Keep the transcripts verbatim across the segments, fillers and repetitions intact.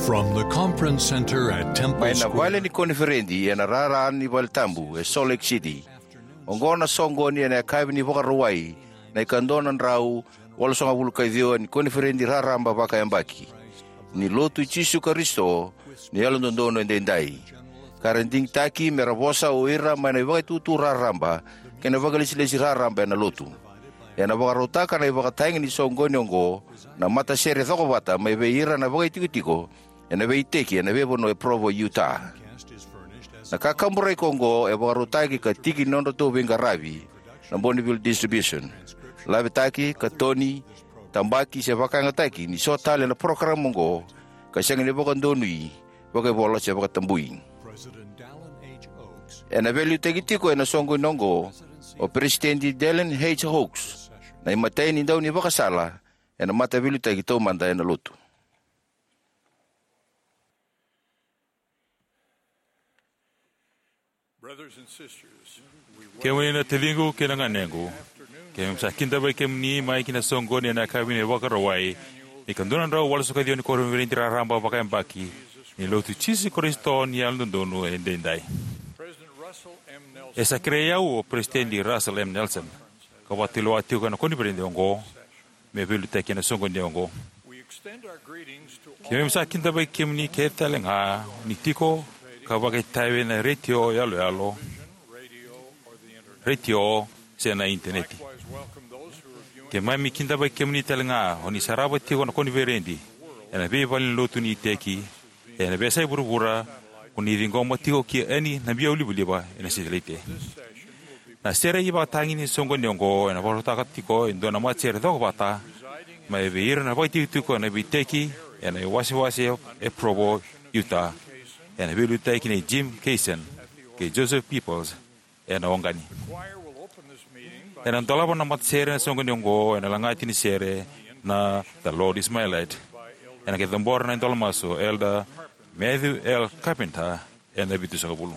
From the conference center at Temple Mai na Square. Vale ni koniferedi ena rara ni vale tabu e Salt Lake City. Oqo na soqoni ena yakavi ni Vakarauwai, na ikadua na drau walusagavulu ka ciwa ni koniferedi raraba vakayabaki ni Lotu i Jisu Karisito ni Yalododonu Edaidai, ka ra digitaki me ra vosa o ira mai na ivakaitutu raraba kei na vakailesilesi raraba ena Lotu. Ena vakarautaka na ivakatagi ni soqoni oqo na matasere cokovata mai vei ira na vakaitikotiko ena veiiteki ena veivanua e Provo, Utah. Na kakaburaki oqo e vakarautaki ka tiki ni nodratou veiqaravi na Bonneville Distribution. Lavetaki, katoni, tabaki se vakayagataki ni so tale na parokaramu oqo ka sega ni vakadonui vakaivola se vakatabui. Ena veiliutaki tiko ena soqoni oqo o Peresitedi Dallin H. Oaks, na imatai ni daunivakasala ena mataveiliutaki taumada ena Lotu. Brothers and sisters, we Kemuni na taciqu kei na ganequ, keimami sa kidavaki kemuni mai ki na soqoni ena yakavi ni Vakarauwai ni ikadua na drau walusagavulu ka ciwa ni koniferedi raraba vakayabaki ni Lotu i Jisu Karisito ni Yalododonu Edaidai. President Russell M. Nelson E sa kerei au o Peresitedi Russell M. Nelson, ka vakatulewa tiko ena koniferedi oqo, me veiliutaki ena soqoni oqo. Keimami sa kidavaki kemuni kece tale ga ni tiko ka vakaitavi ena retio yaloyalo, retio, se na initaneti. Keimami kidavaki kemuni tale ga o ni sarava tiko na koniferedi ena veivalenilotu ni iteki ena veiyasai vuravura, ko ni ciqoma tiko ki Ernie na biau livaliva ena Satellite. Na sere ivakatagi ni soqoni oqo ena vakarautaka tiko e dua na matasere cokovata mai vei ira na vakaitikotiko ena veiiteki ena iwasewase e Provo, Utah, ena veiliutaki nei Jim Kaysen kei Joseph Peoples ena Wagani. Ena dolava na matasere ena soqoni oqo ena lagati ni sere na The Lord Is My Light, ena qai cabora na idola masu o Elder Matthew L. Carpenter ena vitusagavulu.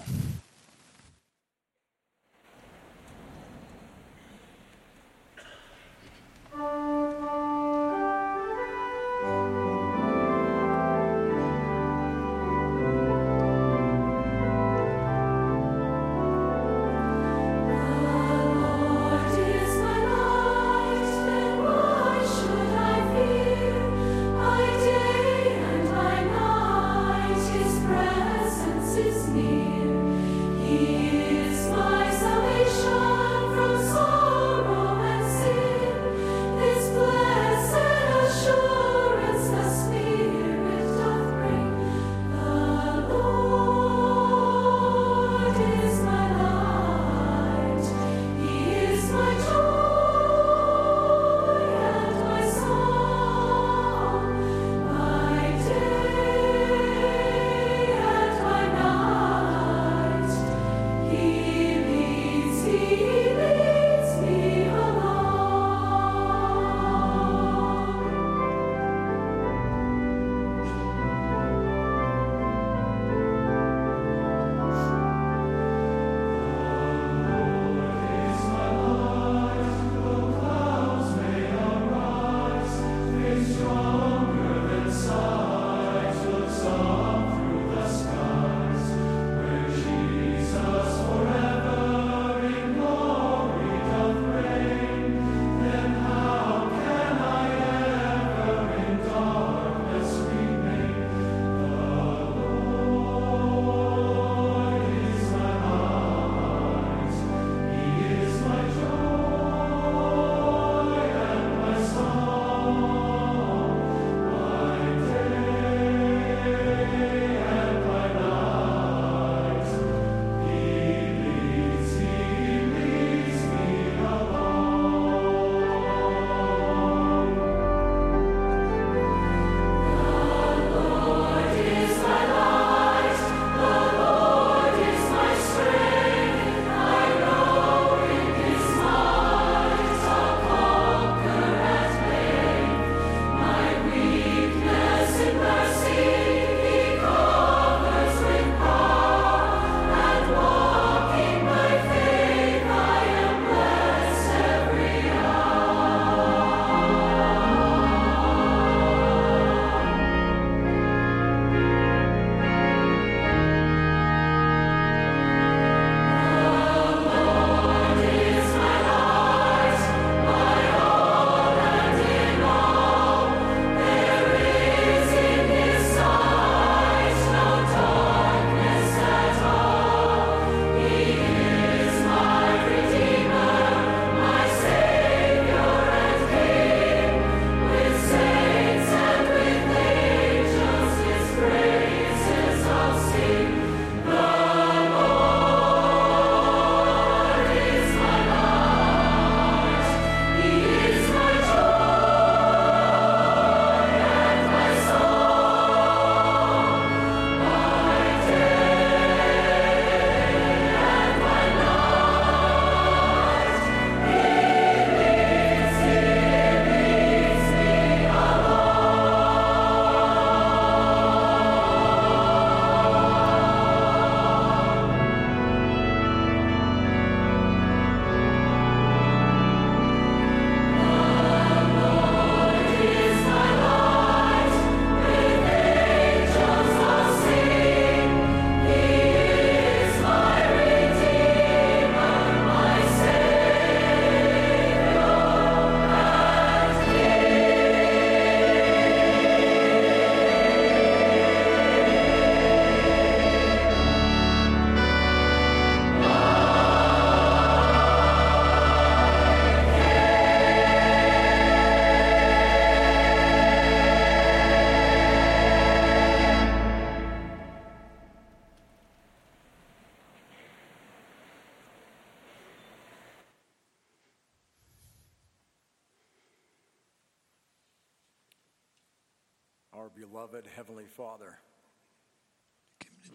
Our beloved Heavenly Father,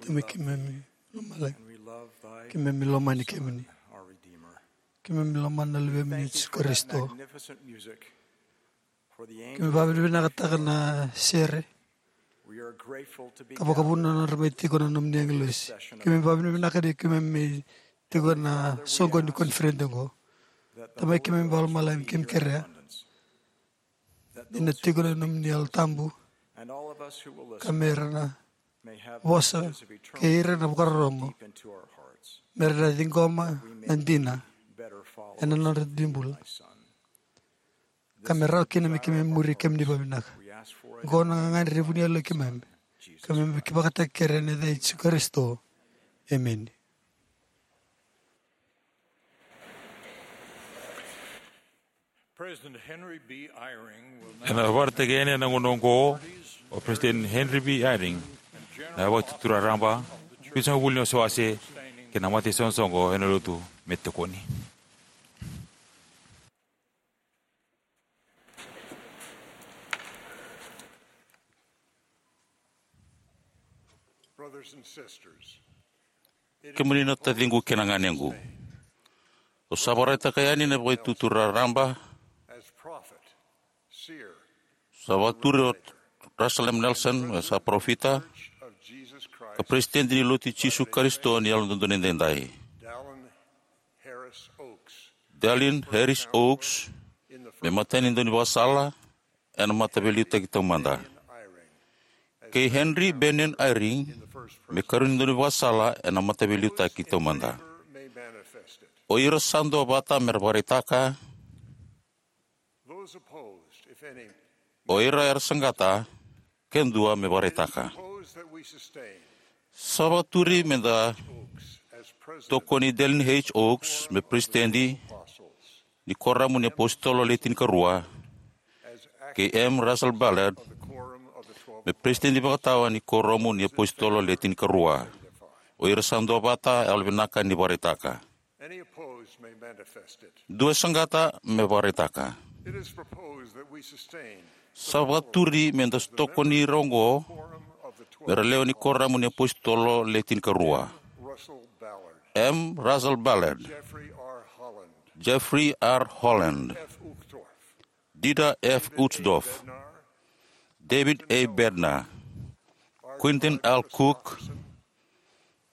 Tama, keimami lomalagi, and we love thy keimami lomani kemuni. Our Redeemer. Keimami lomana na Luvemuni o Jisu Karisito. Keimami vakavinavinakataka na sere ka vakavuna na nodra mai tiko na nomuni agilosi. Keimami vakavinavinaka ni keimami mai tiko na soqo ni koniferedi oqo. Tamai keimami vakalomalagi, keimami kerea ni na tiko na nomuni Yalo Tabu ka me ra na vosa kei ira na vakarorogo, me ra na ciqoma na dina ena nodra dibula, ka me rawa kina me keimami muri kemuni vakavinaka. Oqo na gagadre ni vuniyalo i keimami, ka me vakataki kere ena yaca i Jisu Karisito. Emeni. President Henry B. Eyring will now Ena vakaraitaki yani ena gauna oqo o President Henry B. Eyring, na Vakatutu Raraba, vitusagavulu ni wasewase kei na mata isoqosoqo ena lotu me tokoni. Brothers and sisters, kemuni na taciqu kei na ganequ, au sa vakaraitaka yani na Vakatutu Raraba. As prophet, seer, sa vakaturi o Russell M. Nelson me sa parofita, of Jesus Christ, ka Peresitedi ni Lotu i Jisu Karisito ni Yalododonu Edaidai. Dallin Harris Oaks, Dallin Harris Oaks, in the me first matai ni daunivakasala ena Mataveiliutaki Taumada. Eyring, kei Henry Bennion Eyring, in the first me person, karua ni daunivakasala ena Mataveiliutaki Taumada. Favor may manifest it. O ira sa duavata me ra vakaraitaka. Those opposed, if any, o ira era saqata, ke dua me vakaraitaka. Propose that we sustain Sa vakaturi me da Oaks as president tokoni Dallin H. Oaks me Peresitedi of the Apostles, ni Koramu ni Apositolo Le Tinikarua, as kei M. Russell Ballard of the Quorum of the Twelve, me Peresitedi Vakatawa ni Koramu ni Apositolo Le Tinikarua. O ira sa duavata, yalovinaka ni vakaraitaka. Any opposed may manifest it. Dua e saqata me vakaraitaka. It is proposed that we sustain Sa vakaturi me da tokoni ira oqo Quorum of the Twelve, me ra lewe ni Koramu ni Apositolo Le Tinikarua: Russell Ballard, M. Russell Ballard, Jeffrey R. Holland, Jeffrey R. Holland, F. Uchtdorf, Dieter F. Uchtdorf, Bednar, David A. Bednar, Quentin L. Cook,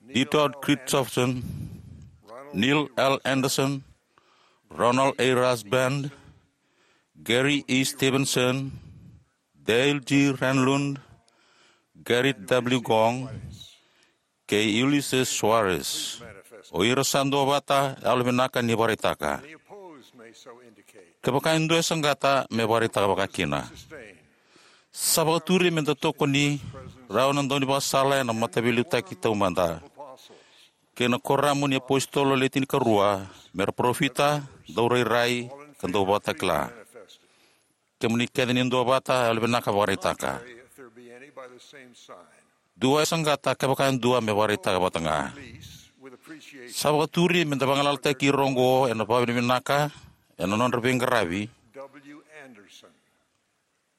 Dieter Christofferson, Neil L. Andersen, Ronald A. Rasband, Gary E. Stevenson, Dale G. Renlund, Gerrit W. Gong, kei Ulisses Soares. O ira sa duavata, yalovinaka ni vakaraitaka. Any opposed may so indicate. Kevaka e dua e saqata, me vakaraitaka vakakina. Sustain. Sa vakaturi me da tokoni rau na daunivakasala ena Mataveiliutaki Taumada, kei na Koramu ni Apositolo Le Tinikarua, me ra parofita, daurairai, ka dauvakatakila. Kemuni kece ni duavata, yalovinaka vakaraitaka. If there be any, by the same sign. Dua e saqata, kevaka e dua, me vakaraitaka vata ga. Sa vakaturi me da vagalalataki ira oqo ena vakavinavinaka ena nodra veiqaravi: W. Anderson,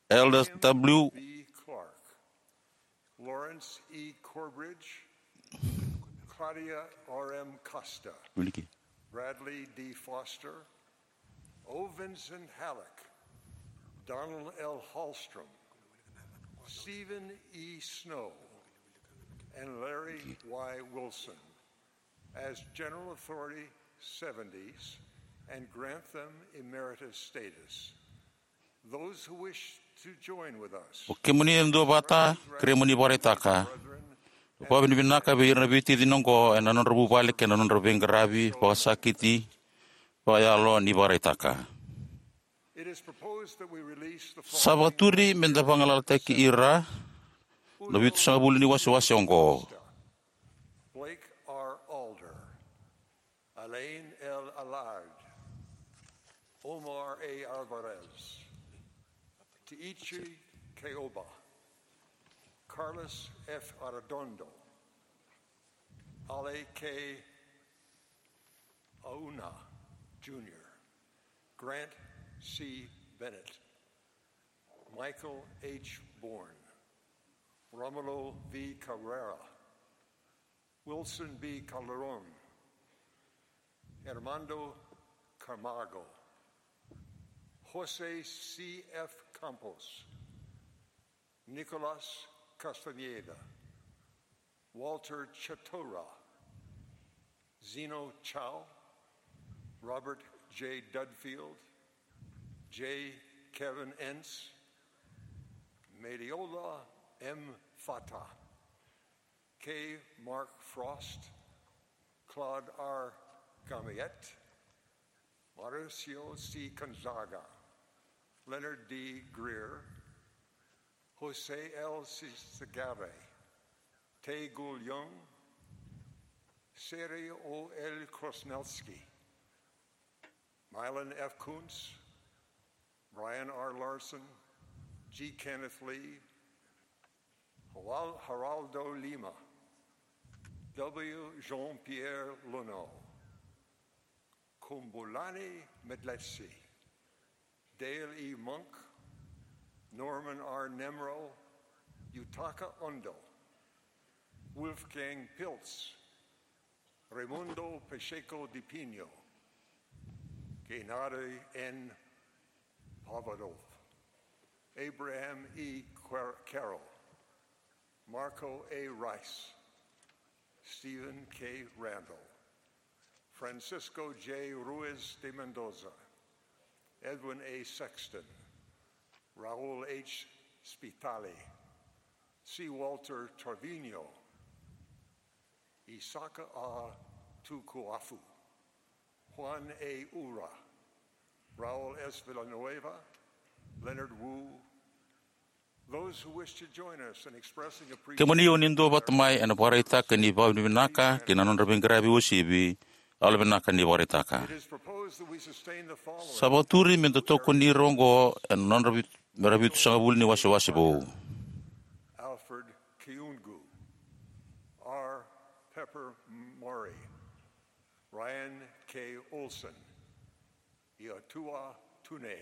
Elders W. B. Clark, Lawrence E. Corbridge, Claudia R. M. Costa, Wilkie, Bradley D. Foster, O. Vinson Halleck, Donald L. Hallstrom, Stephen E. Snow, and Larry Y. Wilson as General Authority seventies and grant them emeritus status. Those who wish to join with us, o kemuni e duavata, kerea mo ni vakaraitaka. Vakavinavinaka vei ira na veitacini oqo ena nodra vuvale kei na nodra veiqaravi vakasakiti vakayalo ni vakaraitaka. It is proposed that we release the following. Sa vakaturi me da vagalalataki ira na vitusagavulu ni wasewase oqo: Blake R. Alder, Alain L. Allard, Omar A. Alvarez, Teiichi Keoba, Carlos F. Arredondo, Ale K. Auna Junior, Grant C. Bennett, Michael H. Bourne, Romulo V. Cabrera, Wilson B. Calderon, Armando Camargo, Jose C. F. Campos, Nicolas Castañeda, Walter Chatura, Zeno Chao, Robert J. Dudfield, J. Kevin Entz, Mediola M. Fata, K. Mark Frost, Claude R. Gamiette, Mauricio C. Gonzaga, Leonard D. Greer, Jose L. Sisagare, Tae Gul Young, Sergio L. Krosnelski, Mylon F. Kuntz, Brian R. Larson, G. Kenneth Lee, Geraldo Lima, W. Jean-Pierre Luneau, Kumbulani Medlesi, Dale E. Monk, Norman R. Nemro, Yutaka Ondo, Wolfgang Pilz, Raimundo Pacheco de Pinho, Gennady N. Pavlov, Abraham E. Car-, Carroll, Marco A. Rice, Stephen K. Randall, Francisco J. Ruiz de Mendoza, Edwin A. Sexton, Raul H. Spitale, C. Walter Trevino, Isaac A. Tukuafu, Juan A. Ura, Raul S. Villanueva, Leonard Wu. Those who wish to join us in expressing appreciation. Kemuni o ni duavata mai ena vakaraitaka ni vakavinavinaka kei na nodra veiqaravi uasivi, yalovinaka ni vakaraitaka. It is proposed that we sustain the following. Sa vakaturi me da tokoni ira oqo ena nodra vit-, mera vitusagavulu ni wasewase vou. Alfred Kiungu, R. Pepper Murray, Ryan K. Olsen, Iatua Tune.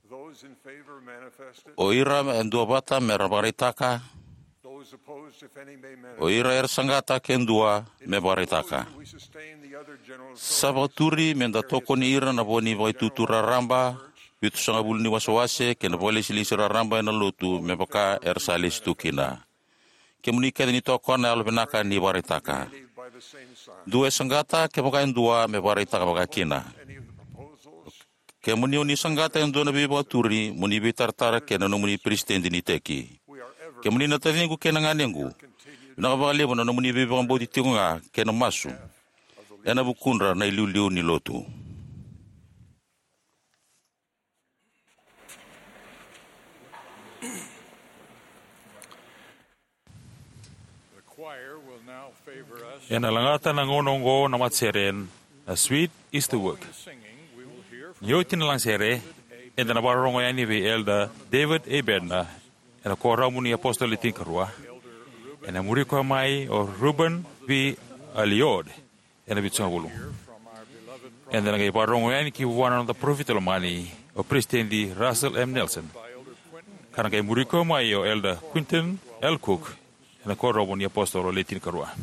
Those in favor manifest it. O ira e duavata mera vakaraitaka. Those opposed, if any, may manifest. O ira era saqata ke dua me vakaraitaka. It is proposed that we sustain the other general authorities. Sa vakaturi me da tokoni ira na vo ni Vakaitutu Raraba, Vitusagavulu ni Wasewase kei na Vakalesilesi Raraba ena Lotu me vaka era sa lesi tu kina. Kemuni kece ni tokona, yalovinaka ni vakaraitaka. Dua e saqata, kevaka e dua, me vakaraitaka vakakina. Kemuni o ni saqata e dua na veivakaturi, mo ni veitaratara kei na nomuni peresitedi ni iteki. Kemuni na taciqu kei na ganequ, vinaka vakalevu na nomuni veivakabauti tiko ga kei na masu ena vukudra na iliuliu ni Lotu. The choir will now favor us. Ena lagata na gauna oqo na matasere na Sweet Is the Work. Ni oti na lagasere, eda na vakarorogo yani vei Elder David A. Bednar ena Kuoramu ni Apositolo Le Tinikarua. Ena muri koya mai o Reuben V. Alliotte ena Vitusagavulu. Eda na qai vakarorogo yani ki vua na noda parofita lomani, o Peresitedi Russell M. Nelson, ka na qai muri koya mai o Elder Quentin L. Cook ena Kuoramu ni Apositolo Le Tinikarua.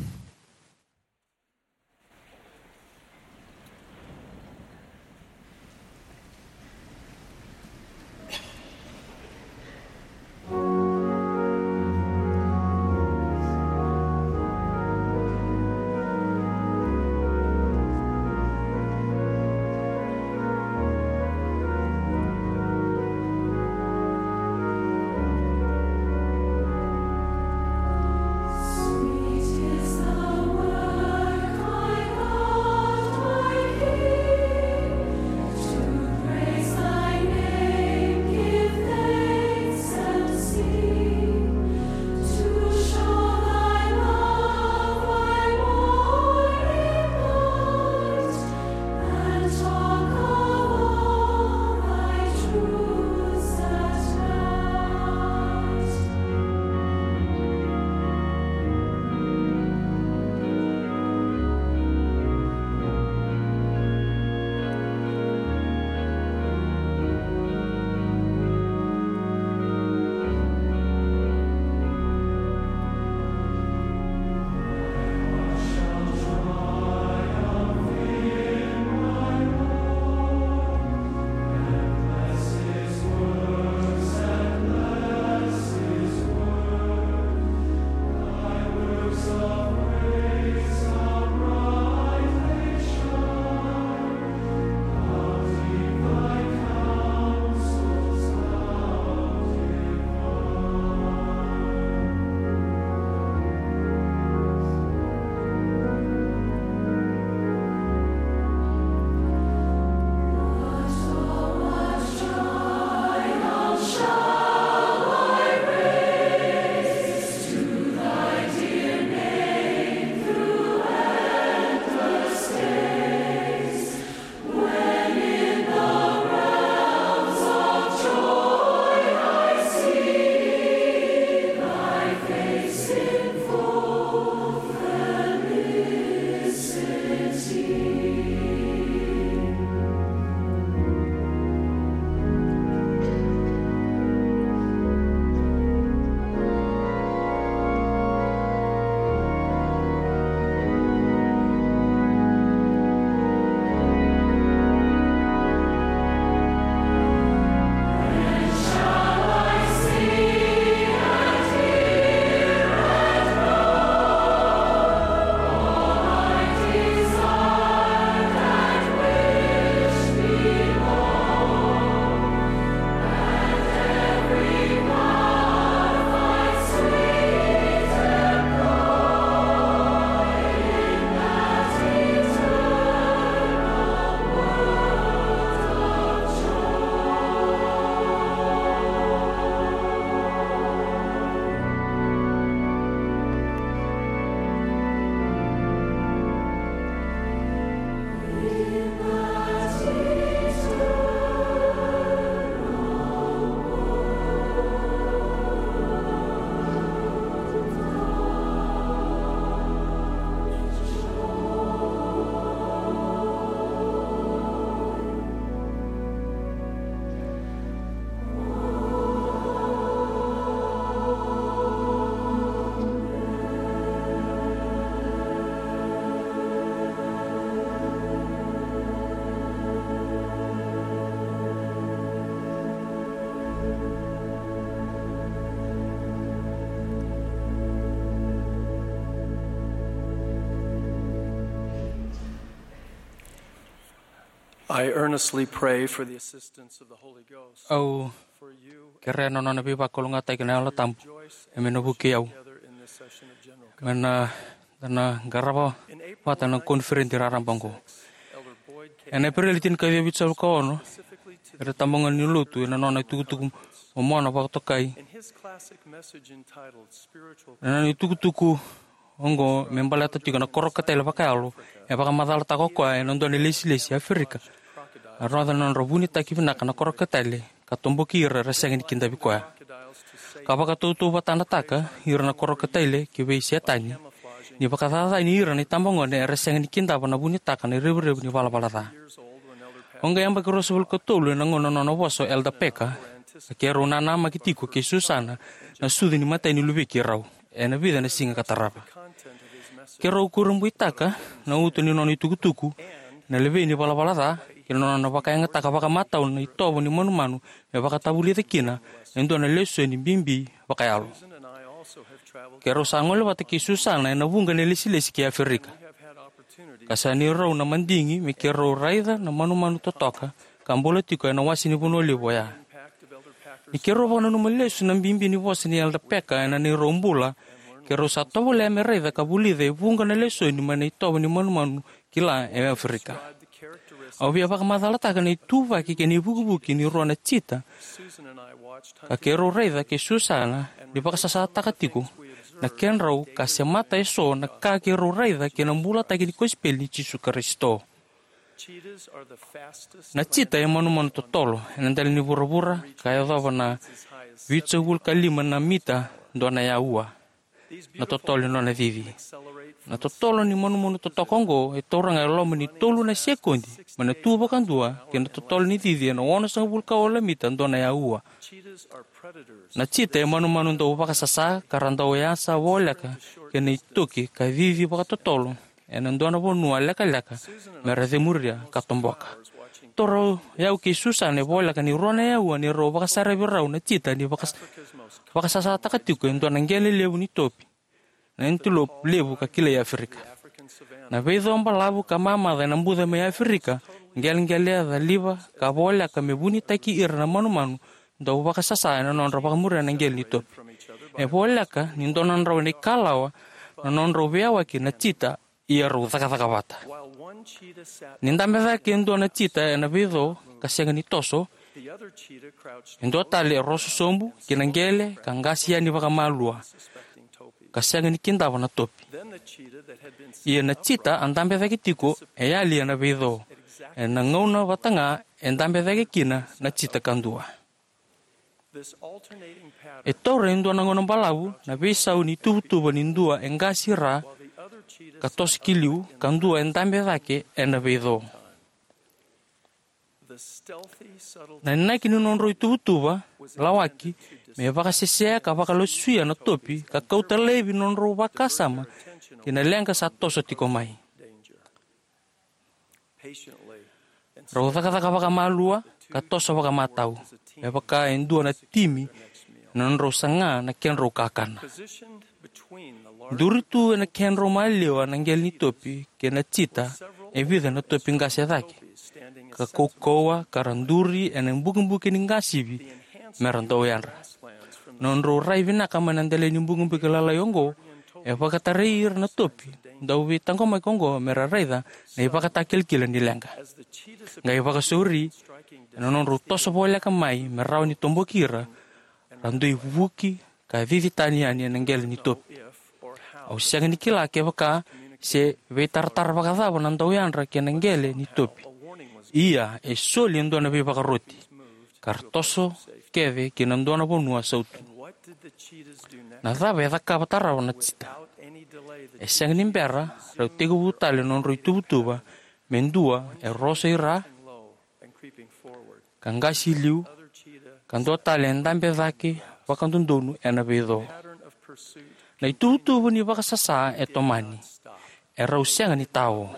I earnestly pray for the assistance of the Holy Ghost. Au kerea na nona veivakalougatataki na Yalo Tabu, e me na vukei au. Me na, da na qarava vata na koniferedi raraba oqo. Ena Epereli tinikaciwa vitusagavulu ka ono, era tabagone ni lotu ena nona itukutuku momona vakatokai. Ena nona itukutuku oqo me baleta tiko na koro katale vakayalo, e vakamacalataka o koya ena dua na lesilesi e Aferika. A rogoca na nodra vunitaki vinaka na koro katale, ka toboki ira era sega ni kidavi koya. Ka vakatautauvatanataka ira na koro katale ki vei Setani, ni vakacacani ira na itabagone era sega ni kidava na vunitaka na revurevu ni valavala ca. Au qai yabaki ruasagavulu ka tolu ena gauna nona vosa o Elder Packer, ka keirau nanamaki tiko kei Susana na sucu ni matai ni luvei keirau ena vica na siga ka tarava. Keirau kurabuitaka na uto ni nona itukutuku, na levei ni valavala ca, kei na nona vakayagataka vakamatau na itovo ni manumanu me vakatavulica kina e dua na lesoni bibi vakayalo. Keirau sa gole vata kei Susana ena vuqa na lesilesi ki Aferika, ka sa neirau na madigi me keirau raica na manumanu totoka ka bula tiko ena wase ni vanua levu oya. Ni keirau vakananuma lesu na bibi ni vosa ni Elder Packer ena neirau bula, keirau sa tovolea me raica ka vulica e vuqa na lesoni mai na itovo ni manumanu kila e Aferika. Au via vakamacalataka na ituvaki kei na ivukivuki ni rua na cheetah, ka keirau raica kei Susana ni vakasasataka tiko na kedrau ka semata eso na ka keirau raica kei na bulataki ni kosipeli ni Jisu Karisito. Na cheetah e manumanu totolo ena dela ni vuravura, ka yacova na vitusagavulu ka lima na mita dua na aua na totolo ni nona cici. Na totolo ni manumanu totoka oqo e taura ga e loma ni tolu na sekodi mai na tu vakadua kei na totolo ni cici ena onosagavulu ka walu na mita dua na aua. Na cheetah e manumanu dau vakasasa, ka ra dau yasa voleka kei na itoki ka cici vakatotolo ena dua na vanua lekaleka me ra cemuria ka toboka. Taura o yau kei Susana e voleka ni rua na aua ni rau vakasaravi rau na cheetah ni vakas-, vakasasataka tiko e dua na qele levu ni topi, na antelope levu ka kilai Aferika. Na veico balavu ka mamaca ena buca mai Aferika, qeleqele e caliva ka voleka me vunitaki ira na manumanu dau vakasasa ena nodra vakamuria na qele ni topi. E voleka ni dua na drau na ikalawa na nodrau veiyawaki na cheetah, ia rau cakacaka vata. Ni dabe cake e dua na cheetah ena veico ka sega ni toso, e dua tale e roso sobu ki na qele ka qasi yani vakamalua, ka sega ni kidava na topi. Ia na cheetah a dabe cake tiko e yali ena veico, ena gauna vata ga e dabe cake kina na cheetah kadua. E taura e dua na gauna balavu na veisau ni tuvatuva ni dua e qasi ra ka toso ki liu, ka dua e dabe cake ena veico. Na inaki ni nodrau ituvatuva lawaki me vakasesea ka vakalasuya na topi ka kauta laivi nodrau vakasama ki na leqa sa toso tiko mai. Rau cakacaka vakamalua ka toso vakamatau, me vaka e dua na timi na nodrau saga na kedrau kakana. Duri tu ena kedrau maliwa na qele ni topi kei na cheetah e vica na topi qase cake, ka kaukauwa ka ra duri ena bukebuke ni qasivi me ra dau yadra. Nodrau rai vinaka mai na dela ni bukebuke lalai oqo e vakatarai ira na topi dau veitaqomaki oqo me ra raica na ivakatakilakila ni leqa. Qai vakasauri ena nodrau toso voleka mai me rawa ni toboki ira, ra dui vuki ka cici tani yani ena qele ni topi. Au sega ni kila kevaka se veitaratara vakacava na dau yadra kei na qele ni topi. Ia e soli e dua na veivakaroti, ka ra toso kece ki na dua na vanua sautu. Na cava e cakava tarava na cheetah? E sega ni bera, rau tekivu tale na nodrau ituvatuva me dua e roso i ra ka qasi i liu, ka dua tale e dabe cake vakadodonu ena veico. Na ituvatuva ni vakasasa e tomani. E rau sega ni tao.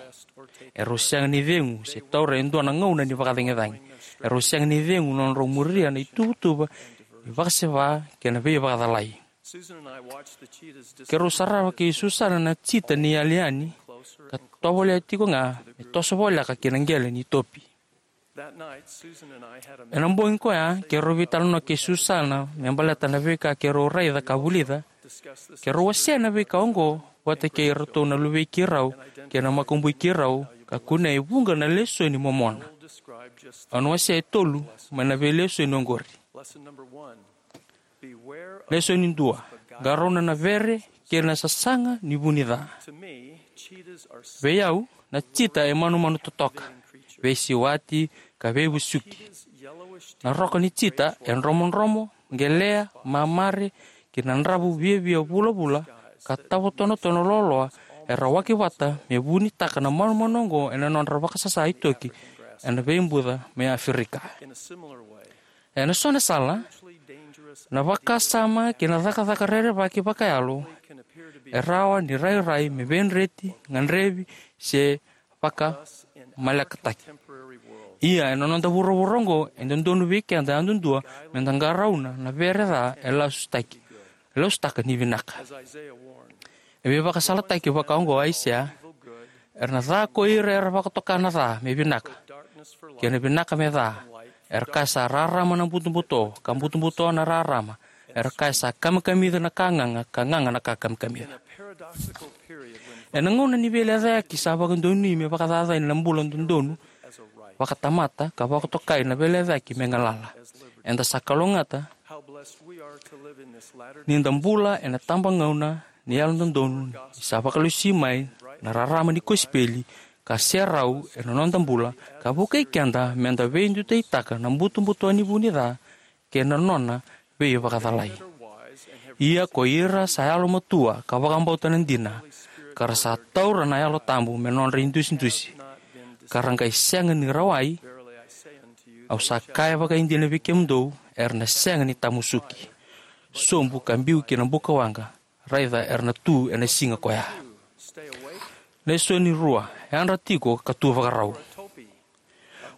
E rau sega ni cegu se taura e dua na gauna ni vakacagicagi. E rau sega ni cegu na nodrau muria na ituvatuva ni vakaseva kei na veivakacalai. Keirau sarava kei Susana na cheetah ni yali yani, ka tovolea tiko ga me toso voleka ki na qele ni topi. Ena bogi koya, keirau veitalanoa kei Susana me baleta na veika keirau raica ka vulica. Keirau wasea na veika oqo vata kei iratou na luvei keirau kei na makubui keirau, ka kunea e vuqa na lesoni momona. Au na wasea e tolu mai na veilesoni oqori. Lesoni dua: Qarauna na vere kei na sasaga ni vu ni ca. Vei au, na cheetah e manumanu totoka, veisiwati, ka veivusuki. Na roka ni cheetah e dromodromo, qeleya, mamare, kei na dravu viavia vulavula ka tavotonotona loaloa era waki vata me vunitaka na manumanu oqo ena nodra vakasasa itoki ena veibuca mai Aferika. Ena so na sala, na vakasama kei na cakacaka rerevaki vakayalo e rawa ni rairai me veidreti, gadrevi, se vakamalekataki. Ia, ena noda vuravura oqo, e dodonu vei keda yadudua me da qarauna na vere ca e lasutaki, e lasutaka ni vinaka. E veivakasalataki vaka oqo o Aisea: Era na ca ko ira era vakatoka na ca me vinaka, kei na vinaka me ca. Era kaya sa rarama na butobuto, ka butobuto na rarama. Era kaya sa kamikamica na ka gaga, ka gaga na ka kamikamica. Ena gauna ni veilecayaki sa vakadonui me vakacacani na bula dodonu vakatamata ka vakatokai na veilecayaki me galala, eda sa kalougata ni da bula ena tabagauna ni yalododonu ni sa vakalesui mai na rarama ni kosipeli ka serau ena noda bula, ka vukei keda me da veidutaitaka na butobuto ni vu ni ca kei na nona veivakacalai. Ia ko ira sa yalomatua ka vakabauta na dina, ka ra sa taura na Yalo Tabu me nodra idusidusi, ka ra qai sega ni rawai, au sa kaya vakaidina vei kemudou, era na sega ni tamusuki, sobu ka biu ki na buka waqa. Raica, era na tu ena siga koya. Lesoni rua: Yadra tiko ka tu vakarau.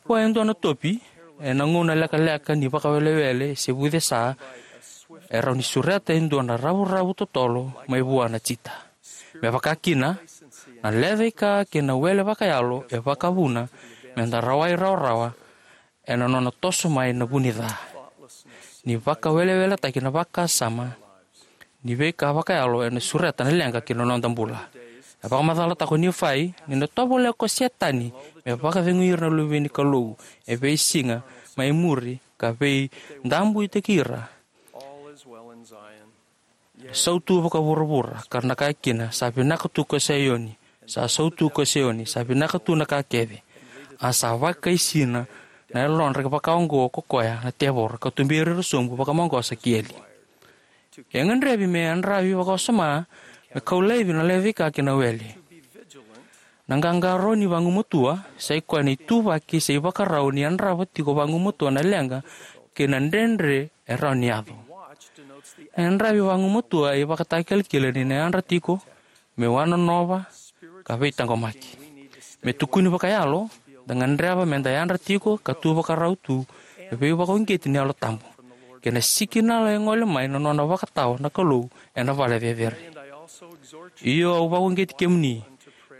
Vua e dua na topi, ena gauna lekaleka ni vakawelewele se vucesa, e rawa ni sureta e dua na ravuravu totolo mai vua na cheetah. Me vaka kina, na lecaika kei na wele vakayalo e vakavuna me da rawai rawarawa ena nona toso mai na vu ni ca. Ni vakaweleweletaki na vakasama ni veika vakayalo ena sureta na leqa ki na noda bula. E vakamacalataka o Nifai ni na tovolea ko Setani me vakacegui ira na luve ni Kalou e veisiga mai muri ka veidabuitaki ira. Sautu vakavuravura, ka ra na kaya kina, sa vinaka tu ko Saioni, sa sautu ko Saioni, sa vinaka tu na ka kece. A sa vakaisina na yalodra vaka oqo ko koya na tevoro, ka tuberi ira sobu vakamaqosa ki eli. E gadrevi me yadravi vakawasoma me kau laivi na lecaika kei na wele. Na qaqarauni vagumatua sa i koya na ituvaki se ivakarau ni yadrava tiko vagumatua na leqa kei na dredre e rawa ni yaco. Na yadravi vagumatua e ivakatakilakila ni na yadra tiko, me wanonova, ka veitaqomaki. Me tukuni vakayalo, da gadreva me da yadra tiko ka tu vakarau tu, e veivakauqeti ni Yalo Tabu kei na sikinala e gole mai na nona vakatawa na Kalou ena vale cecere. Io, au vakauqeti kemuni,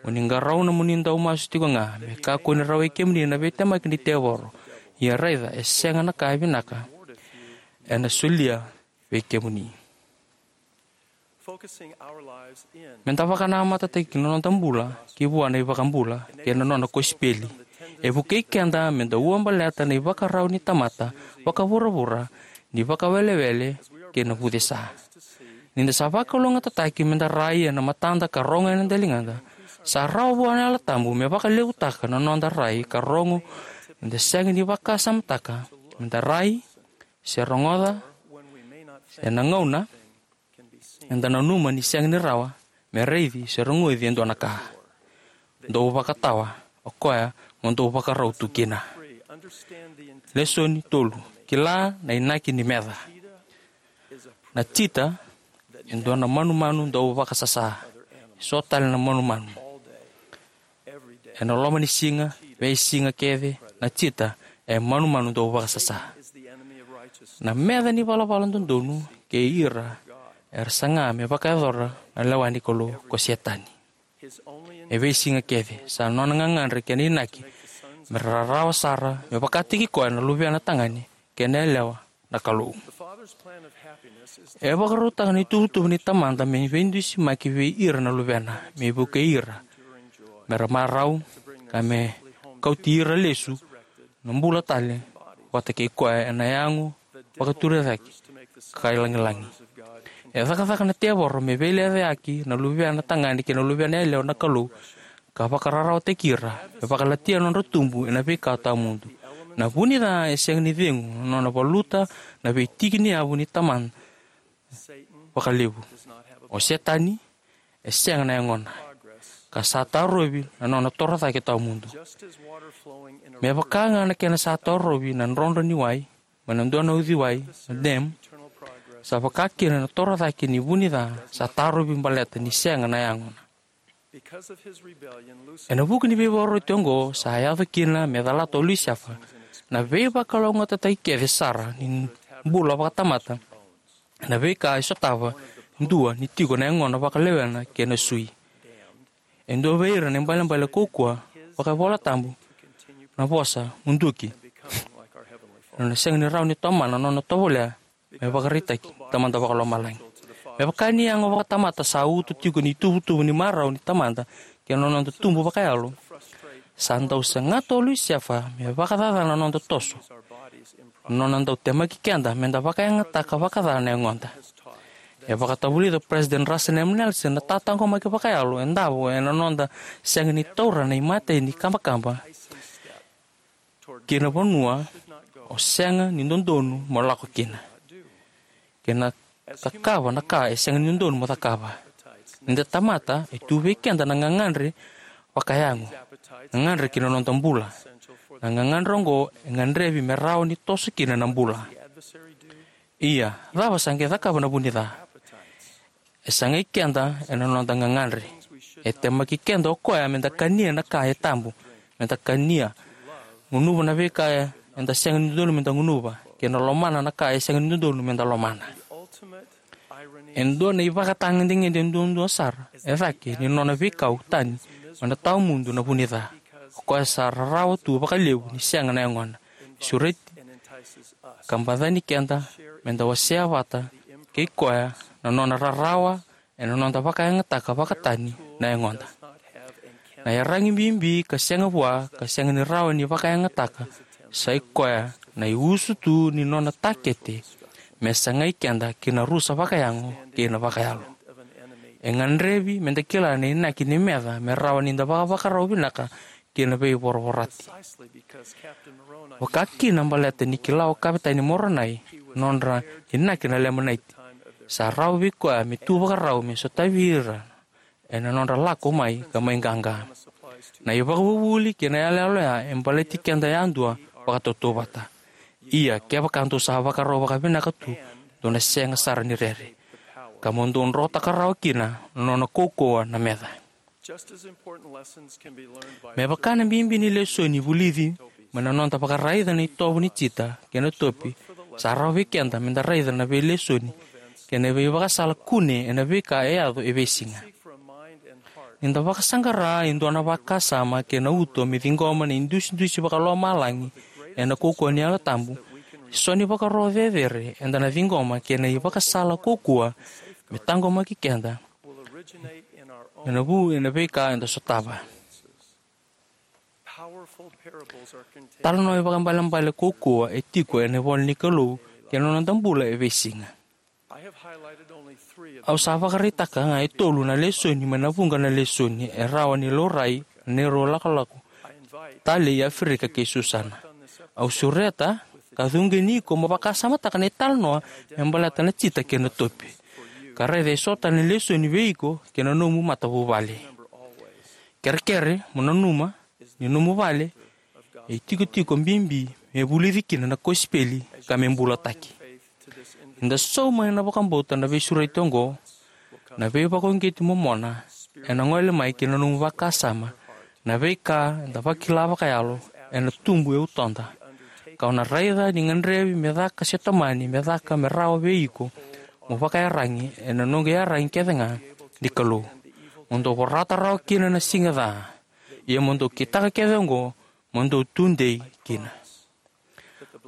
mo ni qarauna mo ni dau masu tiko ga, me kakua ni rawai kemuni na veitemaki ni tevoro. Ia raica, e sega na ka e vinaka ena solia vei kemuni. Me da vakanamatataki na noda bula ki vua na iVakabula kei na nona kosipeli e vukei keda me da ua baleta na ivakarau ni tamata vakavuravura ni vakawelewele kei na vucesa. Ni da sa vakalougatataki me da rai ena matada ka rogo ena daligada, sa rawa vua na Yalo Tabu me vakalevutaka na noda rai ka rogo ni da sega ni vakasamataka me da rai, se rogoca, se na gauna eda nanuma ni sega ni rawa me raici se rogoci e dua na ka. Dou vakatawa, o koya mo dou vakarau tu kina. Lesoni tolu: Kila na inaki ni meca. Na cheetah e dua na manumanu dau vakasasa. E so tale na manumanu. Ena loma ni siga, veisiga kece, na cheetah e manumanu dau vakasasa. Na meca ni valavala dodonu kei ira era saga me vakayacora na lewa ni Kalou ko Setani. E veisiga kece, sa nona gagadre kei na inaki me ra rarawa sara me vakataki koya na luvena tagane kei na yalewa na Kalou. E vakarautaka na ituvatuva ni Tamada me veidusimaki vei ira na luvena, me vukei ira me ra marau, ka me kauti ira lesu na bula tale vata kei koya ena yago vakaturicake ka ilagilagi. E cakacaka na tevoro me veilecayaki na luvena tagane kei na luvena yalewa na Kalou, ka vakararawataki ira, me vakalatia na nodra tubu ena veika tawamudu. Na vu ni ca e sega ni cegu na nona valuta na veitiki ni yavu ni Tamada vakalevu. O Setani e sega na yagona, ka sa tarovi na nona torocake tawamudu. Me vaka ga na kena sa tarovi na drodro ni wai mai na dua na uciwai, na dam, sa vaka kina na torocake ni vu ni ca sa tarovi baleta ni sega na yagona. Ena vuku ni veivakaroti oqo, sa yaco kina me calata o Lusefa na veivakalougatataki kece sara ni bula vakatamata, na veika e sotava dua ni tiko na yagona vakalewena kei na sui. E dua vei ira na ibalebale kaukauwa vakaivolatabu na vosa muduki. Na nona sega ni rawa ni tomana na nona tovolea me vakaraitaki Tamada Vakalomalagi. Me vaka ni yago vakatamata sa uto tiko ni tuvatuva ni marau ni Tamada kei na noda tubu vakayalo, sa dau sagata o Lusefa me vakacacana na noda toso, na nona dau temaki keda me da vakayagataka vakaca na yagoda. E vakatavulica o President Russell M. Nelson na tataqomaki vakayalo e davo ena noda sega ni taura na imatai ni kabakaba ki na vanua o sega ni dodonu mo lako kina, kei na cakava na ka e sega ni dodonu mo cakava. Ni da tamata, e tu vei keda na gagadre vakayago, gagadre ki na noda bula. Na gagadre oqo e gadrevi me rawa ni toso kina na bula. Ia, cava sa qai cakava na vu ni ca? E sagai keda ena noda gagadre. E temaki keda o koya me da kania na ka e tabu, me da kania, gunuva na veika eda sega ni dodonu me da gunuva, kei na lomana na ka e sega ni dodonu me da lomana. E dua na ivakatagedegede duadua sara e cake ni nona veikau tani mai na tawamudu na vu ni ca. O koya sa rarawa tu vakalevu ni sega na yagona, sureti ka bacani keda me da wasea vata kei koya na nona rarawa ena noda vakayagataka vakatani na yagoda. Na iyaragi bibi ka sega vua ka sega ni rawa ni vakayagataka, sa i koya na iusutu ni nona takete me sagai keda ki na rusa vakayago kei na vakayalo. E gadrevi me da kila na inaki ni meca me rawa ni da vakavakarau vinaka ki na veivoravorati. Vaka kina baleta ni kila o Kavetani Moronai na nodra inaki na Lemanaiti, sa rawa vei koya me tu vakarau me sotavi ira ena nodra lako mai ka mai qaqa. Na ivakavuvuli kei na iyaloyalo ya e baleti keda yadua vakatautauvata. Ia, kevaka dou sa vakarau vakavinaka tu, dou na sega sara ni rere, ka mo dou drotaka rawa kina na nona kaukauwa na meca. Me vaka na bibi ni lesoni vulici mai na noda vakaraica na itovo ni jita kei na topi, sa rawa vei keda me da raica na veilesoni kei na veivakasala kune ena veika e yaco e veisiga. Ni da vakasaqara e dua na vakasama kei na uto me ciqoma na idusidusi vakalomalagi ena kaukauwa ni Yalo Tabu, e so ni vakaro cecere eda na ciqoma kei na ivakasala kaukauwa me taqomaki keda ena vu ena veika eda sotava. Talanoa ivakaibalebale kaukauwa e tiko ena ivola ni Kalou kei na noda bula e veisiga. Au sa vakaraitaka ga e tolu na lesoni mai na vuqa na lesoni e rawa ni laurai ena neirau lakolako talei i Aferika kei Susana. Au sureta ka cuqeni iko mo vakasamataka na italanoa me baleta na jita kei na topi, ka raica e so tale na lesoni vei iko kei na nomu matavuvale. Kerekere mo nanuma ni nomu vale e itikotiko bibi me vulici kina na kosipeli ka me bulataki. Ni da sauma ena vakabauta na veisureti oqo, na veivakauqeti momona ena gole mai ki na nomu vakasama. Na veika eda vakila vakayalo ena tubu e utoda, ka o na raica ni gadrevi me caka se tomani me caka me rawa vei iko mo vakaiyaragi ena noqu iyaragi kece ga ni Kalou. Mo dou vorata rawa kina na siga ca. Ia mo dou kitaka kece oqo, mo dou tudei kina.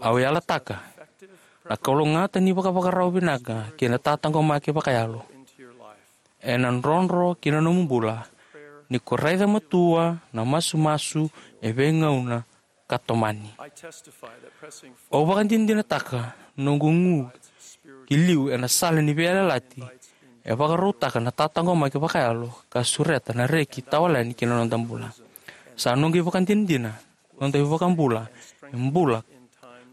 Au yalataka na kalougata ni vakavakarau vinaka kei na tataqomaki vakayalo ena drodro ki na nomu bula, ni ko raica matua na masumasu e veigauna ka tomani. Au vakadinadinataka noqu gu ki liu ena sala ni veiyalayalati e vakarautaka na tataqomaki vakayalo ka sureta na reki tawayalani ki na noda bula. Sa noqu ivakadinadina noda iVakabula e bula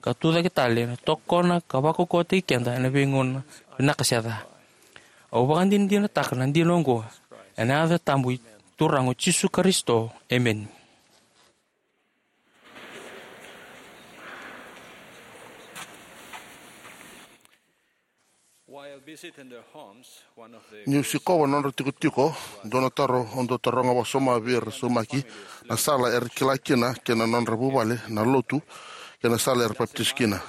ka tucake tale na tokona ka vakaukauwataki keda ena veigauna vinaka se ca. Au vakadinadinataka na dina oqo ena yaca tabu i Turaga o Jisu Karisito. Emeni. Niu sikova na nodra tikotiko, dua na taro au dau taroga vakasoma vei ira saumaki na sala era kila kina kei na nodra vuvale na lotu kei na sala era papitaiso kina.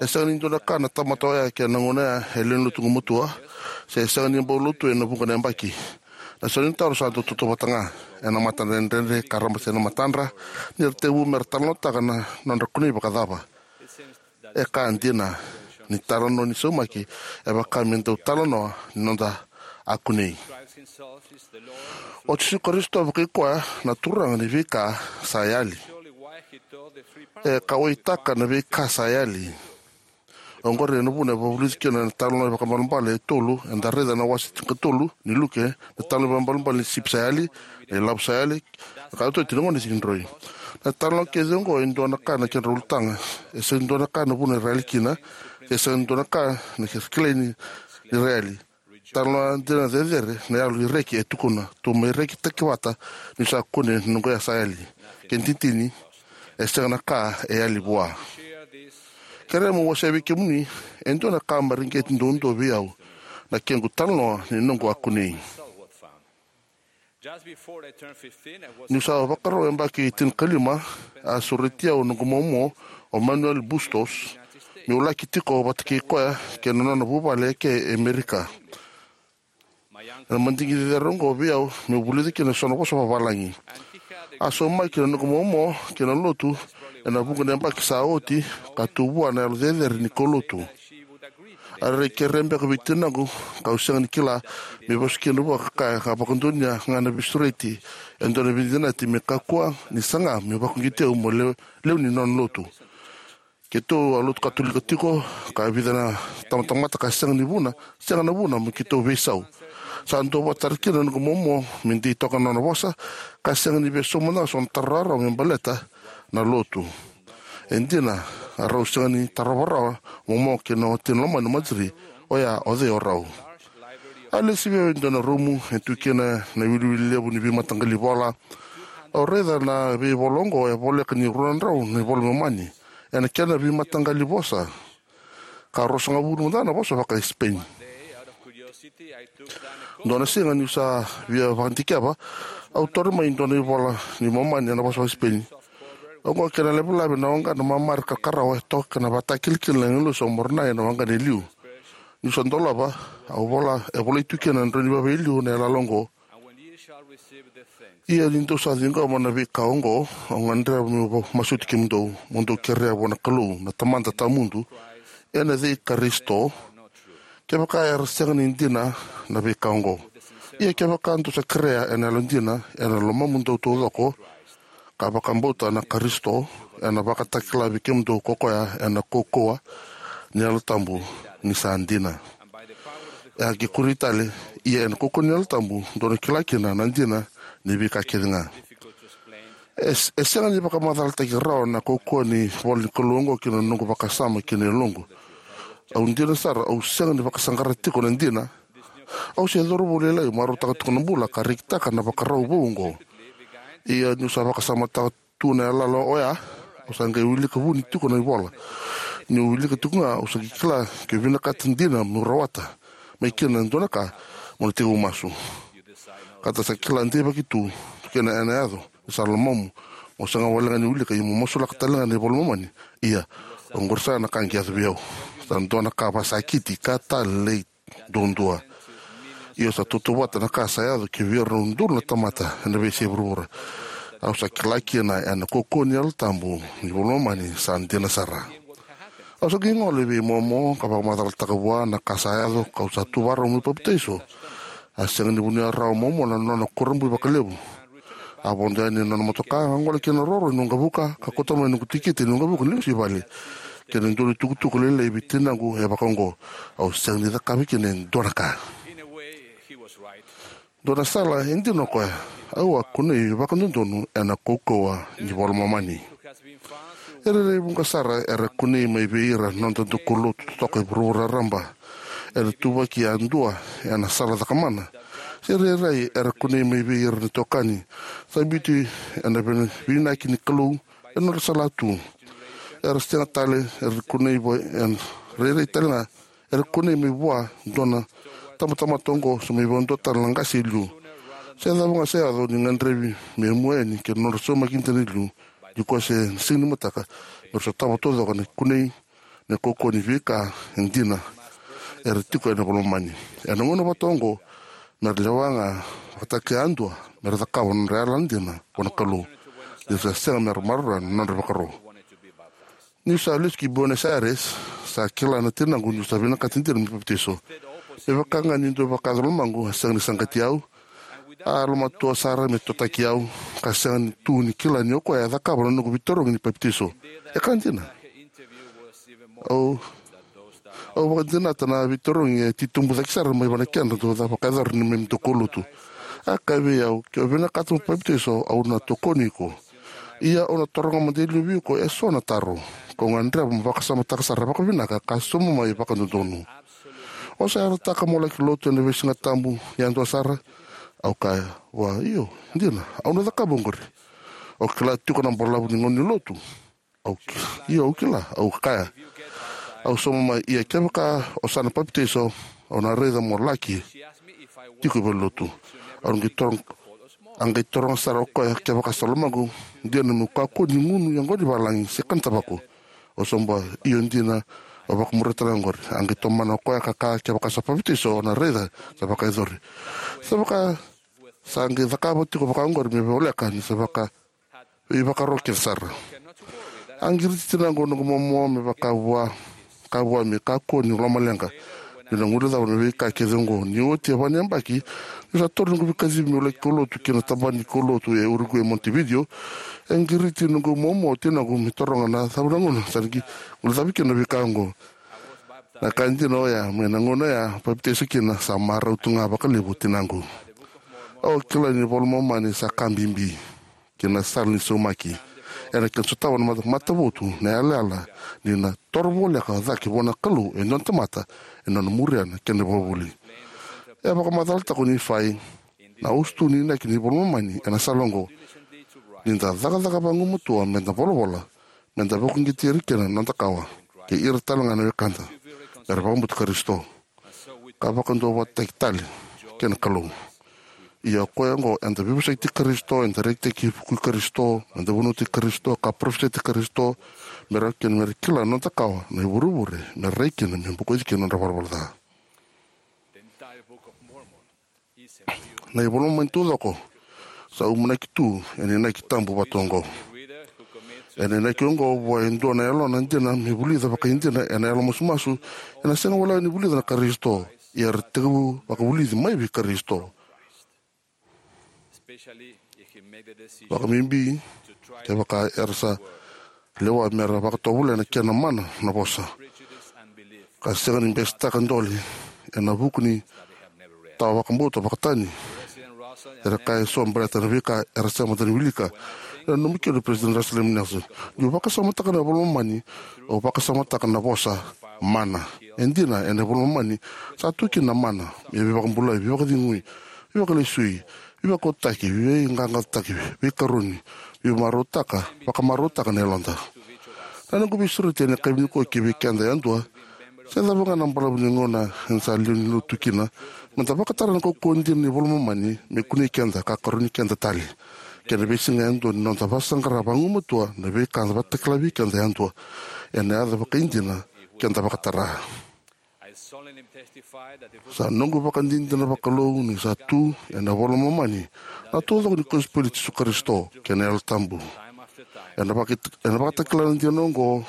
E sega ni dua na ka na tamata oya kei na gauna ya e lewe ni lotu gumatua, se e sega ni bau lotu ena vuqa na yabaki. Na sau ni taro sa dau tautauvata ga, ena matadredredre ka rabasai na matadra ni ra tekivu me ra talanoataka na nodra kunei vakacava. E ka dina ni talanoa ni saumaki e vaka me dau talanoa ni noda a kunei. O Jisu Karisito vakai koya na Turaga ni veika sa yali. E kauwaitaka na veika sa yali. Oqori ena vuna e vakavulici kina na italanoa vakaibalebale e tolu eda raica na wase tinikatolu ni Luke, na italanoa vakaibalebale ni sipi sa yali, na ilavo sa yali, na ka tototi na gone sigidroi. Na italanoa kece oqo e dua na ka na kedra ulutaga. E sega ni dua na ka na vuna era yali kina, e sega ni dua na ka na kera kilai ni, ni ra yali. Talanoa dina cecere na yalo ni reki e tukuna, tou mai rekitaki vata niu sa kune na noqu ya sa yali. Ke titini, e sega na ka e yali vua. Kerea meu wasea vei kemuni e dua na ka mareqeti duadua vei au, na kequ talanoa ni noqu a kunei. Niu sa vakarau yabaki tinikalima, a sureti au noqu momo o Manuel Bustos meu laki tiko vata kei koya kei na nona vuvale eke e Amerika. Ena madigi cecere oqo vei au meu vulica kina eso na vosa vavalagi. A saumaki na noqu momo kei na lotu ena vuqa na yabaki sa oti, ka tu vua na yalo cecere ni kaulotu. A rairai kerea beka vei tinaqu, kau sega ni kila, me vosa kina vua ka kaya ka vakadonuya ga na veisureti e dua na veicinadi me kakua ni saga me vakauqeti au mo lewe, lewe ni nona lotu. Keitou a lotu Katolika tiko, ka vica na tamatamata ka sega ni vuna, sega na vuna mo keitou veisau. Sa duavata sara kina na noqu momo me dei toka na nona vosa, ka sega ni via sauma na so na taro rawarawa me baleta na lotu. E dina, a rau sega ni tarova rawa o momo kei na watina lomani o Marjorie, oya o cei o rau. A lesi vei au e dua na rumu e tu kina na iwiliwili levu ni veimataqali vola. Au raica na veivola oqo e voleka ni rua na drau na ivola Momani ena kena veimataqali vosa, ka ruasagavulu mada na vosa vaka-Sipeni. Dua na siga niu sa via vakadikeva, au taura mai e dua na ivola ni Momani ena vosa vaka-Sipeni. Oqo kena lavelave na waqa na mamare ka karawa e toka kei na vakatakilakila na agilosi o Moronai ena waqa e liu. Niu sa dolava, au vola, e volai tu kina na drau ni vava e liu na yalayala oqo. Ia ni dou sa ciqoma na veika oqo, au gadreva meu masuti kemudou, mo dou kerea vua na Kalou na Tamada tawamudu, ena yaca i Karisito, kevaka era sega ni dina na veika oqo. Ia kevaka dou sa kerea ena yalodina, ena lomamudou taucoko, ka vakabauta na Karisito, ena vakatakila vei kemudou ko koya ena kaukauwa ni Yalo Tabu ni sa dina. E a qai kuri tale, ia ena kaukauwa ni Yalo Tabu dou na kila kina na dina ni veika kece ga. E, e sega ni vakamacalataki rawa na kaukauwa ni ivola ni Kalou oqo ki na noqu vakasama kei na yaloqu. Au dina sara, au sega ni vakasaqara tiko na dina. Au se cauravou lailai marautaka tiko na bula ka rekitaka na ivakarau vou oqo. Ia niu sa vakasamataka tu na yalayala oya, au sa qai wilika vuni tiko na ivola. Niu wilika tiko ga, au sa qai kila ke vinakata dina meu rawata mai kina e dua na ka, meu na tekivu masu. Ka da sa kila deivaki tu kina ena yaco ni sa lomamu, mo sega walega ni wilika, ia mo masulaka talega na iVola i Momani. Ia, oqori sara na ka qai yaco vei au. Sa dua na ka vakasakiti ka talei duadua. Ia sa tautauvata na ka sa yaco ki vei ira na udolu na tamata ena veiyasai vuravura. Au sa kila kina ena kaukauwa ni Yalo Tabu ni iVola i Momani sa dina sara. Au sa qai gole vei Momo ka vakamacalataka vua na ka sa yaco, kau sa tu vakarau meu papitaiso. A sega ni vunia rawa o Momo na nona kurabui vakalevu. A vodo yani ena nona motoka, a gole ki na roro ni waqavuka, ka kauta mai na noqu tikite ni waqavuka ni lesu i vale kei na dua na itukutuku lailai vei tinaqu e vakaoqo: Au sega ni cakava kina e dua na ka. Dua na sala, e dina o koya. Au a kunei vakadodonu ena kaukauwa ni iVola i Momani. E rairai vuqa sara era kunei mai vei ira na noda daukaulotu totoka e vuravura raraba. Era tuvaki yadua ena sala cakamana. Se rairai era kunei mai vei ira na itokani sa biuti ena vei-, veivinaka ni Kalou ena nodra salatu. Era sega tale, era kunei vua, era rairai tale ga era kunei mai vua dua na tabatamata oqo, se mai vua dua tale na qase e liu. Se cava ga se yaco, ni gadrevi me mua yani ki na nodra saumaki dina e liu, ni koya se sega ni mataka, me ra sotava taucoko na kunei, na kaukauwa ni veika e dina era tiko ena iVola i Momani. Ena gauna vata oqo, me ra lewa ga vakataki yadua me ra cakava na nodra yalana dina vua na Kalou, ni ra sa sega me ra maroroya na nodra ivakaro. Niu sa lesu ki Buenos Aires, sa kila na tinaqu niu sa vinakata dina meu papitaiso. Me vaka ga ni dua vakayaco lomaqu, a sega ni saqati au, a yalomatua sara me totaki au, ka sega tu ni kila ni o koya e cakava na noqu veitarogi ni papitaiso. E ka dina. Au, au vakadinata na veitarogi e titobu cake sara mai vua na kena dau vakayacori ni neimami daukaulotu. A kaya vei au, ke o vinakata mo papitaiso, au na tokoni iko. Ia au na taroga mada e liu vei iko eso na taro, kau gadreva mo vakasamataka sara vakavinaka ka sauma mai vakadodonu. O sa yalataka mo laki lotu ena veisiga tabu yadua sara? Au kaya vua, io, dina, au na cakava oqori. O kila tiko na balavu ni gauna ni lotu? Au ki-, io, au kila. Au kaya, au sauma mai, ia kevaka o sa na papitaiso, au na raica mo laki tiko i valenilotu. Au qai taroga, a qai taroga sara o koya kevaka sa lomaqu dina meu kakua ni gunu yaqona ni valagi se kana tavako. Au sauma, io dina, au vakamuria tale ga oqori. A qai tomana o koya ka kaya kevaka sa papitaiso, au na raica sa vakayacori. Sa vaka sa qai cakava tiko vakaoqori me voleka ni sa vaka veivakaro kece sara. A qiriti tinaqu o noqu momo me vaka vua, ka vua me kakua ni lomaleqa. Niu na guilecava na veika kece oqo, ni oti e va na yabaki, niu sa taura noqu veikacivi meu laki kaulotu ki na tabana ni kaulotu e Uruguay, Montevideo. E qiriti noqu momo o tinaqu me taroga na cava na gauna sa na qai guilecavi kina na veika oqo. Na ka dina oya, mai na gauna oya papitaiso kina, sa marau tu ga vakalevu o tinaqu. Au kila ni iVola i Momani sa ka bibi kei na sala ni saumaki. Ena kena sotava na mata-, matavotu na yalayala ni na toro voleka cake vua na Kalou e dua na tamata ena nona muria na kena ivakavuvuli. E vakamacalataka o Nifai na usutu ni inaki ni iVola i Momani ena sala oqo: Ni da cakacaka vagumatua me da volavola, me da vakauqeti ira kina na noda kawa, kei ira tale ga na wekada, me ra vakabauti Karisito, ka vakaduavatataki tale kei na Kalou. Ia o koya oqo, eda veivosakitaki Karisito, eda rekitaki vukui Karisito, eda vunautaki Karisito, ka parofisaitaki Karisito, me ra kina, me ra kila na noda kawa na ivurevure me ra rai kina me bokoci kina na nodra valavala ca. Na iVola i Momani taucoko sa umanaki tu ena inaki tabu vata oqo. Ena inaki oqo vua e dua na yalona dina me vulica vakaidina ena yalo masumasu, ena sega walega ni vulica na Karisito, ia era tekivu vakavulici mai vei Karisito. Vakabibi kevaka era sa lewa me ra vakatovolea na kena mana na vosa, ka sega ni besetaka dole ena vuku ni tawa vakabauta vakatani. Era kaya eso baleta na veika era sega mada ni wilika. Ena nomu kena, President Russell M. Nelson, niu vakasamataka na iVola i Momani, au vakasamataka na vosa mana. E dina, ena iVola i Momani sa tu kina na mana me veivakabulai, veivakacegui, veivakalesui, veivakaotaki, veiqaqacotaki, veikaroni, veimarautaka, vakamarautaka na yaloda. Na noqu veisureti ena yakavi nikua ki vei keda yadua, se cava ga na balavu ni gauna eda sa lewe ni lotu kina, meda vakatara na kaukauwa dina ni iVola i Momani me kunei keda ka karoni keda tale ki na veisiga yadua ni noda vakasaqara vagumatua na veika eda vakatakila vei keda yadua ena yaca vakaidina keda vakatara. Sa noqu vakadinadina vakalou ni sa tu ena iVola i Momani na taucoko ni kosipeli i Jisu Karisito kei na Yalo Tabu. Ena vaka- ena vakatakila na dina oqo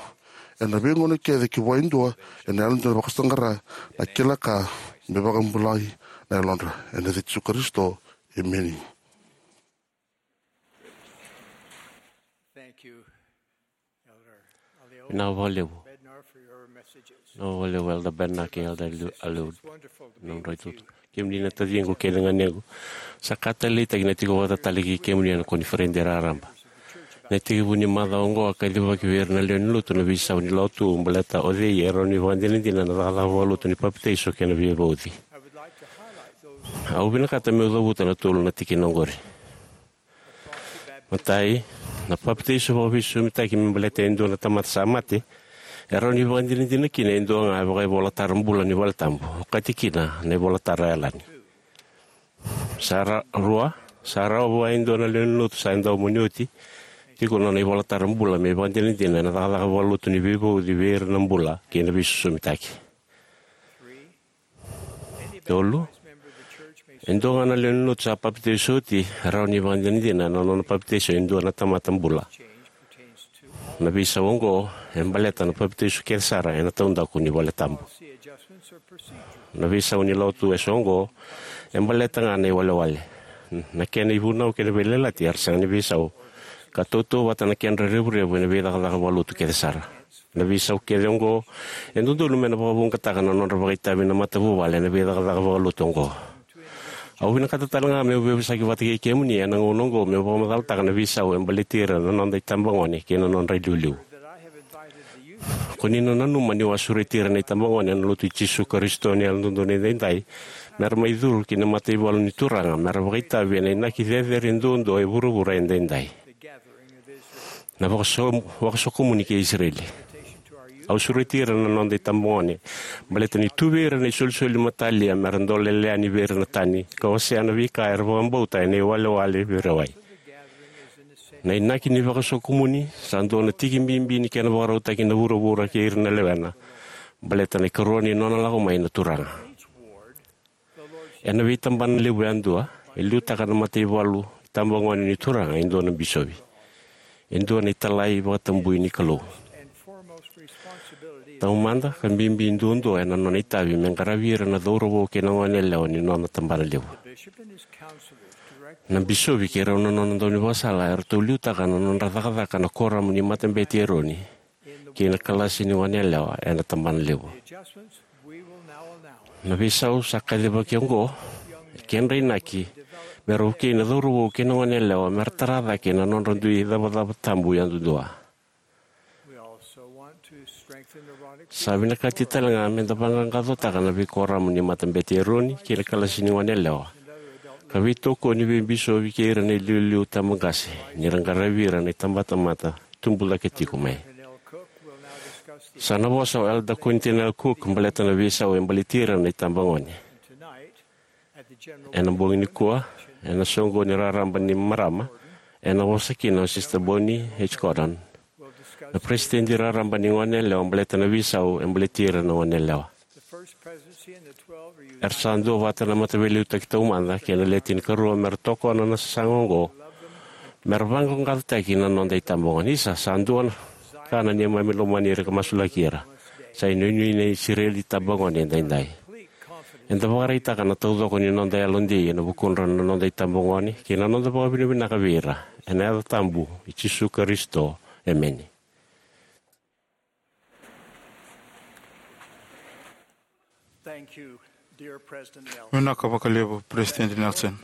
ena veigauna kece ki vua e dua ena yalodina, vakasaqara na kila ka me vakabulai na yalodra. Ena yaca i Jisu Karisito, emeni. Vinaka vakalevu. Vinaka vakalevu Elder Bednar kei Elder Aliu, Aliu, na nodrau itutu. Kemuni na taciqu kei na ganequ, sa ka taleitaki na tiko vata tale kei kemuni ena koniferedi raraba. Na itekivu ni macawa oqo a kacivaki vei ira na lewe ni lotu na veisau ni Lotu baleta o cei e rawa ni vakadinadina ena cakacaka vakalotu ni papitaiso kei na veivauci. Au vinakata meu cavuta na tolu na tikina oqori. Matai, na papitaiso vakaveisosomitaki me baleta e dua na tamata sa mate e rawa ni vakadinadina kina e dua ga e vakaivolatara bula ni valetabu, okati kina na ivolatara yalani. Sa ra- rua, sa rawa vua e dua na lewe ni lotu sa daumoni oti tiko nona ivolatara bula me vakadinadina ena cakacaka vakalotu ni veivauci vei ira na bula kei na veisosomitaki. Tolu, e dua ga na lewe ni lotu sa papitaiso oti e rawa ni vakadinadina ena nona papitaiso e dua na tamata bula. Na veisau oqo e baleta na papitaiso kece sara ena taudaku ni valetabu. Na veisau ni Lotu eso oqo e baleta ga na iwalewale. Na kena ivunau kei na veiyalayalati era sega ni veisau, ka tautauvata na kedra revurevu ena veicakacaka vakalotu kece sara. Na veisau kece oqo e dodonu me na vakavouqataka na nodra vakaitavi na matavuvale ena veicakacaka vakalotu oqo. Au vinakata tale ga meu veivosaki vata kei kemuni ena gauna oqo meu vakamacalataka na veisau e baleti ira na noda itabagone kei na nodra iliuliu. Ko ni na nanuma niu a sureti ira na itabagone ena Lotu i Jisu Karisito ni Yalododonu Edaidai mera mai curu ki na mataivalu ni Turaga mera vakaitavi ena inaki cecere duadua e vuravura edaidai, na vakaso- vakasokomuni kei Isireli. Au sureti ira na noda itabagone baleta ni tu vei ira na isolisoli matalia mera dolele yani vei ira na tani ka wasea na veika era vakabauta ena iwalewale veirawai. Na inaki ni vakasokomuni sa dua na tiki bibi ni kena vakarautaki na vuravura kei ira na lewena baleta na ikarua ni nona lako mai na Turaga. Ena veitabana levu yadua e liutaka na mataivalu itabagone ni Turaga e dua na bisovi, e dua na italai vakatabui ni Kalou. Taumada ka bibi duadua ena nona itavi me qaravi ira na cauravou kei na goneyalewa ni nona tabana levu. Na bisovi kei rau na nona daunivakasala eratou liutaka na nodra cakacaka na Koramu ni Matabete i Eroni kei na kalasi ni goneyalewa ena tabana levu. Na veisau sa kacivaki oqo e kedra inaki mera vukei na cauravou kei na goneyalewa mera tara cake na nodra dui icavacava tabu yadudua. Sa vinakati tale ga meda vaqaqacotaka na veikoramu ni Matabete i Eroni kei na kalasi ni goneyalewa ka veitokoni vei bisovi kei ira na iliuliu tabaqase ni ra qaravi ira na itabatamata tubu cake tiko mai. Sa na vosa o Elder Quentin L. Cook baleta na veisau e baleti ira na itabagone. Ena bogi nikua, ena soqoni raraba ni marama, ena vosa kina o Sister Bonnie H. Gordon, na peresitedi raraba ni goneyalewa, baleta na veisau e baleti ira na goneyalewa. Era sa duavata na Mataveiliutaki Taumada kei na Le Tinikarua mera tokona na sasaga oqo, mera vaqaqacotaki na noda itabagone. Isa, sa dua na ka na neimami lomani ira ka masulaki ira. Sa inuinui na Isireli itabagone edaidai. Eda vakaraitaka na taucoko ni noda yalodei ena vukudra na noda itabagone kei na noda vakavinavinaka vei ira. Ena yaca tabu i Jisu Karisito, emeni. Vinaka vakalevu, President Nelson.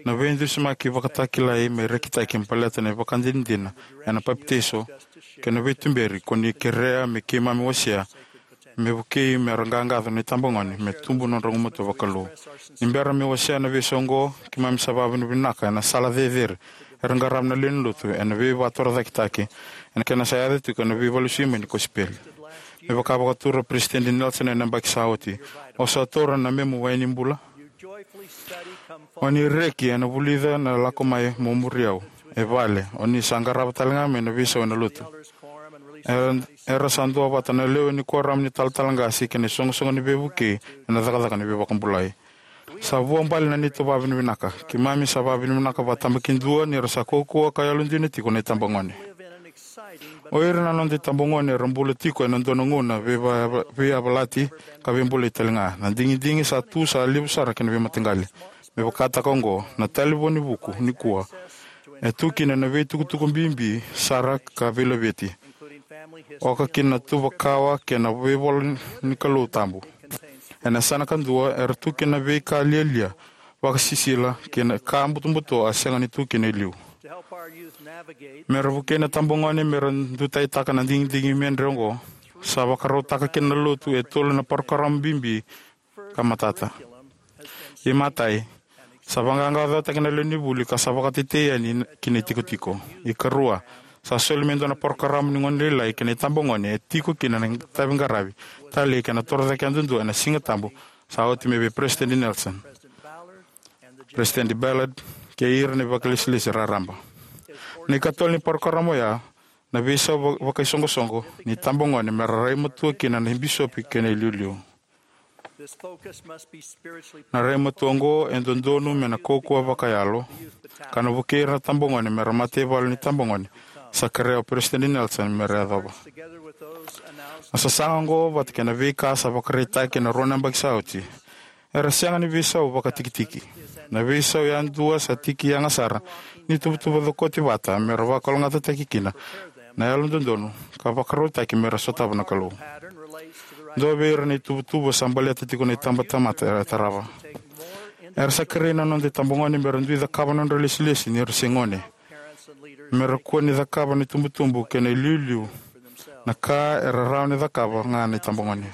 Na veidusimaki vakatakilai me rekitaki baleta na ivakadinadina ena papitaiso kei na veituberi ko ni kerea me keimami wasea me vukei me ra qaqaco na itabagone me tubu nodra gumatua vakalou. Ni bera me wasea na veisau oqo, keimami sa vakavinavinaka ena sala cecere era qarava na lewe ni lotu ena veivakatorocaketaki ena kena sa yaco tiko na veivakalesui mai ni kosipeli. Me vaka vakatura President Nelson ena yabaki sa oti, o sa taura na memu wai ni bula. O ni reki ena vulica na lako mai mo muri au e vale, o ni sa qarava tale ga mai na veisau ena lotu. Era, era sa duavata na lewe ni kuoramu ni talatala qase kei na isoqosoqo ni veivukei ena cakacaka ni veivakabulai. Sa vuabale na neitou vakavinavinaka. Keimami sa vakavinavinaka vakatabakidua ni ra sa kaukauwa ka yalodina tiko na itabagone. O ira na noda itabagone era bula tiko ena dua na gauna veiva-, veiyavalati ka veibolei talega. Na digidigi sa tu sa levu sara ki na veimataqali. Me vakataka oqo, na talevoni vuku nikua e tu kina na veitukutuku bibi sara ka veilaveti, oka kina na tuva kawa kei na veivola ni Kalou tabu. Ena yasana kadua era tu kina na veika lialia, vakasisila kei na ka butobuto a sega ni tu kina e liu. Me ra vukei na tabagone me ra dutaitaka na digidigi medre oqo, sa vakarautaka kina na Lotu e tolu na parokaramu bibi ka matata. Imatai, sa vaqaqacotaki na lewe ni vuli ka sa vakatetei yani ki na itikotiko. Ikarua, sa soli me dua na parokaramu ni gone lailai kei na itabagone e tiko kina na itavi qaravi, talei kei na torocake yadudua ena Siga Tabu sa oti mai vei Peresitedi Nelson, Peresitedi Ballard, kei ira na vakailesilesi raraba. Na ikatolu ni parokaramu oya, na veisau va-, vakaisoqosoqo ni tabagone me ra rai matua kina na bisopi kei na iliuliu. Na rai matua oqo e dodonu me na kaukauwa vakayalo, ka na vukei ira na tabagone me ra mataivalu ni tabagone sa kerea o Peresitedi Nelson me ra yacova. Na sasaga oqo vata kei na veika sa vakaraitaki ena rua na yabaki sa oti, era sega ni veisau vakatikitiki. Na veisau yadua sa tiki yaga sara ni tuvatuva cokoti vata me ra vakalougatataki kina na yalododonu ka vakarautaki me ra sotava na Kalou. Dua vei ira na ituvatuva sa baleta tiko na itabatamata era tarava. Era sa kerei na noda itabagone me ra dui cakava na nodra ilesilesi ni ra se gone, me ra kua ni cakava na itubutubu kei na iliuliu na ka era rawa ni cakava ga na itabagone.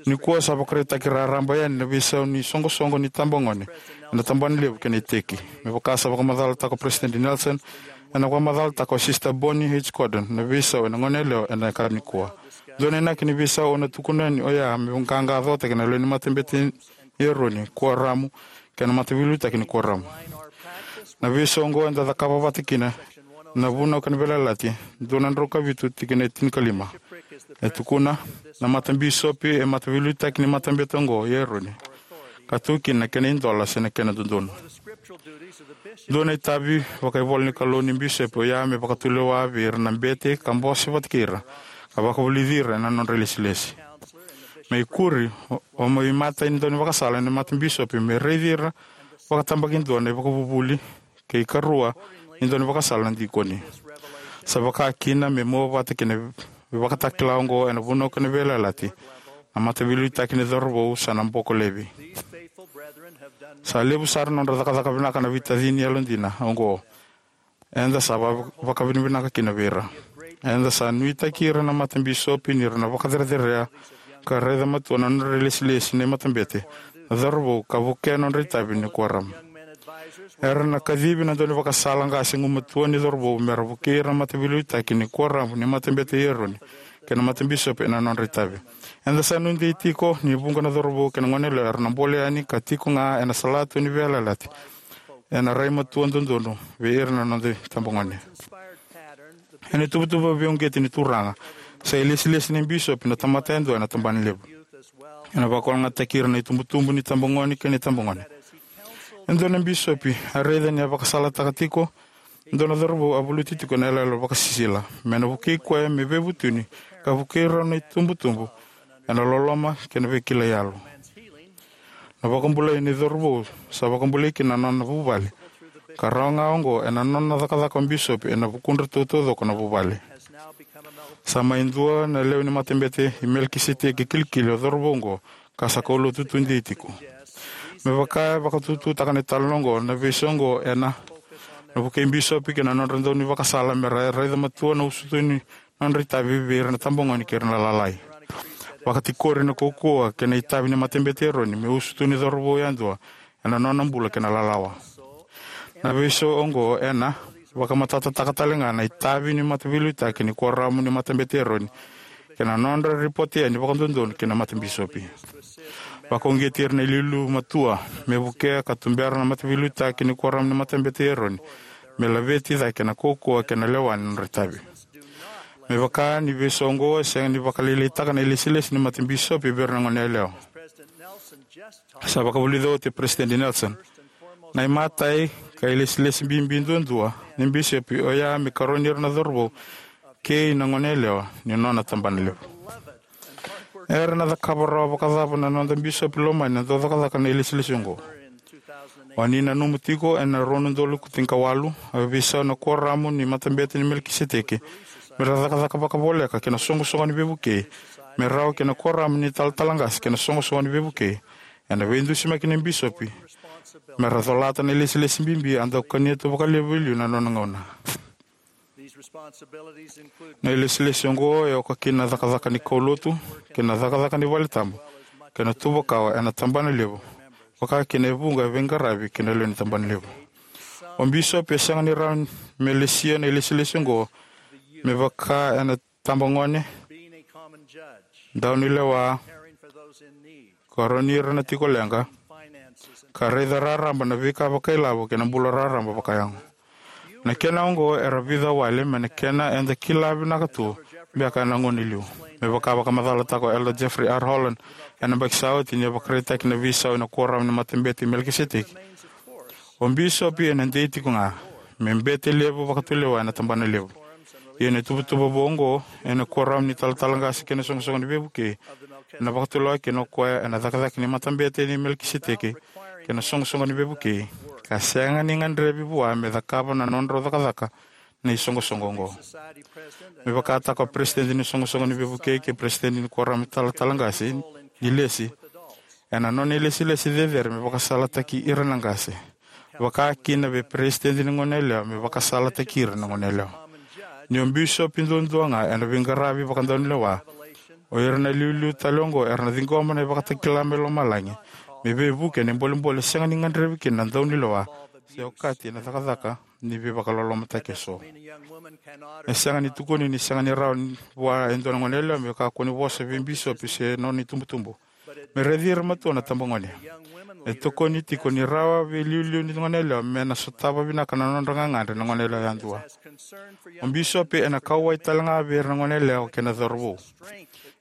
Nikua sa vakaraitaki raraba yani na veisau ni soqosoqo ni tabagone ena tabanalevu kei na iteki. Me vaka sa vakamacalataka o Peresitedi Nelson, ena vakamacalataka o Sisita Bonnie H. Cordon na veisau ena goneyalewa ena yakavi nikua. Dua na inaki ni veisau au na tukuna yani oya me qaqacotaki na lewe ni matabete i Eroni, kuoramu, kei na mataveiliutaki ni kuoramu. Na veisau oqo eda cakava vata kina na Vunau kei na Veiyalayalati dua na drau ka vitu, tikina e tinikalima. E tukuna, na matabisopi e mataveiliutaki ni matabete oqo i Eroni, ka tu kina na kena idola se na kena dodonu. Dua na itavi vakaivola ni Kalou ni bisopi oya me vakatulewa vei ira na bete ka bose vata kei ira, ka vakavulici ira ena nodra ilesilesi. Me ikuri, o, o mai matai ni daunivakasala ena matabisopi me raici ira vakatabakidua na ivakavuvuli, kei karua ni daunivakasala na dikoni. Sa vaka kina me mua vata kei na ivakatakila oqo ena Vunau kei na Veiyalayalati, na mataveiliutaki ni cauravou sa na boko laivi. Sa levu sara na nodra cakacaka vinaka na veitacini yalodina oqo. Eda sa va-, vakavinavinaka kina vei ira. Eda sa nuitaki ira na matabisopi ni ra na vakacerecerei ka raica matua na nodra ilesilesi na matabete, na cauravou, ka vukea na nodra itavi ni kuoramu. Era na kacivi na daunivakasala qase gumatua ni cauravou me ra vukei ira na mataveiliutaki ni kuoramu ni matabete i Eroni kei na matabisopi ena nodra itavi. Eda sa nuidei tiko ni vuqa na cauravou kei na goneyalewa era na bole yani ka tiko ga ena salatu ni veiyalayalati ena rai matua dodonu vei ira na noda itabagone. Ena ituvatuva veiuqeti ni Turaga, sa ilesilesi ni bisopi na tamata yadua ena tabanalevu. Ena vakalougatataki ira na itubutubu ni tabagone kei na itabagone. E dua na bisopi a raica ni a vakasalataka tiko e dua na cauravou a valuti tiko ena iyaloyalo vakasisila, me na vukei koya me veivutuni ka vukei rau na itubutubu ena loloma kei na veikilai yalo. Na vakabulai ni cauravou sa vakabulai kina na nona vuvale, ka rawa ga oqo ena nona cakacaka o bisopi ena vukudratou taucoko na vuvale. Sa mai dua na lewe ni matabete i Melikiseteki kilikili o cauravou oqo, ka sa kaulotu tudei tiko. Me vaka e vakatututaka na italanoa oqo, na veisau oqo ena, na vukei bisopi kei na nodra daunivakasala me ra raica matua na usutu ni nodra itavi vei ira na tabagone kei ira na lalai. Vakatikori na kaukauwa kei na itavi ni matabete i Eroni me usutu ni cauravou yadua ena nona bula kei na lalawa. Na veisau oqo ena vakamatatataka tale ga na itavi ni mataveiliutaki ni kuoramu ni matabete i Eroni kei na nodra ripote yani vakadodonu ki na matabisopi. Vakauqeti ira na iliuliu matua me vukea ka tubera na mataveiliutaki ni kuoramu ni matabete i Eroni me laveti cake na kaukauwa kei na lewa ni nodra itavi. Me vaka ni veisau oqo e sega ni vakalailaitaka na ilesilesi ni matabisopi vei ira na goneyalewa. Sa vakavulica oti o Peresitedi Nelson, na imatai ka ilesilesi bibi duadua ni bisopi oya me karoni ira na cauravou kei na goneyalewa ni nona tabanalevu. Era na cakava rawa vakacava na noda bisopi lomani na dau cakacaka na ilesilesi oqo? O ni nanuma tiko ena rua na udolu tinikawalu, a veisau na Kuoramu ni Matabete i Melikiseteki me ra cakacaka vakavoleka kei na iSoqosoqo ni Veivukei, me rawa kei na Kuoramu ni Talatala Qase kei na iSoqosoqo ni Veivukei, ena veidusimaki ni bisopi, me ra colata na ilesilesi bibi a dau kania tu vakalevu e liu na nona gauna. Na ilesilesi oqo e oka kina na cakacaka ni kaulotu kei na cakacaka ni valetabu kei na tuvakawa ena tabanalevu, vaka kina e vuqa e veiqaravi ki na lewe ni tabanalevu. O bisopi e sega ni rawa me lesia na ilesilesi oqo me vaka ena tabagone, daunilewa, karoni ira na tiko leqa, ka raica raraba na veika vakailavo kei na bula raraba vakayago. Na kena oqo era vica wale mai na kena eda kila vinaka tu beka ena gauna e liu. Me vaka vakamacalataka o Elder Jeffrey R. Holland ena yabaki sa oti ni a vakaraitaki na veisau ena Kuoramu ni Matabete i Melikiseteki, o bisopi ena dei tiko ga me bete levu vakatulewa ena tabanalevu. Ia na ituvatuva vou oqo ena Kuoramu ni Talatala Qase kei na iSoqosoqo ni Veivukei ena vakatulewa kina o koya ena cakacaka ni Matabete i Melikiseteki kei na iSoqosoqo ni Veivukei, ka sega ni gadrevi vua me cakava na nodrau cakacaka na isoqosoqo oqo. Me vakataka o Peresitedi ni iSoqosoqo ni Veivukei kei Peresitedi ni Kuoramu ni Talatala Qase ni lesi, ena nona ilesilesi cecere me vakasalataki ira na qase, vaka kina vei peresitedi ni goneyalewa me vakasalataki ira na goneyalewa. Ni o bisopi duadua ga ena veiqaravi vakadaunilewa, o ira na iliuliu tale oqo era na ciqoma na ivakatakila mai lomalagi me veivuke ena bolebole sega ni gadrevi kina na daunilewa se okati ena cakacaka ni veivakalolomataki eso. E sega ni tukuni ni sega ni rawa vua e dua na goneyalewa me kakua ni vosa vei bisopi se nona itubutubu. Me raici ira matua na tabagone. E tokoni tiko ni rawa vei iliuliu ni goneyalewa me na sotava vinaka na nodra gagadre na goneyalewa yadua. O bisopi ena kauwai talega vei ira na goneyalewa kei na cauravou.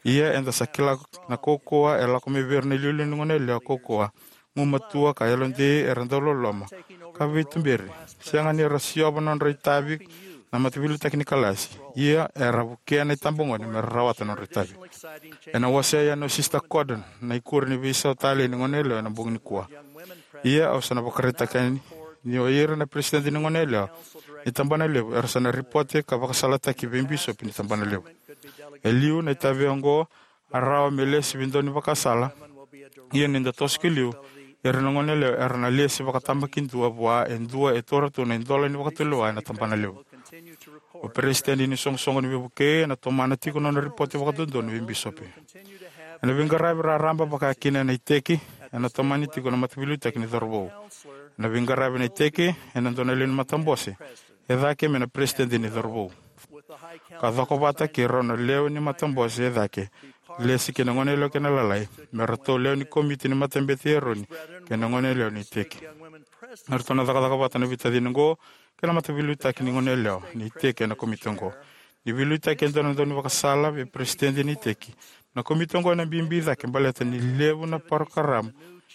Ia eda sa kila na kaukauwa e lako mai vei ira na iliuliu ni goneyalewa kaukauwa, gumatua ka yalodei, era dau loloma, ka veituberi. Sega ni ra siova nodra itavi na mataveiliutaki ni kalasi, ia era vukea na itabagone me ra rawata nodra itavi. Ena wasea yani o Sisita Cordon na ikuri ni veisau talei ni goneyalewa ena bogi nikua. Ia au sa na vakaraitaka yani ni o ira na peresitedi ni goneyalewa ni tabanalevu era sa na ripote ka vakasalataki vei bisopi ni tabanalevu. E liu na itavi oqo a rawa me lesi vei dua ni vakasala. Ia ni da toso ki liu, ira na goneyalewa era na lesi vakatabakidua vua e dua e taura tu na idola ni vakatulewa ena tabanalevu. O peresitedi ni iSoqosoqo ni Veivukei ena tomana tiko nona ripote vakadodonu vei bisopi. Ena veiqaravi raraba vaka kina ena iteki, ena tomani tiko na mataveiliutaki ni cauravou. Ena veiqaravi ena iteki, ena dua na lewe ni matabose e cake me na peresitedi ni cauravou, ka cokovata kei rau na lewe ni matabose e cake, lesi kei na goneyalewa kei na lalai, me ratou lewe ni komiti ni Matabete i Eroni kei na goneyalewa ni iteki. Eratou na cakacaka vata na veitacini oqo kei na mataveiliutaki ni goneyalewa ni iteki ena komiti oqo. Ni veiliutaki e dua na daunivakasala vei peresitedi ni iteki, na komiti oqo ena bibi cake baleta ni levu na parokaramu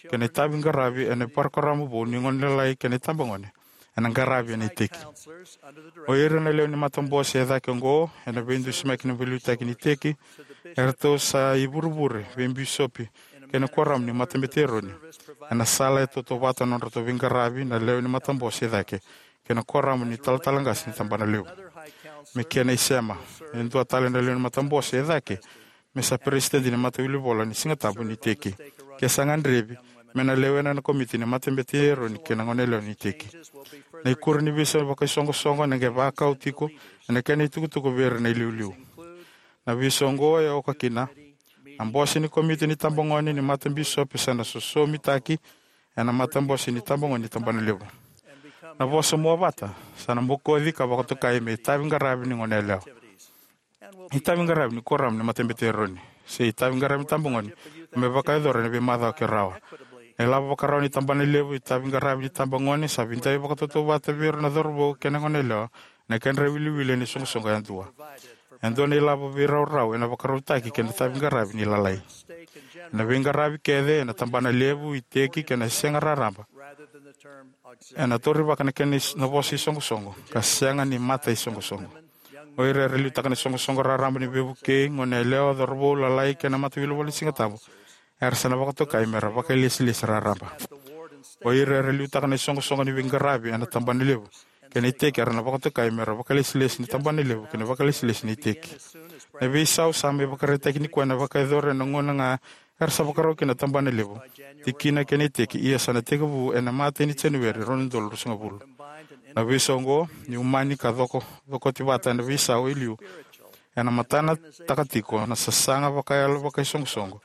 kei na itaviqaravi ena parokaramu vou ni gone lalai kei na itabagone ena qaravi ena iteki. O ira na lewe ni matabose e cake oqo, ena veidusimaki ni veiliutaki ni iteki, eratou sa ivurevure vei bisopi kei na kuoramu ni Matabete i Eroni ena sala e tautauvata na nodratou veiqaravi na lewe ni matabose e cake kei na kuoramu ni talatala qase ni tabanalevu. Me kena isema, e dua tale na lewe ni matabose e cake me sa peresitedi ni matawilivola ni Sigatabu ni iteki, ke sa gadrevi, me na lewena na komiti ni Matabete i Eroni kei na goneyalewa ni iteki. Na ikuri ni veisau vakaisoqosoqo ena qai vakau tiko ena kena itukutuku vei ira na iliuliu. Na veisau oqo e oka kina: na bose ni komiti ni tabagone ni matabisopi sa na sosomitaki ena matabose ni tabagone ni tabanalevu. Na vosa muavata sa na bokoci ka vakatokai me itaviqaravi ni goneyalewa, itaviqaravi ni kuoramu ni Matabete i Eroni, se itaviqaravi ni tabagone, me vakayacora ena veimacawa ke rawa. Na ilavo vakarau ni tabanalevu, itaviqaravi ni tabagone, sa vidai vakatautauvata vei ira na cauravou kei na goneyalewa ena kedra iwiliwili ena isoqosoqo yadua. E dua na ilavo veiraurau ena vakarautaki kei na taviqaravi ni Lalai. Ena veiqaravi kece ena tabana levu, iteki kei na sega raraba, ena taurivaka na kena is-, na vosa isoqosoqo ka sega ni mataisoqosoqo. O ira era liutaka na isoqosoqo raraba ni veivukei, goneyalewa, cauravou, lalai kei na mataveilewale ni Siga Tabu, era sa na vakatokai mera vakailesilesi raraba. O ira era liutaka na isoqosoqo ni veiqaravi ena tabana levu kei na iteki era na vakatokai mera vakailesilesi ni tabana levu kei na vakailesilesi ni iteki. Na veisau sa mai vakaraitaki nikua ena vakayacori ena gauna ga era sa vakarau kina na tabana levu, tikina kei na iteki, ia sa na tekivu ena imatai ni Janueri rua na udolu ruasagavulu. Na veisau oqo, ni umani ka coko, cokoti vata ena veisau e liu, ena matanataka tiko na sasaga vakayalo vakaisoqosoqo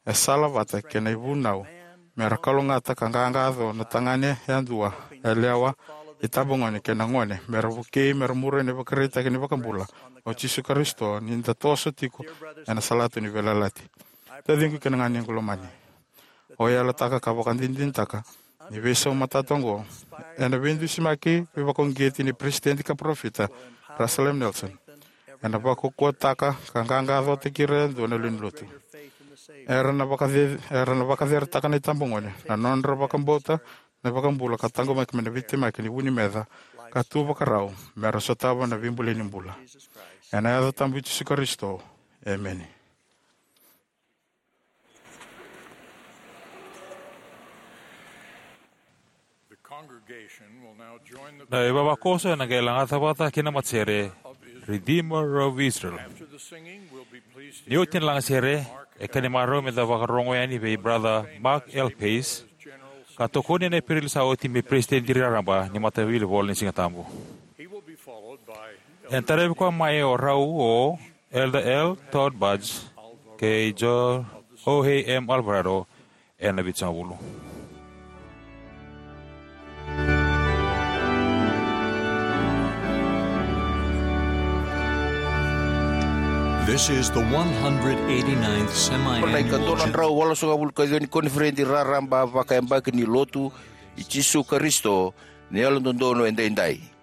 e sala vata kei na ivunau mera kalougata ka qaqaco na tagane yadua, yalewa, itabagone kei na gone mera vukei mera muria na ivakaraitaki ni iVakabula o Jisu Karisito ni da toso tiko ena salatu ni veiyalayalati. Taciqu kei na ganequ lomani, au yalataka ka vakadinadinataka ni veisau matata oqo ena veidusimaki veivakauqeti ni Peresitedi ka Parofita Russell M. Nelson ena vakaukauwataka ka qaqacotaki ira yadua na lewe ni Lotu. Era na vakace-, era na vakaceretaka na itabagone, na nodra vakabauta na iVakabula ka taqomaki mai na veitemaki ni vu ni meca, ka tu vakarau mera sotava na veibulai ni bula. Ena yaca tabu i Jisu Karisito, emeni. The congregation will now join the Na ivavakoso ena qai lagata vata kei na matasere Redeemer of Israel. After the singing, we'll be pleased to Ni oti na lagasere, e ka ni marau meda vakarorogo yani vei Brother Mark L. Pace, ka tokoni ena Epereli sa oti me Peresitedi Raraba ni Mataveilewale ni Siga Tabu. He will be followed by Ena tarai koya mai o rau o Elder L. Todd Budge kei Jorge M. Alvarado ena vitusagavulu. This is the one hundred eighty-ninth semi-annual Ko na ikadola na drau walusagavulu ka ciwa ni koniferedi raraba vakayabaki ni Lotu i Jisu Karisito ni Yalododonu Edaidai.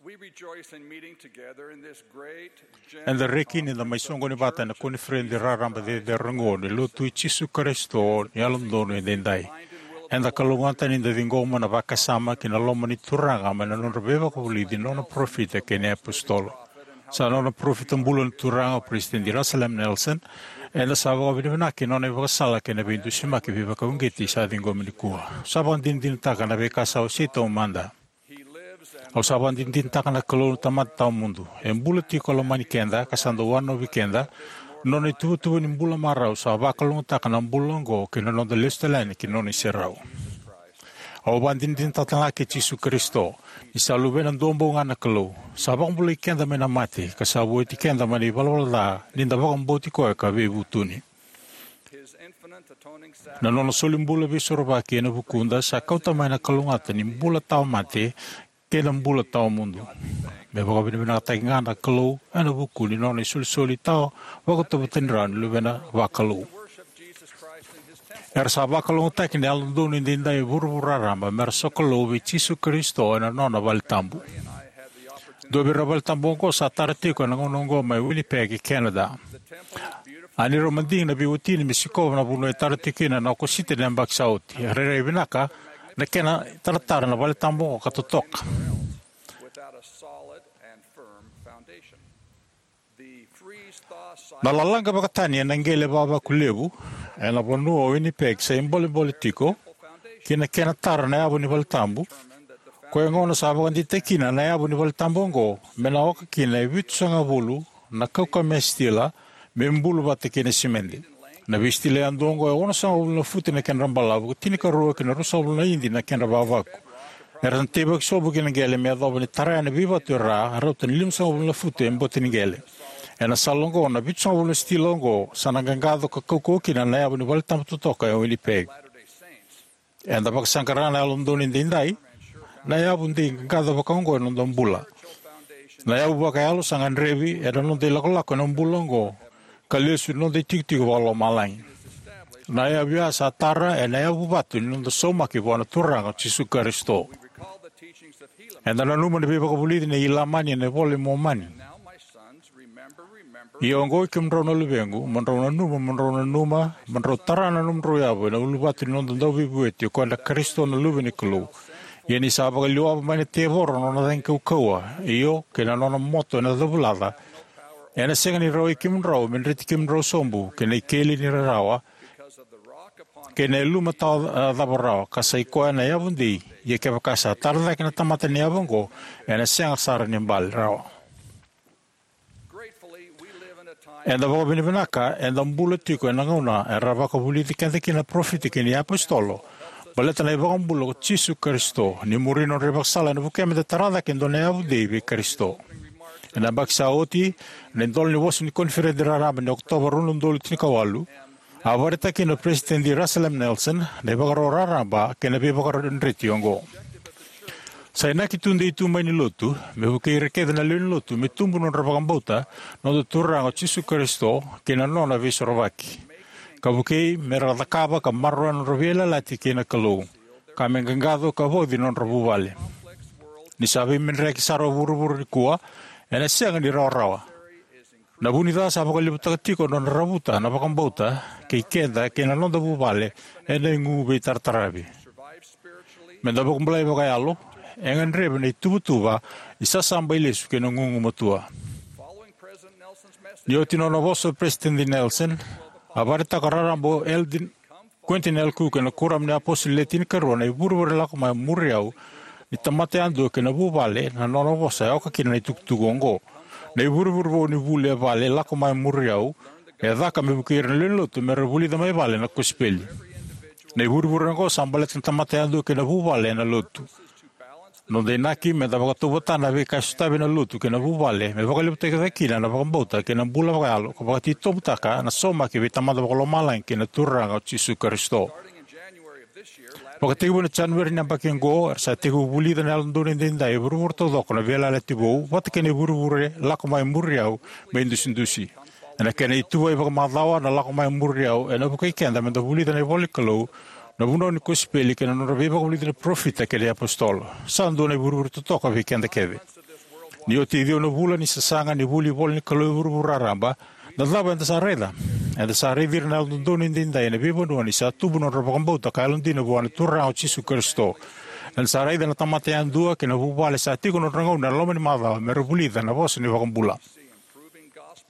We rejoice in meeting together in this great general Eda reki ni da mai soqoni vata ena koniferedi raraba cecere oqo ni Lotu i Jisu Karisito ni Yalododonu Edaidai. Eda kalougata ni da ciqoma na vakasama ki na loma ni Turaga mai na nodra veivakavulici na nona parofita kei na iapositolo. Sa nona parofita bula na Turaga o Peresitedi Russell M. Nelson. Eda sa vakavinavinaka ki na nona ivakasala kei na veidusimaki veivakauqeti sa ciqomi nikua. Sa vakadinadinataka na veika sa wasei taumada. Au sa vakadinadinataka na Kalou na Tamada tawamudu. E bula tiko, lomani keda, ka sa dau wanonovi keda. Na nona ituvatuva ni bula marau sa vakalougatataka na bula oqo kei na noda lesu tale yani ki na nona iserau. Au vakadinadinataka talega kei Jisu Karisito ni sa Luvena duabau ga na Kalou. Sa vakabulai keda mai na mate, ka sa vueti keda mai na ivalavala ca ni da vakabauti koya ka veivutuni. Na nona solibula veisorovaki ena vukuda sa kauta mai na kalougata ni bula tawa mate kei na bula tawa mudu. Me vakavinavinakataki ga na Kalou ena vuku ni nona isolisoli tawa vakatauvatani rawa ni Luvena vakalou. Era sa vakalougatataki na Yalododonu Edaidai e vuravura raraba me ra sokalou vei Jisu Karisito ena nona vale tabu. Dua vei ira na vale tabu oqo sa tara tiko ena gauna oqo mai Winnipeg e Canada. A ni rau madigi na veiwatini me sikova na vanua e tara tiko kina na Okosita ni yabaki sa oti. E rairai vinaka na kena taratara na vale tabu oqo ka totoka. Na lalaqa vakatani ena qele vavaku levu ena vanua o Winnipeg sa ibolebole tiko ki na kena tara na yavu ni vale tabu. Koya gona sa vakadeitaki kina na yavu ni vale tabu oqo me na oka kina e vitusagavulu na kaukauwa me stila me bulu vata kei na simede. Na veistila yadua oqo e onosagavulu na futi na kedra balavu, ka tinikarua ki na ruasagavulu na idi na kedra vavaku. Era na teivaki sobu ki na qele me yacova ni tara na veivatu e ra, rauta ni limasagavulu na futi e boti ni qele. Ena sala oqo, na vitusagavulu na stila oqo sa na qaqaco ka kaukauwa kina na yavu ni vale tabu totoka e Winnipeg. Eda vakasaqara na Yalododonu Edaidai, na yavu dei qaqaco vaka oqo ena noda bula. Na yavu vakayalo sa gadrevi ena noda ilakolako ena bula oqo ka lesu ena noda itikotiko vakalomalagi. Na yavu ya sa tara ena yavu vatu ni noda saumaki vua na Turaga o Jisu Karisito. Eda nanuma na veivakavulici nei Ilamani ena iVola i Momani: Ia oqo, oi kemudrau na luvequ, mo drau nanuma, mo drau nanuma, mo drau tara na nomudrau yavu ena uluvatu ni noda Dauveivueti, o koya na Karisito na Luve ni Kalou. Ia ni sa vakaliwava mai na tevoro na nona cagi kaukauwa, io, kei na nona moto ena cavulaca, ena sega ni rawai kemudrau me dreti kemudrau sobu ki na ikeli ni rarawa kei na yaluma tawa cava rawa, ka sa i koya na yavu dei. Ia kevaka sa tara cake na tamata na yavu oqo, ena sega sara ni bale rawa. Eda vakavinavinaka eda bula tiko ena gauna era vakavulici keda kina na parofita kei na iapositolo baleta na iVakabula ko Jisu Karisito. Ni muri nodra ivakasala, ena vukea meda tara cake e dua na yavu dei vei Karisito. Ena yabaki sa oti, ena idola ni vosa ni koniferedi raraba ni Okotova rua na udolu tinikawalu, a vakaraitaka kina o Peresitedi Russell M. Nelson na ivakarau raraba kei na veivakadreti oqo: Sa inaki tudei tu mai ni Lotu me vukei ira kece na lewe ni Lotu me tubu nodra vakabauta na noda Turaga o Jisu Karisito kei na nona Veisorovaki, ka vukei me ra cakava ka maroroya nodra veiyalayalati kei na Kalou, ka me qaqaco ka vauci nodra vuvale. Ni sa veimedreyaki sara o vuravura nikua, ena sega ni rawarawa. Na vunica sa vakalevutaka tiko na nona ravuta na vakabauta kei keda kei na noda vuvale ena igu veitarataravi. Meda vakabulai vakayalo, e gadrevi na ituvatuva ni sasabailesu kei na gugumatua. Ni oti nona vosa o Peresitedi Nelson, a vakaraitaka raraba o Eldon Quentin L. Cook ena Kuoramu ni iApositolo Le Tinikarua, na ivurevure Lako Mai Muri Au ni tamata yadua kei na vuvale. Na nona vosa e oka kina na itukutuku oqo: Na ivurevure vou ni vuli e vale, Lako Mai Muri Au, e caka me vukei ira na lewe ni Lotu me ra vulica mai vale na kosipeli. Na ivurevure oqo sa baleta na tamata yadua kei na vuvale ena Lotu. Noda inaki meda vakatauvatana na veika e sotavi ena Lotu kei na vuvale me vakalevutaki cake kina na vakabauta kei na bula vakayalo, ka vakatitobutaka na saumaki vei Tamada Vakalomalagi kei na Turaga o Jisu Karisito. Vakatekivu ena Janueri ni yabaki oqo, era sa tekivu vulica na Yalododonu Edaidai e vuravura taucoko na veiyalayalati vou vata kei na ivurevure Lako Mai Muri Au me idusidusi. Ena kena ituvai vakamacawa, na Lako Mai Muri Au ena vukei keda meda vulica na ivolanikalou, na vunau ni kosipeli, kei na nodra veivakavulici na parofita kei na iapositolo. Sa dua na ivurevure totoka vei keda kece. Ni oti e ciwa na vula ni sasaga ni vuli ivola ni Kalou e vuravura raraba, na cava eda sa raica? Eda sa raici ira na Yalododonu Edaidai ena veivanua ni sa tubu na nodra vakabauta ka yalodina vua na Turaga o Jisu Karisito. Eda sa raica na tamata yadua kei na vuvale sa tiko na nodra gauna ena loma ni macawa me ra vulica na vosa ni iVakabula.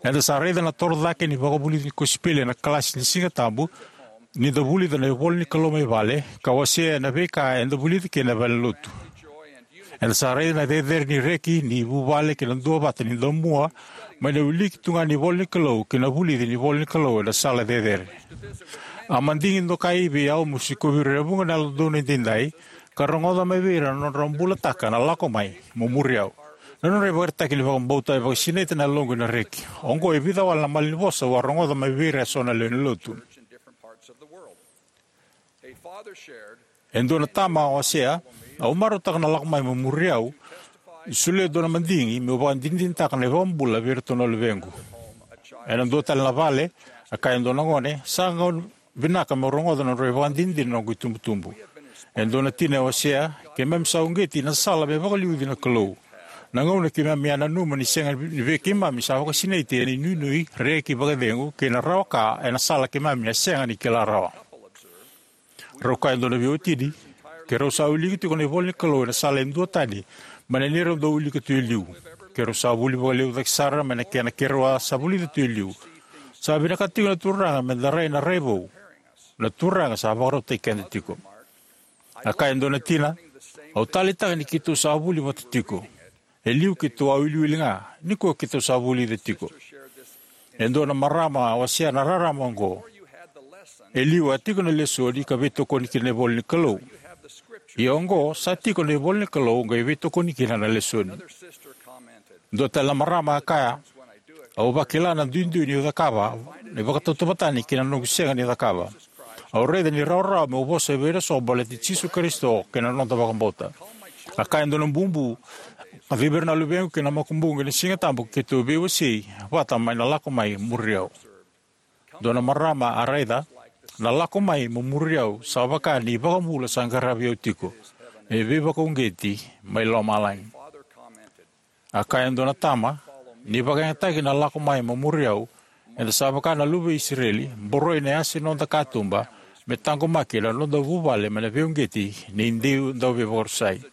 Eda sa raica na toro cake ni vakavulici ni kosipeli ena kalasi ni Sigatabu ni da vulica na ivola ni Kalou mai vale ka wasea na veika eda vulica kina e valenilotu. Eda sa raica na cecere ni reki ni vuvale kei na duavata ni damua mai na wiliki tu ga ni ivola ni Kalou kei na vulici ni ivola ni Kalou ena sala cecere. A madigi dokai vei au meu sikovi ira e vuqa na Yalododonu Edaidai ka rogoca mai vei ira na nodra bulataka na Lako Mai, Mo Muri Au. Na nodra ivakaraitaki ni vakabauta e vakasinaita na yaloqu ena reki. Oqo e vica wale na malanivosa au a rogoca mai vei ira eso na lewe ni Lotu. E dua na tama a wasea, "Au marautaka na Lako Mai, Mo Muri Au ni solia e dua na madigi meu vakadinadinataka na iVakabula vei iratou na luvequ." Ena dua tale na vale, a kaya e dua na gone, "Sa gauna vinaka meu rogoca na nodrau ivakadinadina na noqu itubutubu. E dua na tina e wasea, keimami sa uqeti na sala me vakaliuci na Kalou. Na gauna keimami a nanuma ni sega ni vei keimami sa vakasinaiti ena inuinui, reki, vakacegu kei na rawa ka ena sala keimami a sega ni kila rawa." Rau kaya e dua na veiwatini, "Keirau sa wilika tiko na ivola ni Kalou ena sala e duatani mai na neirau dau wilika tu e liu. Keirau sa vuli vakalevu cake sara mai na kena keirau a sa vulica tu e liu. Sa vinakata tiko na Turaga me da rai na rai vou. Na Turaga sa vakarautaki keda tiko." A kaya e dua na tina, "Au taleitaka ni keitou sa vuli vata tiko. E liu keitou a wiliwili ga, nikua keitou sa vulica tiko." E dua na marama a wasea na rarama oqo, "E liu a tiko na lesoni ka veitokoni kina na ivola ni Kalou. Ia oqo sa tiko na ivola ni Kalou qai veitokoni kina na lesoni." Dua tale na marama a kaya, "Au vakila na duidui niu cakava, ni vakatautauvata tani kei na noqu sega ni cakava. Au raica ni rawarawa meu vosa vei ira eso baleti Jisu Karisito kei na noda vakabauta." A kaya e dua na bubu, "Kacivi ira na luvequ kei na makubuqu ena Sigatabu keitou veiwasei vata mai na Lako Mai, Muri Au." Dua na marama a raica, "Na Lako Mai, Mo Muri Au sa vaka ni iVakabula sa qaravi au tiko, me veivakauqeti mai lomalagi." A kaya e dua na tama, "Ni vakayagataki na Lako Mai, Mo Muri Au, eda sa vaka na luve i Isireli, boroi na yasa ni noda katuba me taqomaki na noda vuvale mai na veiuqeti ni dui dauveivakarusai."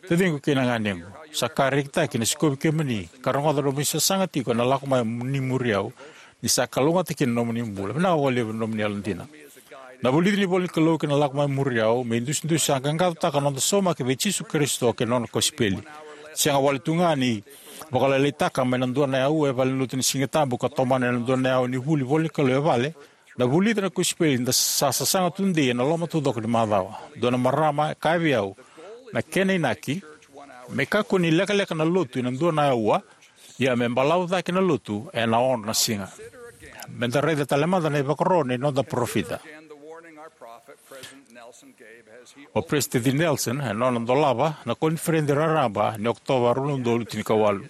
Taciqu kei na ganequ, sa ka rekitaki na sikovi kemuni ka rogoca nomuni sasaga tiko ena Lako Mai, Mo Muri Au, ni sa kalougata kina na nomuni bula. Vinaka vakalevu na nomuni yalodina. Na vulici ni ivola ni Kalou kei na Lako Mai, Muri Au me idusidusi sa qaqacotaka na noda saumaki vei Jisu Karisito kei na nona kosipeli. Sega wale tu ga ni vakalailaitaka mai na dua na aua e valenilotu ni Sigatabu ka tomana ena dua na aua ni vuli ivola ni Kalou e vale, na vulica na kosipeli eda sa sasaga tudei ena loma taucoko ni macawa. Dua na marama e kaya vei au, na kena inaki, me kakua ni lekaleka na lotu ena dua na aua, ia me balavu cake na lotu ena ono na siga. Me da raica tale mada na ivakaro ni noda parofita. O Peresitedi Nelson, ena nona dolava na koniferedi raraba ni Okotova rua na udolu tinikawalu.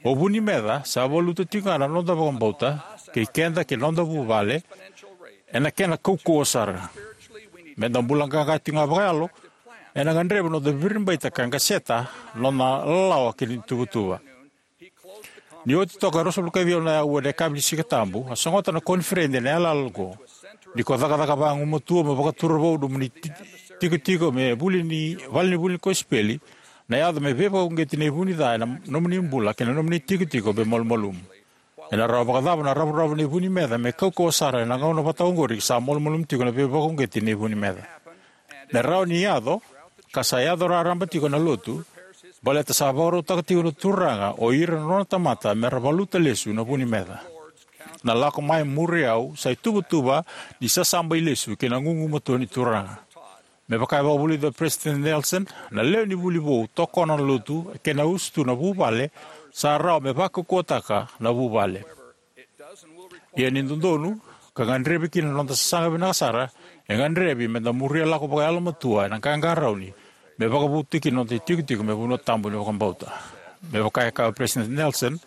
"O vu ni meca sa valuta tiko ga na noda vakabauta, kei keda kei na noda vuvale, ena kena kaukauwa sara. Me da bula qaqa tiko ga vakayalo, ena gadrevi na noda viribaita ka qaseta na noda lalawa kei na ituvatuva." Ni oti toka e ruasagavulu ka ciwa na aua ena yakavi ni Sigatabu, a sogota na koniferedi ena yalayala oqo: "Ni ko cakacaka vagumatua mo vakatura vou nomuni ti-, tikotiko me vuli ni, vale ni vuli ni kosipeli, na yaco me veivakauqeti na ivu ni ca ena nomuni bula kei na nomuni tikotiko me malumalumu." Ena rawa vakacava na ravuravu ni vu ni meca me kaukauwa sara ena gauna vata oqori sa malumalumu tiko na veivakauqeti ni vu ni meca? Me rawa ni yaco, ka sa yaco raraba tiko na lotu, baleta sa vakarautaka tiko na Turaga o ira na nona tamata me ra valuta lesu na vu ni meca. Na Lako Mai, Muri Au sa ituvatuva ni sasabailesu kei na gugumatua ni Turaga. Me vaka e vakavulica o Peresitedi Nelson, na lewe ni vuli vou tokona na lotu, kei na usutu na vuvale, sa rawa me vakaukauwataka na vuvale. Ia ni dodonu, ka gadrevi kina na noda sasaga vinaka sara, e gadrevi me da muria lako vakayalomatua ena qaqarauni me vakavotuya kina na noda itikotiko me vanua tabu ni vakabauta. Me vaka e kaya o Peresitedi Nelson,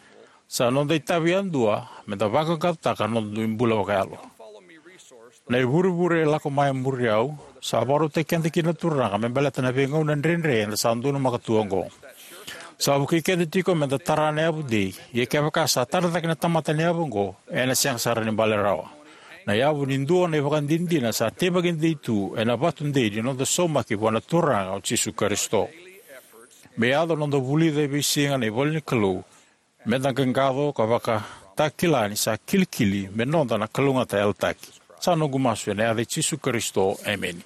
sa noda itavi yadua me da vaqaqacotaka na noda dui bula vakayalo. Na ivurevure Lako Mai, Muri Au sa vakarautaki keda kina na Turaga me baleta na veigauna dredre eda sa donumaka tu oqo. Sa vukei keda tiko me da tara na yavu dei, ia kevaka sa tara cake na tamata na yavu oqo, ena sega sara ni bale rawa. Na yavu ni dua na ivakadinadina sa teivaki dei tu ena vatu dei ni noda saumaki vua na Turaga o Jisu Karisito. Me yaco na noda vulica e veisiga na ivola ni Kalou, me da qaqaco ka vakatakila ni sa kilikili me noda na kalougata yalataki. Sa noqu masu ena yaca i Jisu Karisito, emeni.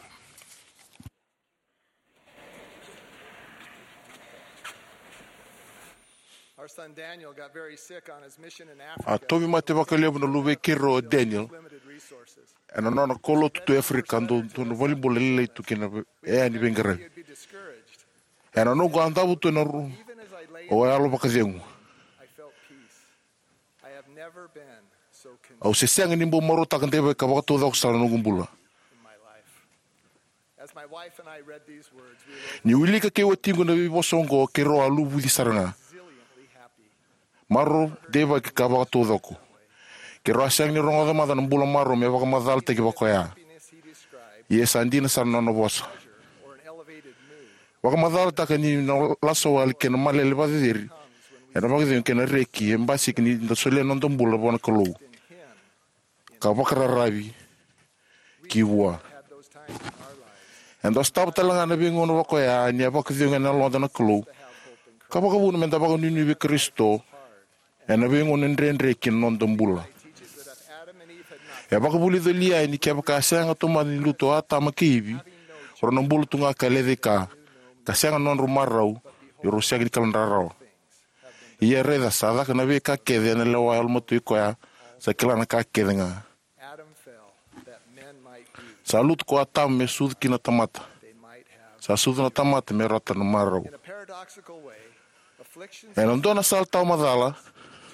Our son Daniel got very sick on his mission in Africa. A tauvimate vakalevu na luvei keirau o Daniel ena nona kaulotu tu Africa, dau dua na valenibula lailai tu kei na ve- e yani veiqaravi. Ena noqu a davo tu ena ru, au a yalo vakacegu. Au se sega ni bau marautaka deivaki ka vakataucoko sara na noqu bula. Niu wilika kei watiqu na veivosa oqo, keirau a luvuci sara ga. Marau, deivaki ka vakataucoko. Keirau a sega ni rogoca mada na bula marau me vakamacalataki vakoya. Ia sa dina sara na nona vosa. Vakamacalataka ni na lasa wale kei na malele vakaceceri ena vakacegu kei na reki e basika ni da solia na noda bula vua na Kalou ka vakararavi ki vua. Eda sotava tale ga na veigauna vakoya ni a vakacegu ena yaloda na Kalou ka vakavuna me da vakanuinui vei Karisito ena veigauna dredre ki na noda bula. E vakavulica o Liai ni kevaka a sega tomana ni lutu o Atama kei Ivi, rau na bula tu ga ka lecaika, ka sega na nodrau marau, ia rau sega ni kalougata rawa. Ia raica, sa caka na veika kece ena lewa yalomatua i koya, sa kila na ka kece ga. Sa lutu ko Atama me sucu kina na tamata. Sa sucu na tamata me rauta na marau. Ena dua na sala tawamacala,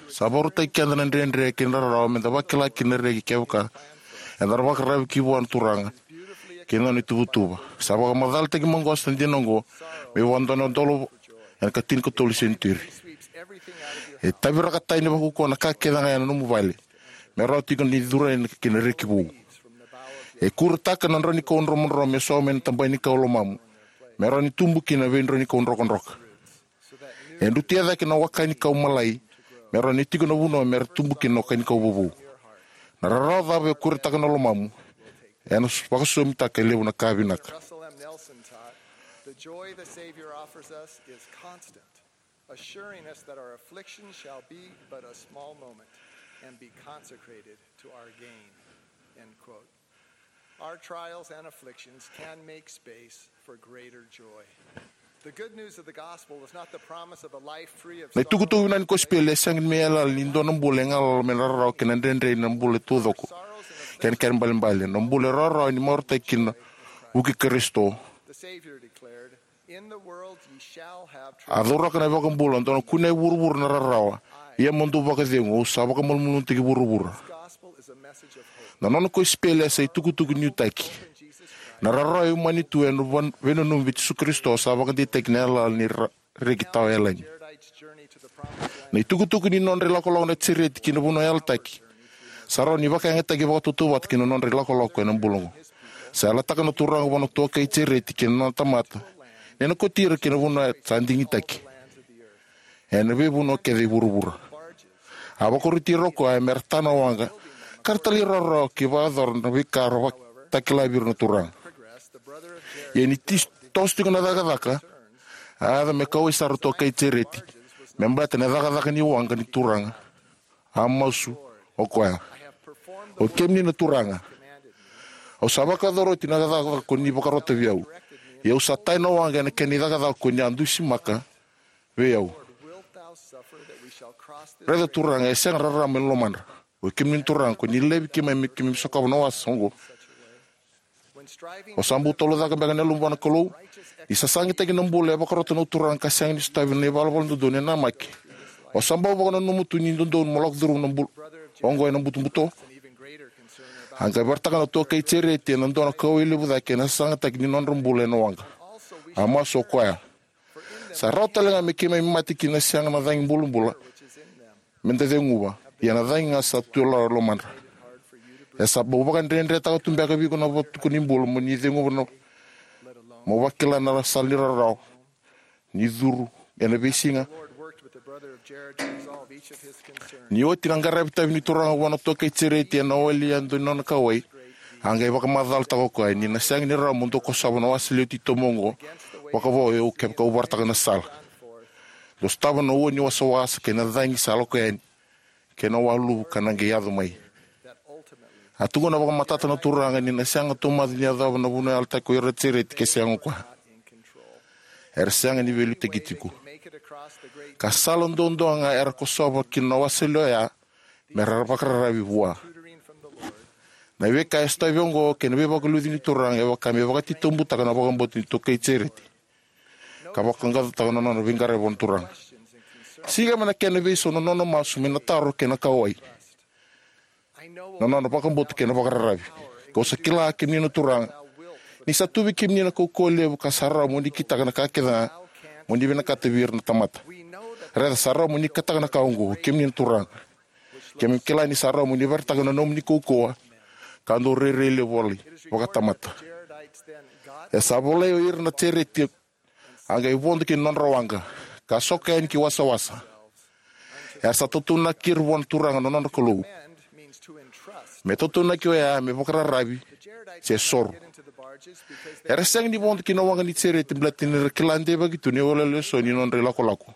sa vakarautaki keda na dredre kei na rarawa me da vakila kina na reki kevaka eda na vakararavi ki vua na Turaga kei na nona ituvatuva. Sa vakamacalataki maqosa na dina oqo me vua na dua na udolu ena ikatinikatolu ni senituri. E taviraka tani vakaukauwa na ka kece ga ena nomu vale, me rawa tiko ni curu yani ki na reki vou. E kuretaka na draunikau dromodromo me sogo mai na tabai ni kau lomamu, me rawa ni tubu kina na veidraunikau drokadroka. E drutia cake na waka ni kau malai, me rawa ni tiko na vanua me ra tubu kina na waka ni kau vovou. Na rarawa cava e kuretaka na lomamu, ena vakasosomitaka e levu na ka vinaka. Russell M. Nelson taught, "The joy the Savior offers us is constant, assuring us that our affliction shall be but a small moment and be consecrated to our gain." End quote. Our trials and afflictions can make space for greater joy. The good news of the gospel is not the promise of a life free of na itukutuku vinaka ni kosipeli e sega ni me yalayala ni dua na bula e galala mai na rarawa kei na dredre ni bula taucoko kei na kena ibalebale. Na bula e rawarawa ni marautaki kina na vuku i Karisito. The Savior declared, "In the world ye shall have trouble." A cauraka na iVakabula, dou na kunea e vuravura na rarawa, ia mo dou vakacegu, au sa vakamalumalumutaki vuravura. Na nona kosipeli e sa itukutuku nuitaki. Na rarawa e umani tu ena veinanumi vei Jisu Karisito sa vakadeitaki na yalayala ni ra- reki tawa yalani. Na itukutuku ni nodra ilakolako na Jesireti ki na vanua yalataki sa rawa ni vakayagataki vakatautauvata ki na nodra ilakolako ena bula oqo. Sa yalataka na Turaga vua na tuakai Jesireti kei na nona tamata ni na kauti ira ki na vanua sa digitaki ena veivanua kece e vuravura. A vakaroti ira o koya me ra ta na waqa ka ra talairawarawa ki vakayacora na veika ra vakatakila vei ira na Turaga. Ia ni toso tiko na cakacaka, a yaco me kauwai sara na tuakai Jesireti me baleta na cakacaka ni waqa ni Turaga. A masu o koya, "Oi kemuni na Turaga, au sa vakayacora oti na cakacaka ko ni vakarota vei au, ia au sa ta na waqa ena kena icakacaka ko ni a dusimaka vei au. Raica Turaga, e sega rarama ena lomadra. Oi kemuni na Turaga, ko ni laivi keimami me keimami sokava na wasa oqo." O sa bau tolocaka beka na yalomu vua na Kalou? Ni sasagataki na bula e vakarota na Turaga ka sega ni sotavi na ivalavala dodonu e namaki, o sa bau vakananuma tu ni dodonu mo lako curuma na bula oqo ena butobuto? A qai vakaraitaka na tuakai Jesireti ena dua na kauwai levu cake ena sasagataki ni nodra bula ena waqa. A masu o koya, "Sa rawa tale ga me keimami mate ki na sega na cagi bulabula me da ceguva, ia na cagi ga sa tu e lomadra. E sa bau vakadredretaka tu beka vei iko na vatuka ni bula mo ni ceguva, mo vakila na sala ni rarawa ni curu ena veisiga. Ni oti na qaravi tavi ni Turaga vua na tokai Jereti ena wali yadua ni nona kauwai, a qai vakamacalataka o koya ni na sega ni rawa mo dou kosova na wasa lewe titobu oqo vakavo au kevaka au varataka na sala. Dou sotava na ua ni wasawasa kei na cagi sa lako yani, kei na waluvu ka na qai yaco mai. A tukuna vakamatata na Turaga ni na sega taumada ni yacova na vanua yalataki ko ira na Jereti ke sega o koya. Era sega ni veiliutaki tiko. Ka sala duadua ga era kosova kina na wasa lewe oya me ra vakararavi vua. Na veika e sotavi oqo kei na veivakaluci ni Turaga e vaka me vakatitobutaka na vakabauta ni tokai Jereti ka vakaqaqacotaka na nona veiqaravi vua na Turaga. Siga mai na kena veisau na nona masu mai na taro kei na kauwai. Na nona vakabauta kei na vakararavi. Kau sa kila kemuni na Turaga, ni sa tu vei kemuni na kaukauwa levu ka sa rawa mo ni kitaka na ka kece ga mo ni vinakata vei ira na tamata. Raica sa rawa mo ni kitaka na ka oqo, kemuni na Turaga. Keimami kila ni sa rawa mo ni vakaraitaka na nomuni kaukauwa ka dau rairai levu wale vakatamata. E sa volai o ira na Jereti, a qai vodo ki na nodra waqa, ka soka yani ki wasawasa. Era sa tautaunaki ira vua na Turaga na nodra Kalou. Me tautaunaki oya me vakararavi se soro. Era sega ni vodo ki na waqa ni Jereti baleta ni ra kila deivaki tu na iwalewale eso ni nodra ilakolako.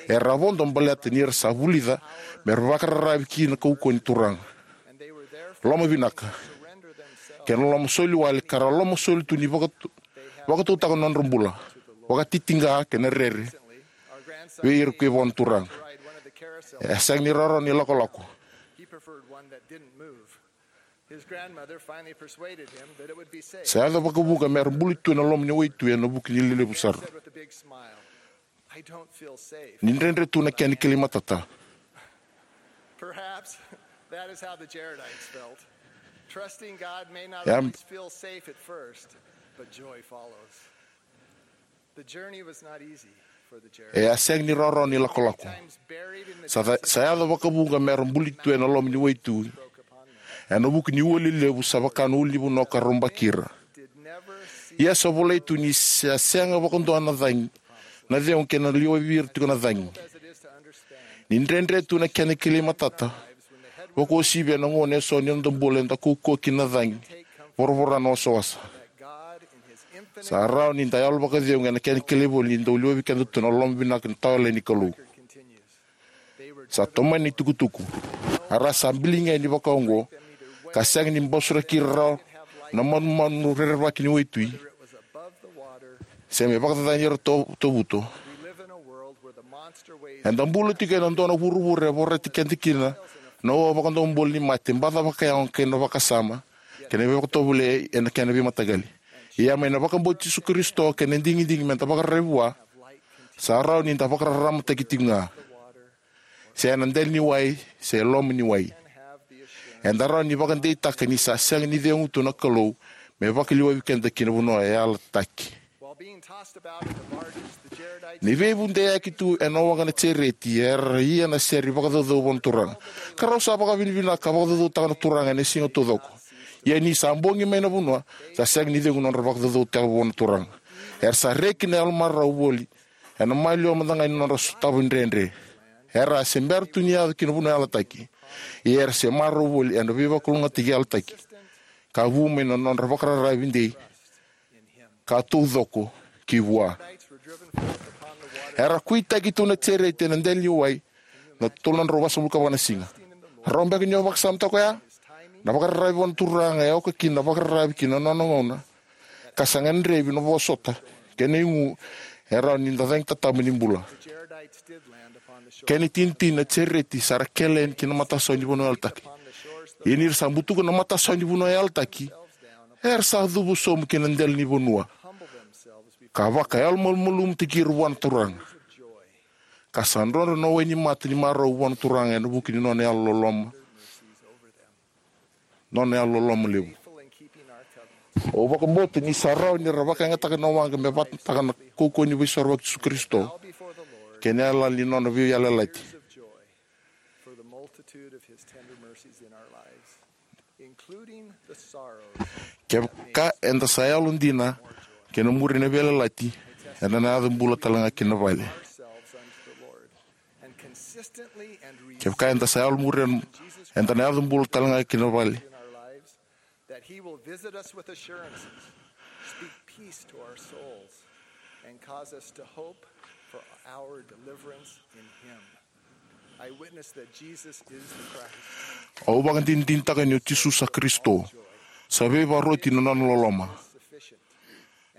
Era vodo baleta ni ra sa vulica me ra vakararavi ki na kaukauwa ni Turaga, loma vinaka, kei na loma soli wale ka ra loma soli tu ni vakatu- vakatautaka na nodra bula vakatitiqa kei na rere vei ira ko i vua na Turaga. E sega ni rawarawa na ilakolako. Sa yaco vakavuqa me ra buli tu ena loma ni waitui ena vuku ni lelevu sara. Ni dredre tu na kena kilai matata. Perhaps that is how the Jaredites felt. Trusting God may not always feel safe at first, but joy follows. The journey was not easy for the Jaredites. E a sega ni rawarawa ni lakolako. Sa, sa yaco vakavuqa me ra buli tu ena loma ni waitui ena vuku ni ua lelevu sa vaka na ulunivanua ka robaki ira. Ia sa volai tu ni sa sega vakadua na cagi, na cegu kei na liwa vei ira tiko na cagi. Ni dredre tu na kena kilai matata, vakauasivi ena gauna eso ni noda bula eda kaukauwa kina na cagi, voravora na wasawasa. Sa rawa ni da yalo vakacegu ena kena kilai voli ni dau liwavi keda tu na loma vinaka ni tawayalani ni Kalou. Sa tomani na itukutuku. A ra sa biliga yani vakaoqo ka sega ni basuraki ira rawa na manumanu rerevaki ni waitui, se me vakacacani ira to- tovuto. Eda bula tiko ena dua na vuravura e vorati keda kina na ua vakadobula ni mate, baca vakayago kei na vakasama kei na veivakatovolei ena kena veimataqali. Ia mai na vakabauti Jisu Karisito kei na digidigi meda vakararavi vua, sa rawa ni da vakararamataki tiko ga, se ena dela ni wai se loma ni wai. Eda rawa ni vakadeitaka ni sa sega ni cegu tu na Kalou me vakaliwavi keda ki na vanua e yalataki. Ni veivudeyaki tu ena waqa na Jereti, era ia na sere vakacaucau vua na Turaga, ka rau sa vakavinavinaka ka vakacaucautaka na Turaga ena siga taucoko. Ia ni sa bogi mai na vanua, sa sega ni cegu nodra vakacaucautaka vua na Turaga. Era sa reki na yalomarau voli ena maliwa mada ga ni nodra sotava dredre. Era a se bera tu ni yaco ki na vanua yalataki, ia era se marau voli ena veivakalougatataki yalataki ka vu mai na nodra vakararavi dei ka taucoko ki vua. Era kuitaki tu na Jereti ena dela ni wai na tolu na drau vasagavulu ka va na siga. Rau beka ni o vakasamataka oya? Na vakararavi vua na Turaga e oka kina na vakararavi ki na nona gauna ka sa gadrevi na vosota kei na igu e rawa ni da cagi tatabu ni bula. Kena itinitini, na Jereti sa ra kele yani ki na matasawa ni vanua yalataki. Ia ni ra sa butuka na matasawa ni vanua yalataki, era sa cuva sobu ki na dela ni vanua ka vakayalomalumalumutaki ira vua na Turaga, ka sa drodro na wainimata ni marau vua na Turaga ena vuku ni nona yalololoma, nona yalololoma levu. Au vakabauta ni sa rawa ni ra vakayagataka na waqa me vatataka na kaukauwa ni Veisorovaki i Jisu Karisito kei na yalayala ni nona veiyalayalati. Kevaka eda sa yalodina ki na muri na veiyalayalati, eda na yaco bula tale ga ki na vale. Kevaka eda sa yalo muri eda na yaco bula tale ga kina vale. That he will visit us with assurances, speak peace to our souls, and cause us to hope for our deliverance in him. I witness that Jesus is the Christ. Au vakadinadinataka ni o Jisu sa Karisito. Sa veivakaroti na nona loloma.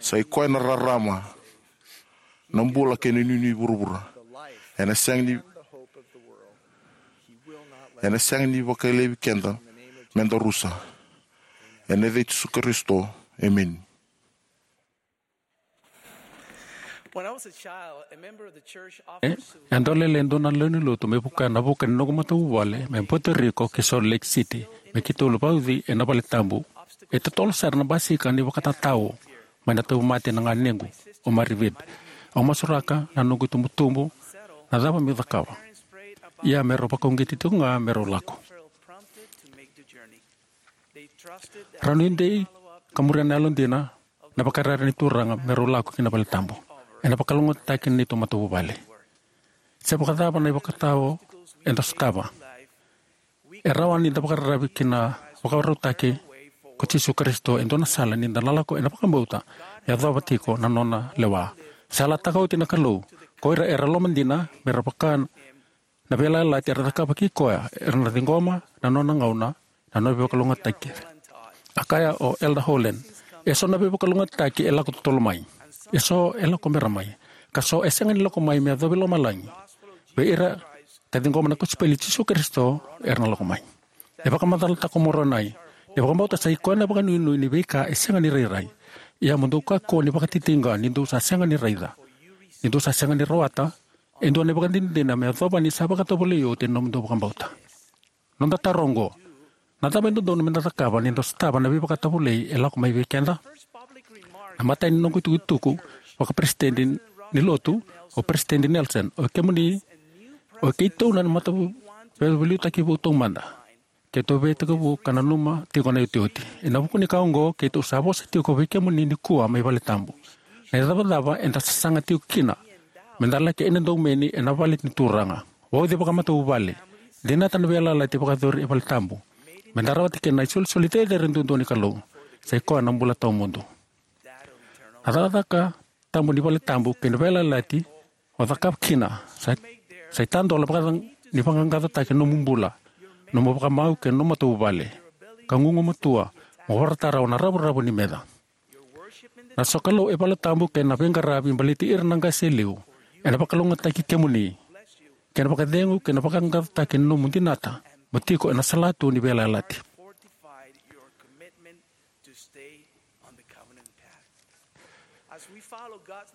Sa i koya na rarama, na bula kei na inuinui vuravura. Ena sega ni, ena sega ni vakalevi keda meda rusa. Ena yaca i Jisu Karisito. Emeni. When I was a child, a member of the church E, offered to e dau lele e dua na lewe ni lotu me vuka na vuka ni noqu matavuvale me Puerto Rico ki Salt Lake City me keitou vauci ena vale tabu. E totolo sara na basika ni vakatatao mai na tauvimate na ganequ, o Marivid. Au masuraka na noqu itubutubu na cava meu cakava. Ia me rau vakauqeti tiko ga me rau lako. Rau nuidei ka muria na yalodina na vakarere ni Turaga me rau lako ki na vale tabu. Ena vakalougatataki na neitou matavuvale. Se vakacava na ivakatawa eda sotava, e rawa ni da vakararavi ki na vakarautaki ko Jisu Karisito e dua na sala ni da na lako ena vakabauta me yacova tiko na nona lewa. Sa yalataka oti na Kalou ko ira era lomadina me ra vaka na veiyalayalati era cakava kei koya, era na ciqoma na nona gauna, na nona veivakalougatataki. A kaya o Elder Holland, eso na veivakalougatataki e lako totolo mai. Eso e lako bera mai. Ka so e sega ni lako mai me yacovi lomalagi. Vei ira ka ciqoma na kosipeli i Jisu Karisito era na lako mai. E vakamacalataka o Moronai ni vakabauta sa i koya na vakanuinui ni veika e sega ni rairai. Ia mo dou kakua ni vakatitiqa ni dou sa sega ni raica, ni dou sa sega ni rawata e dua na ivakadinadina me yacova ni sa vakatovolei oti na nomudou vakabauta. Noda taro oqo: na cava e dodonu meda cakava ni da sotava na veivakatovolei e lako mai vei keda? Na imatai ni noqu itukutuku vakaperesitedi ni lotu, o Peresitedi Nelson, o kemuni, o keitou na matavuvale veiliutaki vou taumada. Keitou veitekivu ka nanuma tiko na iotioti. Ena vuku ni ka oqo, keitou sa vosa tiko vei kemuni nikua mai vale tabu. Na icavacava eda sasaga tiko kina meda laki ena domoni ena vale ni Turaga. Vauci vakamatavuvale, dinata na veiyalayalati vakayacori e vale tabu, meda rawata kina na isolisoli cecere duadua ni Kalou, sa i koya na bula tawamudu. Na cakacaka tabu ni vale tabu kei na veiyalayalati o cakava kina sa, sa itadola vaka ni vaqaqacotaki na nomu bula, nomu vakamau kei na nomu matavuvale, ka gugumatua mo vorata rawa na ravuravu ni meca. Na sokalou e vale tabu kei na veiqaravi baleti ira na qase e liu ena vakalougatataki kemuni, kei na vakacegu kei na vaqaqacotaki na nomu dinata mo tiko ena salatu ni veiyalayalati.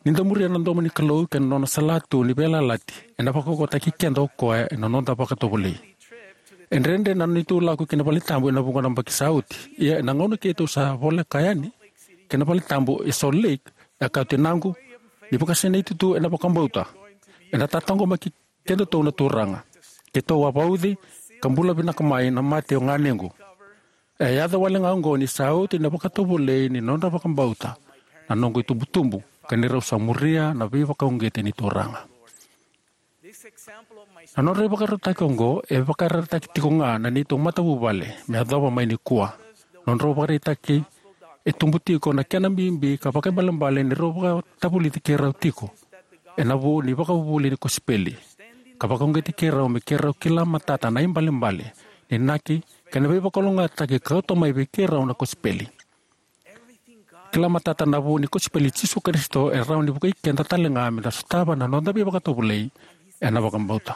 Ni da muria na domo ni Kalou kei na nona salatu ni veiyalayalati, ena vakaukauwataki keda o koya ena noda vakatovolei. E dredre na neitou lako ki na vale tabu ena vuqa na yabaki sa oti. Ia ena gauna keitou sa voleka yani ki na vale tabu e Salt Lake, e kaya o tinaqu ni vakasinaiti tu ena vakabauta ena tataqomaki kedatou na Turaga. Keitou a vauci ka bula vinaka mai na mate o ganequ. E yaco wale ga oqo ni sa oti na vakatovolei ni nodra vakabauta na noqu itubutubu, ka ni rau sa muria na veivakauqeti ni Turaga. Na nodra ivakarautaki oqo e vakarautaki tiko ga na neitou matavuvale me yacova mai nikua. Nodrau ivakaraitaki e tubu tiko na kena bibi ka vakaibalebale ni rau vakatavulici keirau tiko ena vu ni ivakavuvuli ni kosipeli, ka vakauqeti keirau me keirau kila matata na ibalebale ni inaki kei na veivakalougatataki ka kauta mai vei keirau na kosipeli. Kila matata na vu ni kosipeli i Jisu Karisito e rawa ni vukei keda tale ga meda sotava na noda veivakatovolei ena vakabauta.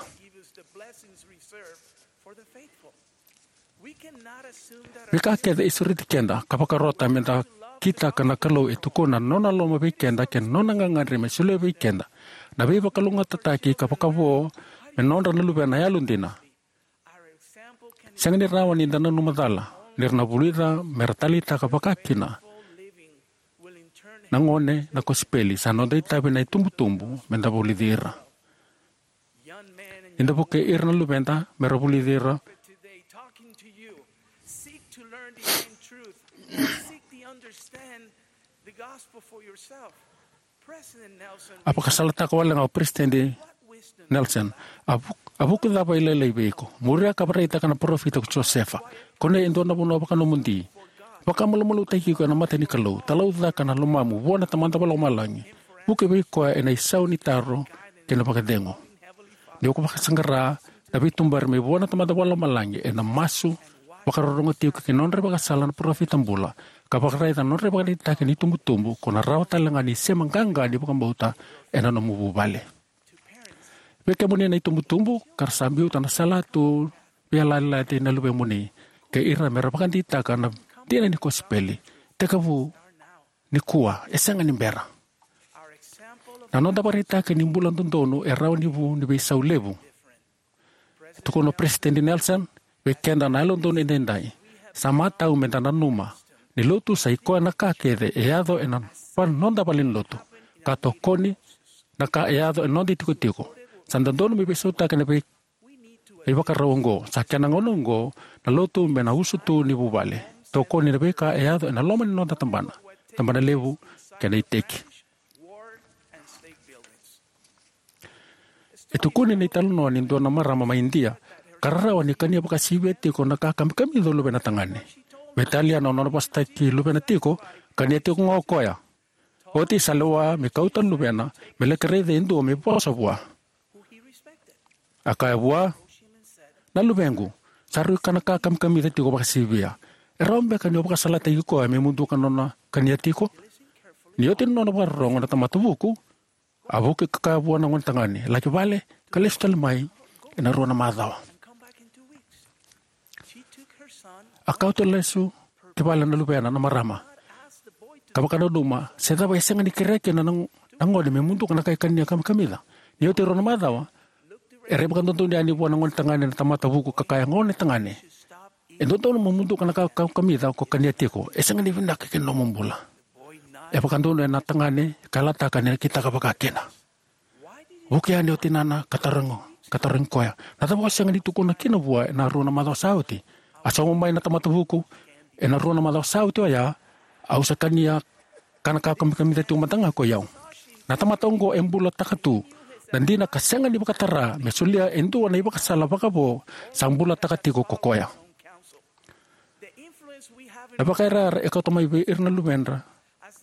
Veika kece e sureti keda ka vakarota meda kitaka na Kalou e tukuna na nona loloma vei keda kei na nona gagadre me solia vei keda na veivakalougatataki ka vakavo me nodra na luvena yalodina. Sega ni rawa ni da nanuma cala ni ra na vulica me ra taleitaka vakakina na gone na kosipeli. Sa noda itavi na itubutubu meda vulici ira. Ni da vukei ira na luveda me ra vulici ira. A vakasalataka wale ga o Peresitedi Nelson, a vuk-, A vuku cava e lailai vei iko? Muria ka vakaraitaka na parofita ko Josefa. Kunea e dua na vanua vakanomodi. Vakamalumalumutaki iko ena mata ni Kalou. Talaucaka na lomamu vua na Tamada Vakalomalagi. Vuki vei koya ena isau ni taro kei na vakacegu. Ni ko vakasaqara na veituberi mai vua na Tamada Vakalomalagi ena masu, vakarorogo tiko ki na nodra ivakasala na parofita bula, ka vakaraica na nodra ivakaraitaki ni itubutubu, ko na rawa talega ni sema qaqa ni vakabauta ena nomu vuvale. Vei kemuni na itubutubu ka ra sa biuta na salatu veiyalayalati na luvemuni kei ira me ra vakadeitaka na dina ni kosipeli, tekivu nikua, e sega ni bera. Na noda vakaraitaki ni bula dodonu e rawa ni vu ni veisau levu. E tukuna o Peresitedi Nelson, vei keda na Yalododonu Edaidai, sa matau meda nanuma ni lotu sa ikoya na ka kece e yaco ena va-, noda valenilotu, ka tokoni na ka e yaco ena noda itikotiko. Sa dodonu me veisautaki na vei-, na ivakarau oqo. Sa kena gauna oqo na lotu me na usutu ni vuvale, tokoni na veika e yaco ena loma ni noda tabana, tabanalevu kei na iteki. E tukuni na italanoa ni dua na marama mai Idia ka rarawa ni kania vakasivia tiko na ka kamikamica o luvena tagane. Veitalia na nona vosataki luvena tiko, kania tiko ga o koya. Oti sa lewa me kauta na luvena me laki raica e dua me vosa vua. A kaya vua, "Na luvequ, sa rui kana ka kamikamica tiko vakasivia. E rawa beka ni o vakasalataki koya me muduka na nona kania tiko?" Ni oti na nona vakarorogo na tamata vuku, a vuki ka kaya vua na gonetagane, "Laki vale ka lesu tale mai ena rua na macawa." A kauta lesu ki vale na luvena na marama ka vakananuma se cava e sega ni kerea kina na, na gone me muduka na ka e kania kamikamica. Ni oti e rua na macawa, era ivakadodonu yani vua na gonetagane na tamata vuku ka kaya, "Gonetagane, e dodonu mo muduka na ka kamikamica ko kania tiko. E sega ni vinaka ki na nomu bula." E vakadonu ena tagane ka yalataka ni na kitaka vakakina. Vuki yani o tinana ka tarogi, ka tarogi koya, "Na cava o sega ni tukuna kina vua ena rua na macawa sa oti?" A sauma mai na tamata vuku, "Ena rua na macawa sa oti oya, au sa kania kana ka kamikamica tiko mada ga ko i au." Na tamata oqo e bulataka tu na dina ka sega ni vakatara me solia e dua na ivakasala vakavo sa bulataka tiko ko koya. Na vakairara e kauta mai vei ira na luvedra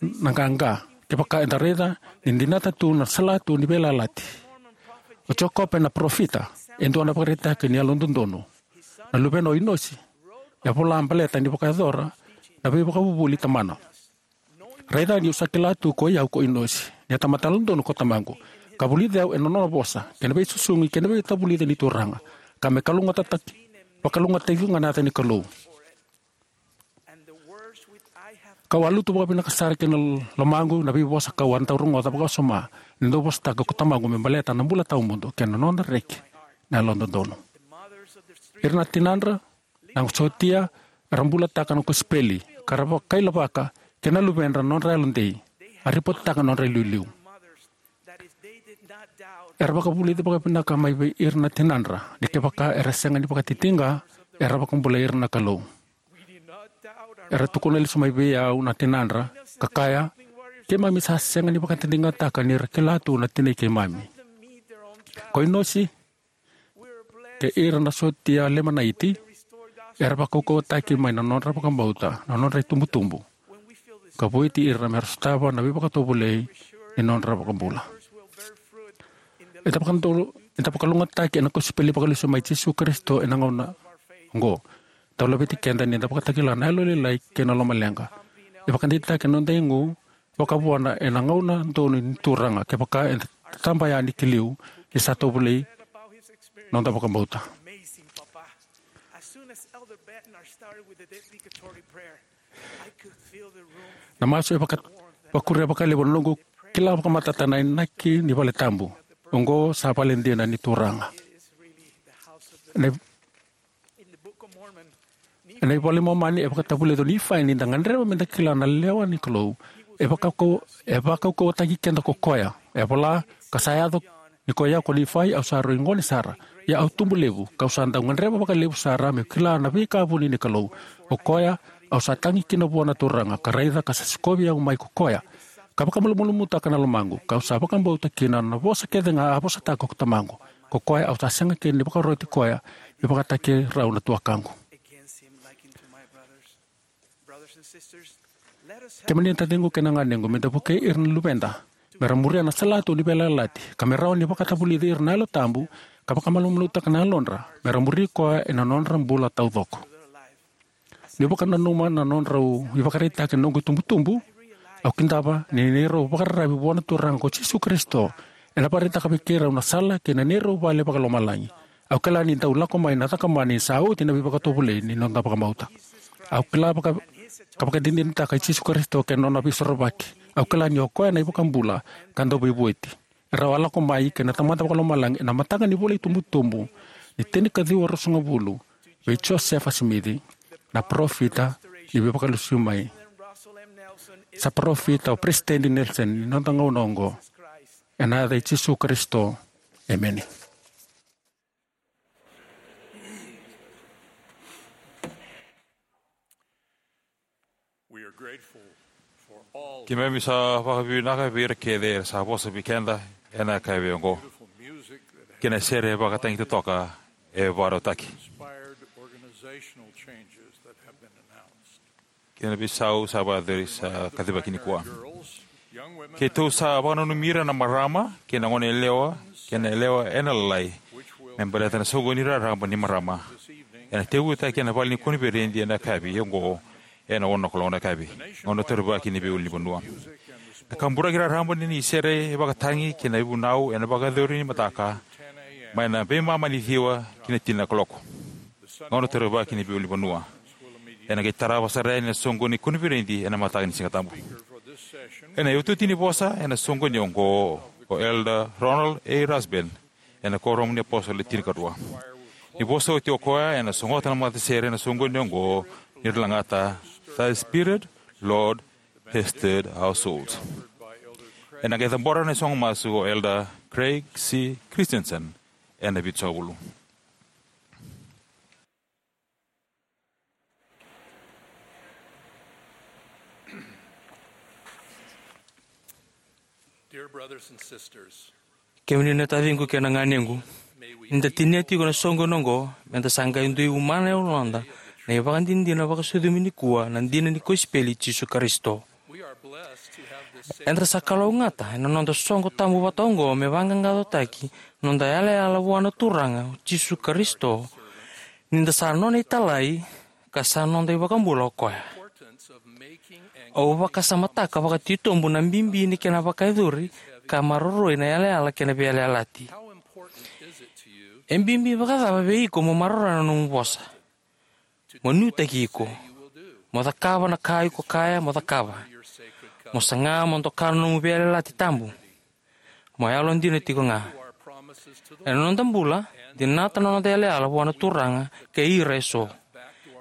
na qaqa kevaka eda raica ni dinata tu na salatu ni veiyalayalati. O Jekope na parofita, e dua na ivakaraitaki ni yalododonu. Na luvena o Inosi e vola baleta ni vakayacora na veivakavuvuli tamana. "Raica ni'u sa kila tu ko i au ko Inosi, ni a tamata yalododonu ko tamaqu, ka vulici au ena nona vosa kei na veisusugi kei na veitavulici ni Turaga, ka me kalougatataki, vakalougatataki ga na yaca ni Kalou. Ka'u a lutu vakavinaka sara ki na lomaqu na veivosa ka'u a dau rogoca vakawasoma ni dau vosataka ko tamaqu me baleta na bula tawamudu kei na nona reki na yalododonu." Ira na tinadra na sotia era bulataka na kosipeli ka ra vakailavaka kei na luvedra na nodra yalodei, a ripotaka na nodra iliuliu. Era vakavulici vakavinaka mai vei ira na tinadra ni kevaka era sega ni vakatitiqa, era vakabulai ira na Kalou. Era tukuna lesu mai vei au na tinadra ka kaya, "Keimami sa sega ni vakatitiqataka ni ra kila tu na tinai keimami." Ko Inosi kei ira na sotia Lemanaiti era vakaukauwataki mai na nodra vakabauta na nodra itubutubu, ka vueti ira me ra sotava na veivakatovolei ni nodra vakabula. Eda vakadou, eda vakalougatataki ena kosipeli vakalesu mai Jisu Karisito ena gauna oqo. Dau laveti keda ni da vakatakila na yalolailai kei na lomaleqa. E vakadeitaki na noda igu vakavuana ena gauna donu ni Turaga kevaka eda taba yani ki liu ni sa tovolei noda vakabauta. Na masu e vaka, vakuria vakalevu na noqu kila vakamatata na inaki ni vale tabu. Oqo sa vale dina ni Turaga. Na, na iVola i Momani e vakatavulica o Nifai ni da gadreva me da kila na lewa ni Kalou. E vakaukau, e vakaukauwataki keda ko koya. E vola, ka sa yaco ni ko i au ko Nifai, au sa rui gone sara. Ia au tubu levu, ka'u sa dau gadreva vakalevu sara me'u kila na veika vuni ni Kalou. O koya, au sa tagi kina vua na Turaga, ka raica ka sa sikovi au mai ko koya. Ka vakamalumalumutaka na lomaqu, ka'u sa vakabauta kina na vosa kece ga a vosataka ko tamaqu. Ko koya au sa sega kina ni vakaroti koya me vakataki rau na tuakaqu. Kemuni na taciqu kei na ganequ, me da vukei ira na luveda me ra muria na salatu ni veiyalayalati, ka me rawa ni vakatavulici ira na Yalo Tabu, ka vakamalumalumutaka na yalodra me ra muri koya ena nodra bula taucoko. Niu vakananuma na nodrau ivakaraitaki na noqu itubutubu, au kidava ni neirau vakararavi vua na Turaga ko Jisu Karisito ena vakaraitaka vei keirau na sala kei na neirau vale vakalomalagi. Au kila ni dau lako mai na cakamana ni sa oti na veivakatovolei ni noda vakabauta. Au kila vaka, ka vakadinadinataka i Jisu Karisito kei na nona veisorovaki. Au kila ni o koya na iVakabula ka Dauveivueti. Erau a lako mai kei na Tamada Vakalomalagi ena mataka ni vula itubutubu ni tinikaciwa ruasagavulu vei Josefa Simici, na parofita ni Veivakalesuimai. Sa parofita o Peresitedi Nelson ni noda gauna oqo. Ena yaca i Jisu Karisito. Emeni. We are grateful for all. Keimami sa vakavinavinaka vei ira kece era sa vosa vei keda ena yakavi oqo. Beautiful music that kei na sere vakatagi totoka e vakarautaki. Inspired organizational changes that have been announced. Kei na veisau sa vakayacori sa kacivaki nikua. Keitou sa vakananumi ira na marama kei na gone yalewa kei na yalewa ena lalai me baleta na soqoni raraba ni marama ena tekivutaki ena vale ni koniferedi ena yakavi oqo ena ono na kaloko na yakavi. Gauna taurivaki ni veiulunivanua. Na kaburaki raraba ni sere e vakatagi kei na ivunau ena vakayacori ni mataka mai na veimama ni ciwa ki na tini na kaloko. Gauna taurivaki ni veiulunivanua. Ena qai tarava sara yani na soqoni koniferedi ena mataka ni Siga Tabu. Ena iotioti ni vosa ena soqoni oqo o Elder Ronald A. Rasband ena Kuoramu ni iApositolo Le Tinikarua. Ni vosa oti o koya ena sogota na matasere ena soqoni oqo ni ra lagata Thy Spirit, Lord, has stirred our souls. Ena qai cabora na isogo masu o Elder Craig C. Christensen ena Vitusagavulu. Dear brothers and sisters, kemuni na taciqu kei na ganequ, ni da tinia tiko na soqoni oqo, me da sa qai dui umana e yaloda na ivakadinadina vakasucumi nikua na dina ni kosipeli i Jisu Karisito. Eda sa kalougata ena noda soqo tabu vata oqo me vaqaqacotaki na noda yalayala vua na Turaga o Jisu Karisito, ni da sa nona italai ka sa noda iVakabula o koya. Au vakasamataka vakatitobu na bibi ni kena vakayacori ka maroroi na yalayala kei na veiyalayalati. E bibi vakacava vei iko mo maroroya na nomu vosa? Mo nuitaki iko. Mo cakava na ka iko kaya mo cakava. Mo saga mo doka na nomu veiyalayalati tabu. Mo yalodina tiko ga. Ena noda bula, dinata na noda yalayala vua na Turaga kei ira eso.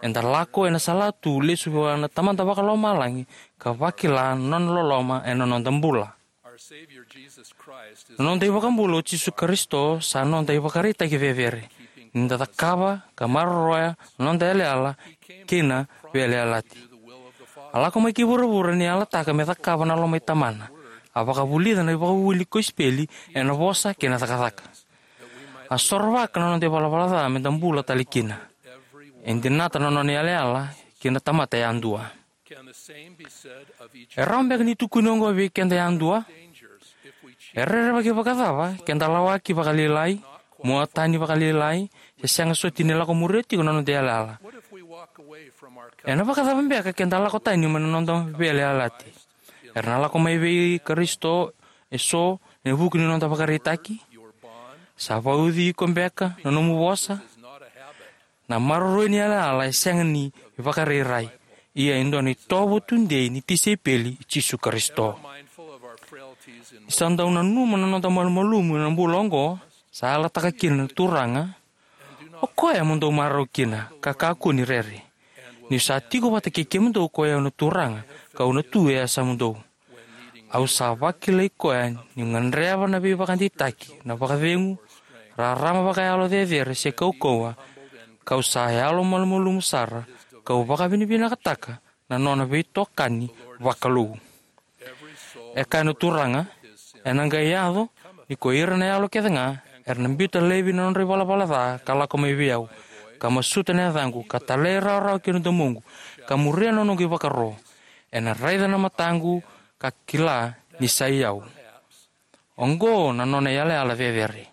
Eda lako ena salatu lesu vua na Tamada Vakalomalagi ka vakila na nona loloma ena noda bula. Na noda iVakabula o Jisu Karisito sa noda ivakaraitaki cecere ni da cakava ka maroroya na noda yalayala kei na veiyalayalati. A lako mai ki vuravura ni yalataka me cakava na loma i Tamana. A vakavulica na ivakavuvuli ni kosipeli ena vosa kei na cakacaka. A sorovaka na noda ivalavala ca me da bula tale kina. E dinata na nona yalayala ki na tamata yadua. E rawa beka ni tukuni oqo vei keda yadua? E rerevaki vakacava ke da lawaki vakalailai, mua tani vakalailai, se sega soti ni lako muria tiko na noda yalayala? Ena vakacava beka ke da lako tani mai na noda veiyalayalati? Era na lako mai vei Karisito eso ena vuku ni noda vakaraitaki? Sa vauci iko beka na nomu vosa? Na maroroi ni yalayala e sega ni vakarairai, ia e dua na itovo tudei ni tisaipeli i Jisu Karisito. Ni sa dau nanuma na noda malumalumu ena bula oqo, sa yalataka kina na Turaga, o koya mo dou marau kina ka kakua ni rere. Niu sa tiko vata kei kemudou ko i au na Turaga, ka'u na tu e yasamudou. Au sa vakilai koya niu gadreva na veivakadeitaki, na vakacegu, rarama vakayalo cecere se kaukauwa, ka'u sa yalomalumalumu sara, ka'u vakavinavinakataka na nona veitokani vakalou. E kaya na Turaga, ena qai yaco ni ko ira na yalo kece ga Era na biuta laivi na nodra ivalavala ca ka lako mai vei au, ka masuta na yacaqu, ka talairawarawa ki na domoqu, ka muria na noqu ivakaro. Ena raica na mataqu ka kila ni sa i au. Oqo na nona yalayala cecere.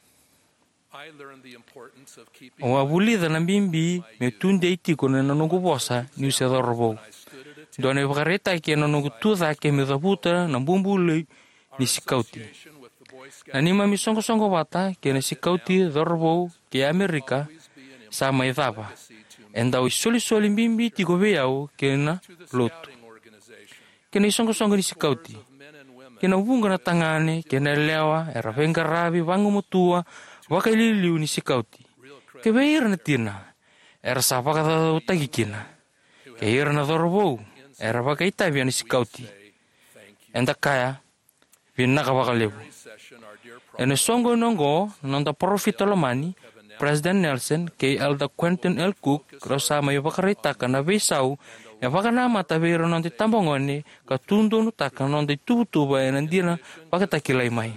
Au a vulica na bibi me tudei tiko na noqu vosa niu se cauravou. Dua na ivakaraitaki ena noqu tu cake me cavuta na bubului ni sikauti. Na neimami soqosoqo vata kei na sikauti cauravou kei Amerika sa mai cava. E dau isolisoli bibi tiko vei au kei na lotu. Kei na isoqosoqo ni sikauti. Kei na vuqa na tagane kei na yalewa era veiqaravi vagumatua vakailiuliu ni sikauti. Kei vei ira na tina era sa vakacaucautaki kina. Kei ira na cauravou era vakaitavi ena sikauti. Eda kaya, vinaka vakalevu. Ena soqoni oqo, na noda parofita lomani, President Nelson kei Elder Quentin L. Cook, rau sa mai vakaraitaka na veisau e vakanamata vei ira na noda itabagone ka tudonutaka na noda ituvatuva ena dina vakatakilai mai.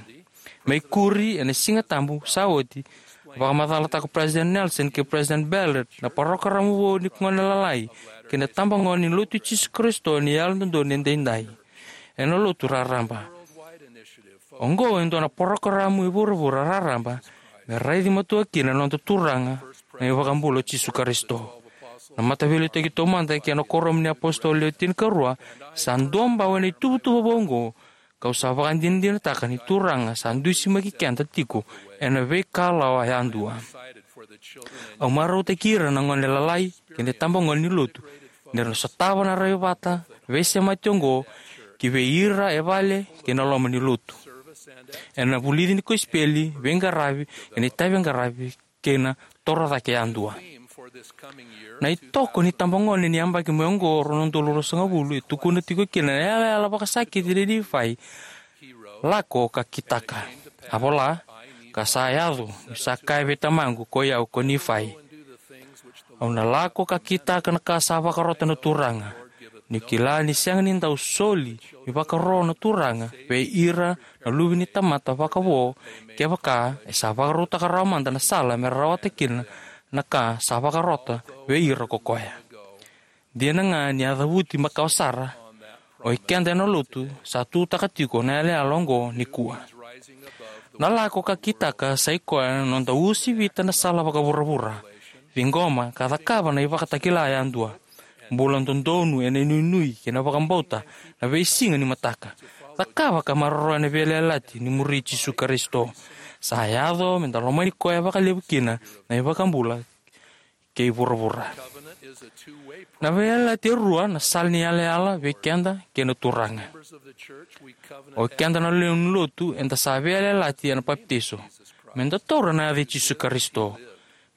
Me ikuri ena Siga Tabu sa oti, vakamacalataka o President Nelson kei President Ballard na parokaramu vou ni gone lalai kei na itabagone ni Lotu i Jisu Karisito ni Yalododonu Edaidai ena lotu raraba. Oqo e dua na parokaramu e vuravura raraba me raici matua kina na noda Turaga na iVakabula o Jisu Karisito. Na Mataveiliutaki Taumada kei na Kuoramu ni iApositolo Le Tinikarua sa duabau ena ituvatuva vou oqo, kau sa vakadinadinataka ni Turaga sa dusimaki keda tiko ena veikalawa yadua. Au marautaki ira na gone lalai kei na itabagone ni lotu ni ra na sotava na rai vata veisemati oqo ki vei ira e vale kei na loma ni lotu, ena vulici ni kosipeli, veiqaravi, ena itavi qaravi, kei na toro cake yadua. Na itoko ni itabagone ni yabaki mai oqo rua na udolu ruasagavulu e tukuna tiko kina na yalayala vakasakiti nei Nifai. Lako ka kitaka. A vola, ka sa yaco niu sa kaya vei tamaqu, koi au ko Nifai, au na lako ka kitaka na ka sa vakarota na Turaga, niu kila ni sega ni dau soli ni vakaro na Turaga vei ira na luve ni tamata vakavo, kevaka e sa vakarautaka rawa mada na sala me rawata kina na ka sa vakarota vei ira ko koya. Dina ga ni a cavuti makawa sara, o ikeda ena lotu sa tutaka tiko na yalayala oqo nikua. Na lako ka kitaka sa i koya na noda uasivita na sala vakavuravura, ciqoma ka cakava na ivakatakila yadua, bula dodonu ena inuinui kei na vakabauta na veisiga ni mataka, cakava ka maroroya na veiyalayalati ni muri Jisu Karisito. Sa yaco meda lomani koya vakalevu kina na iVakabula kei vuravura. Na veiyalayalati e rua na sala ni yalayala vei keda kei na Turaga. O keda na lewe ni lotu eda sa veiyalayalati ena papitaiso, meda taura na yaca i Jisu Karisito,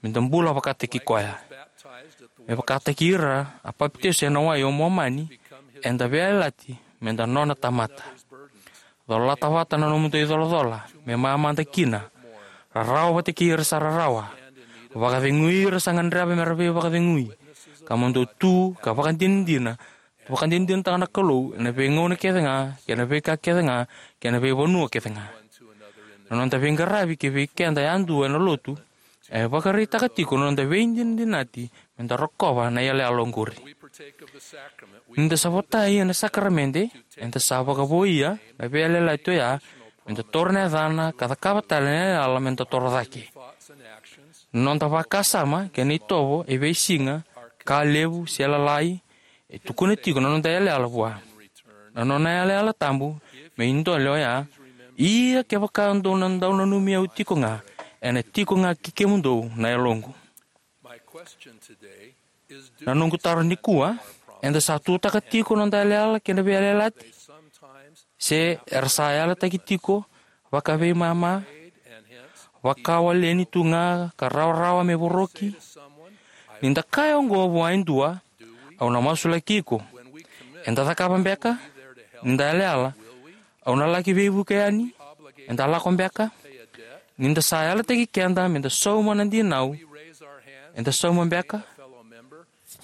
meda bula vakataki koya. Me vakataki ira a papitaiso ena wai o Momani, eda veiyalayalati meda nona tamata. Colata vata na nomudou icolacola me mamada kina. Rarawa vata kei ira sa rarawa. Vakacegui ira sa gadreva mera veivakacegui. Ka mo dou tu ka vakadinadina, vakadinadinataka na Kalou ena veigauna kece ga, kei na veika kece ga, kei na veivanua kece ga. Na noda veiqaravi kei vei keda yadua ena lotu e vakaraitaka tiko na noda veidinadinati meda rokova na yalayala oqori. Nida sa votai ena sakaramede, eda sa vakavoia na veiyalayalati oya meda taura na yacana ka cakava tale na yalayala meda toro cake. Na noda vakasama kei na itovo e veisiga, ka levu se lalai, e tukuna tiko na noda yalayala vua. Na nona yalayala tabu me idole oya, ia kevaka dou na dau nanumi au tiko ga, ena tiko ga kei kemudou na yaloqu. Na noqu taro nikua, eda sa tutaka tiko na noda yalayala kei na veiyalayalati? Se era sa yalataki tiko vakaveimama, vakawaleni tu ga ka rawarawa me voroki? Nida kaya oqo vua e dua, au na masulaki iko, eda cakava beka? Nida yalayala, au na laki veivuke yani, eda lako beka? Nida sa yalataki keda meda sauma na dinau, eda sauma beka?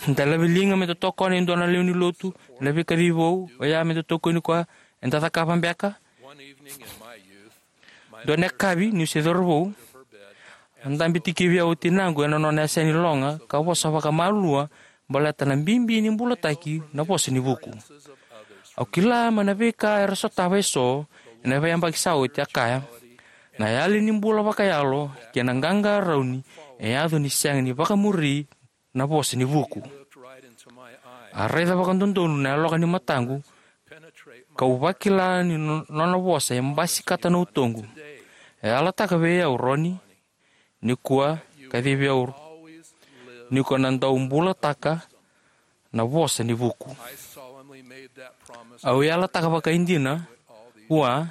Nida laveliga meda tokona e dua na lewe ni lotu ena veikacivi vou, oya meda tokoni koya, eda cakava beka? Dua na yakavi niu se cauravou, A dabe tikivi au o tinaqu ena nona yasani loga ka vosa vakamalua baleta na bibi ni bulataki na vosa ni vuku. Au kila mai na veika era sotava eso ena veiyabaki sa oti, a kaya, na yali ni bula vakayalo kei na qaqarauni e yaco ni sega ni vakamuri na vosa ni vuku. A raica vakadodonu na yaloka ni mataqu, kau vakila ni no- nona vosa e basikata na utoqu. E yalataka vei au, Roni, nikua, kacivi au, ni ko na dau bulataka na vosa ni vuku. Au yalataka vakaidina vua,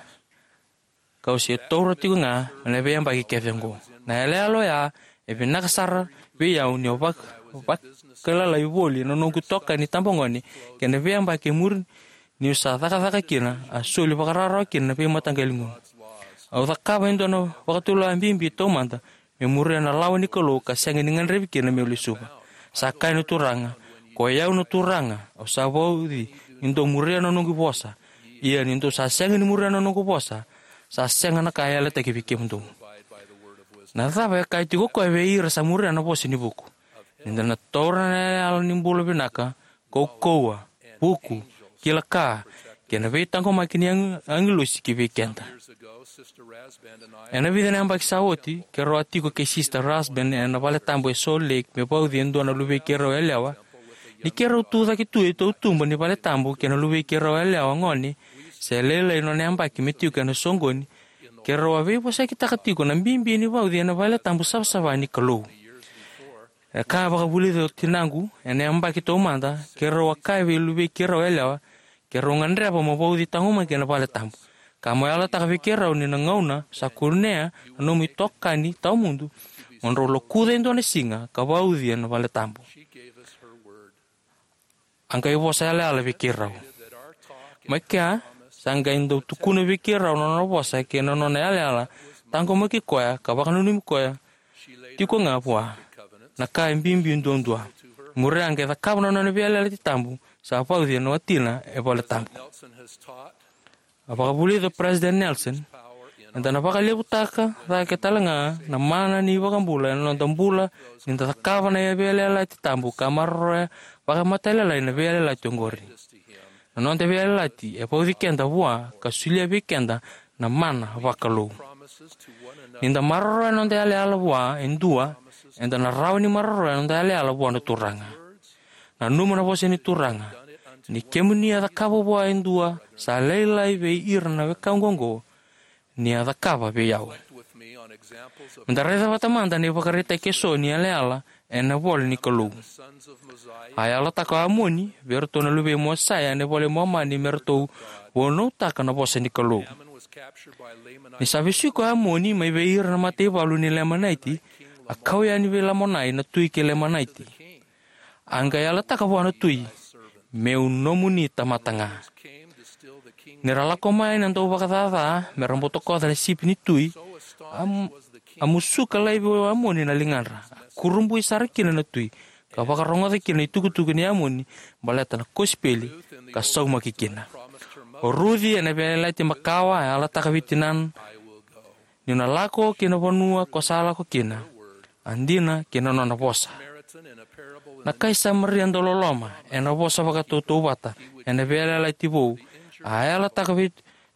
kau se taura tiko ga ena veiyabaki kece oqo. Na yalayala oya e vinaka sara vei au ni vak- vakailalai voli na noqu itokani tabagone kei na veiyabaki e muri, niu sa cakacaka kina, a soli vakarawarawa kina na veimataqali gunu. Au cakava e dua na vakatulewa bibi taumada me muria na lawa ni Kalou ka sega ni gadrevi kina meu lesuva. Sa kaya na Turaga, ko i au na Turaga, au sa vauci ni dou muria na noqu vosa. Ia ni dou sa sega ni muria na noqu vosa, sa sega na ka e yalataki vei kemudou. Na cava e kaya tiko o koya vei ira sa muria na vosa ni vuku? Ni da na taura na yalayala ni bula vinaka, kaukauwa, vuku, kila ka, kei na veitaqomaki ni agi- agilosi ki vei keda. Ena vica na yabaki sa oti, keirau a tiko kei Sister Rasband ena vale tabu e Salt Lake me vauci e dua na luvei keirau yalewa. Ni keirau tu cake tu e tautuba ni vale tabu kei na luvei keirau yalewa gone, se lailai nona yabaki me tiko ena soqoni, keirau a veivosakitaka tiko na bibi ni vauci ena vale tabu savasava ni Kalou. E ka vakavulica o tinaqu ena yabaki taumada, keirau a kaya vei luvei keirau yalewa, keirau gadreva mo vauci taqomaki ena vale tabu. Ka mo yalataka vei keirau ni na gauna sa kunea na nomu itokani tawamudu, mo drau lokuca e dua na siga ka vauci ena vale tabu. A qai vosa yalayala vei keirau. Mai kea, sa qai dau tukuna vei keirau na nona vosa kei na nona yalayala, taqomaki koya ka vakananumi koya tiko ga vua. Na ka e bibi duadua. Muria a qai cakava na nona veiyalayalati tabu, sa vauci ena watina e vale tabu. A vakavulica o President Nelson, eda na vakalevutaka cake tale ga na mana ni vakabula ena noda bula ni da cakava na veiyalayalati tabu ka maroroya vakamatailalai na veiyalayalati oqori. Na noda veiyalayalati e vauci keda vua ka solia vei keda na mana vakalou. Ni da maroroya na noda yalayala vua e dua, eda na rawa ni maroroya na noda yalayala vua na Turaga. Nanuma na vosa ni Turaga: ni kemuni a cakava vua e dua sa lailai vei ira na wekaqu oqo, ni a cakava vei au. Me da raica vata mada na ivakaraitaki eso ni yalayala ena ivola ni Kalou. A yalataka o Amoni vei iratou na luvei Mosaia ena ivola i Momani me ratou vunautaka na vosa ni Kalou. Ni sa vesuki ko Amoni mai vei ira na mataivalu ni Lemanaiti, a kau yani vei Lamonai na tui kei Lemanaiti. A qai yalataka vua na tui: Meu nomuni tamata ga. Ni ra lako mai na dauvakacaca me ra butakoca na sipi ni tui, a, a musuka laivi o Amoni na ligadra. A kurabui sara kina na tui, ka vakarogoca kina na itukutuku nei Amoni baleta na kosipeli, ka saumaki kina. O Ruci ena Veiyalayalati Makawa a yalataka vei tinana: Niu na lako ki na vanua ko sa lako kina, a dina ki na nona vosa. Na kai Samaria dauloloma ena vosa vakatautauvata ena Veiyalayalati Vou, a yalataka vei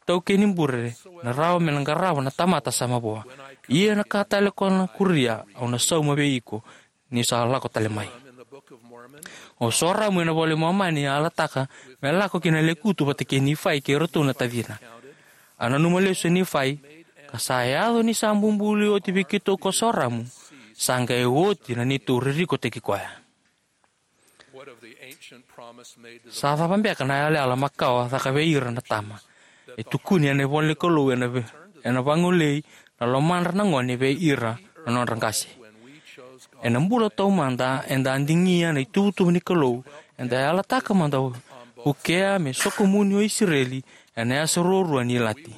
taukei ni bure na rawa me na qarava na tamata sa mavoa. Ia na ka tale ko na kuria au na sauma vei iko ni sa lako tale mai. O Soramu ena ivola i Momani a yalataka me lako ki na lekutu vata kei Nifai kei iratou na tacina. A nanuma lesu o Nifai, ka sa yaco ni sa bubului oti vei keitou ko Soramu, sa qai oti na neitou ririkotaki koya. Sa cava beka na yalayala makawa caka vei ira na tama? E tukuni ena ivola ni Kalou ena ve- ena vagolei na lomadra na gone vei ira na nodra qase. Ena bula taumada eda a digia na ituvatuva ni Kalou, eda yalataka mada: Vukea me sokomuni o Isireli ena yasa ruarua ni ilati.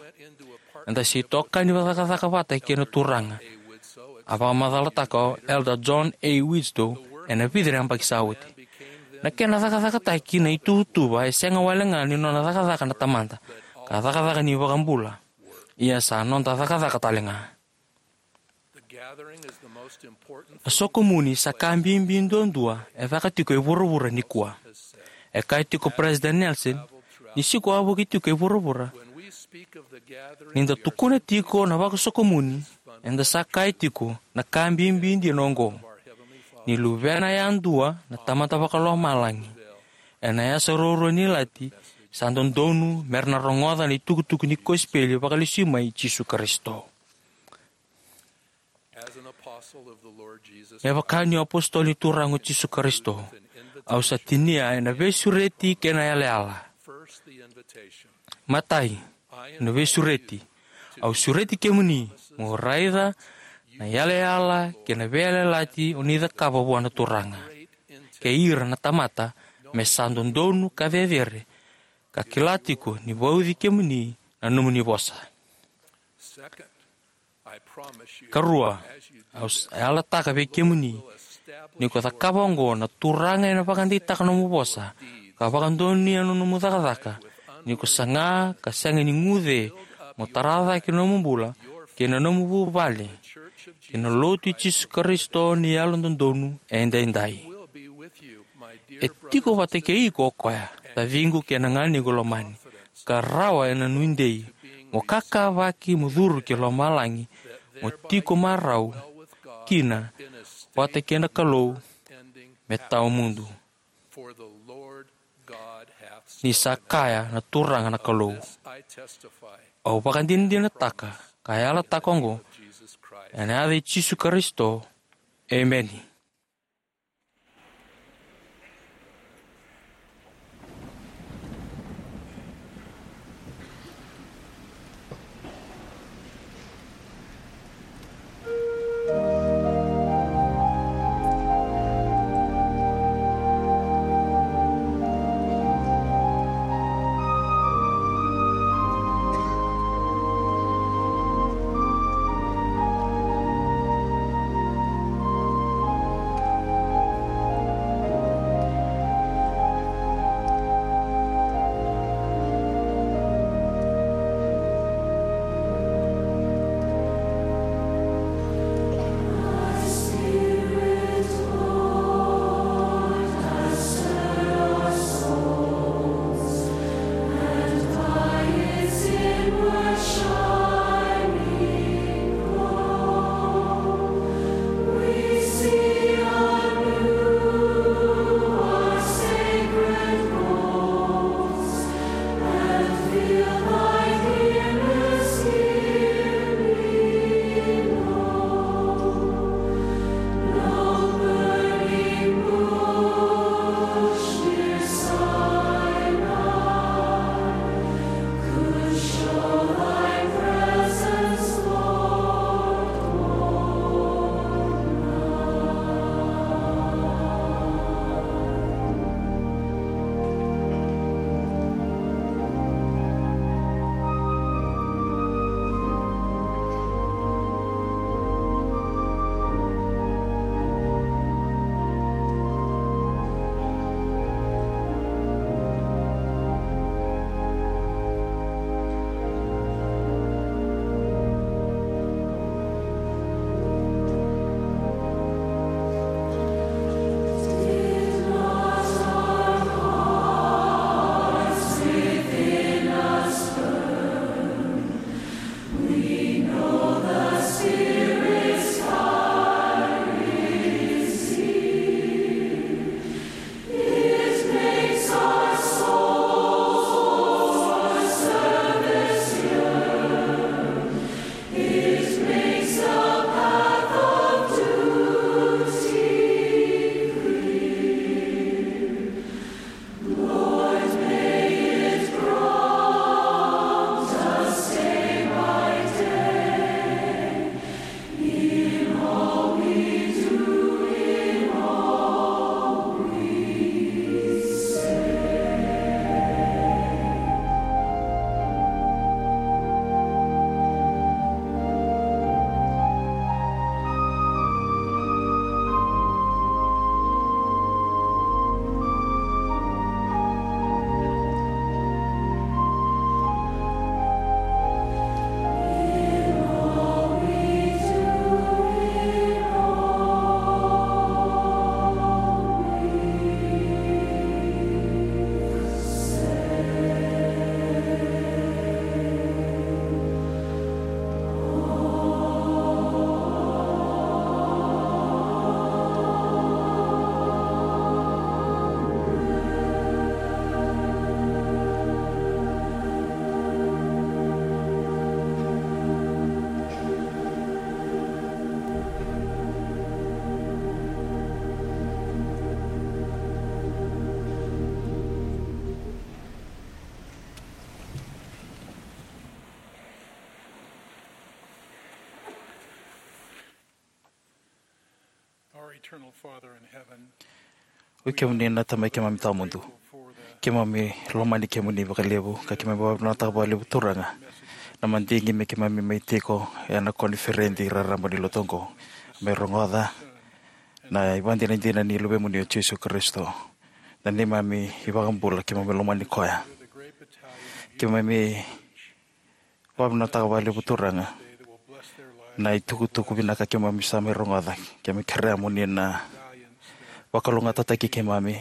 Eda se itokani vakacakacaka vata kei na Turaga, a vakamacalataka o Elder John A. Widtsoe ena vica na yabaki sa oti. Na kena cakacakataki na ituvatuva e sega wale ga ni nona cakacaka na Tamada, ka cakacaka ni iVakabula, ia sa noda cakacaka tale ga. A sokomuni sa ka bibi duadua e caka tiko e vuravura nikua. E kaya tiko o Peresitedi Nelson, ni siko a vuki tiko e vuravura, ni da tukuna tiko na vakasokomuni, eda sa kaya tiko na ka bibi dina oqo. Ni luvena yadua na Tamada Vakalomalagi, ena yasa ruarua ni lati, sa dodonu mera na rogoca na itukutuku ni kosipeli vakalesui mai Jisu Karisito. Me vaka niu apositolo ni Turaga o Jisu Karisito, au sa tinia ena veisureti kei na yalayala. Matai, na veisureti. Au sureti kemuni mo raica na yalayala kei na veiyalayalati o ni cakava vua na Turaga kei ira na tamata, me sa dodonu ka cecere, ka kila tiko ni vauci kemuni na nomuni vosa. Karua, au s- yalataka vei kemuni, ni ko cakava oqo, na Turaga ena vakadeitaka nomu vosa ka vakadonuya na nomu cakacaka, ni ko saga ka sega ni guce mo tara cake na nomu bula kei na nomu vuvale kei na Lotu i Jisu Karisito ni Yalododonu Edaidai. E tiko vata kei iko o koya, taciqu kei na ganequ lomani, ka rawa ena nuidei mo kakavaki mo curu ki lomalagi, mo tiko marau kina vata kei na Kalou me tawamudu. Ni sa kaya na Turaga na Kalou, au vakadinadinataka ka yalataka oqo ena yaca i Jisu Karisito. Emeni. Eternal Father in heaven, oi kemuni na Tamai keimami tawamudu. Keimami lomani kemuni vakalevu, ka keimami vakavinavinakataka vakalevu Turaga na madigi me keimami mai tiko ena koniferedi raraba ni lotu oqo, me rogoca na ivakadinadina ni Luvemuni o Jisu Karisito, na neimami iVakabula. Keimami lomani koya. Keimami vakavinavinakataka vakalevu Turaga na itukutuku vinaka keimami sa mai rogoca. Keimami kerea mo ni na vakalougatataki keimami,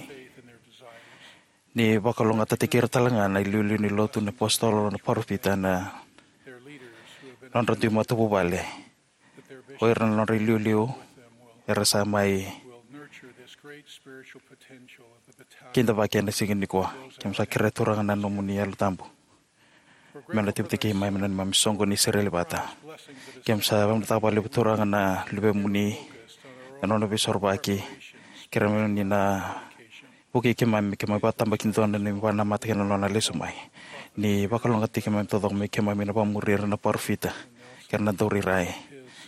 ni vakalougatataki ira tale ga na iliuliu ni lotu, na apositolo, na parofita, na nodra dui matavuvale. O ira na nodra iliuliu era sa mai kidavaki ena siga nikua. Keimami sa kerea Turaga na nomuni Yalo Tabu me na tibitaki mai me na neimami soqo ni sereli vata. Keimami sa vakavinavinakataka vakalevu Turaga na Luvemuni, na nona veisorovaki. Kerea mo ni na vukei keimami, keimami vakatabakidua na neimami vakanamata kei na nona lesu mai. Ni vakalougatataki keimami taucoko, me keimami na vakamuri ira na parofita kei ira na daurairai.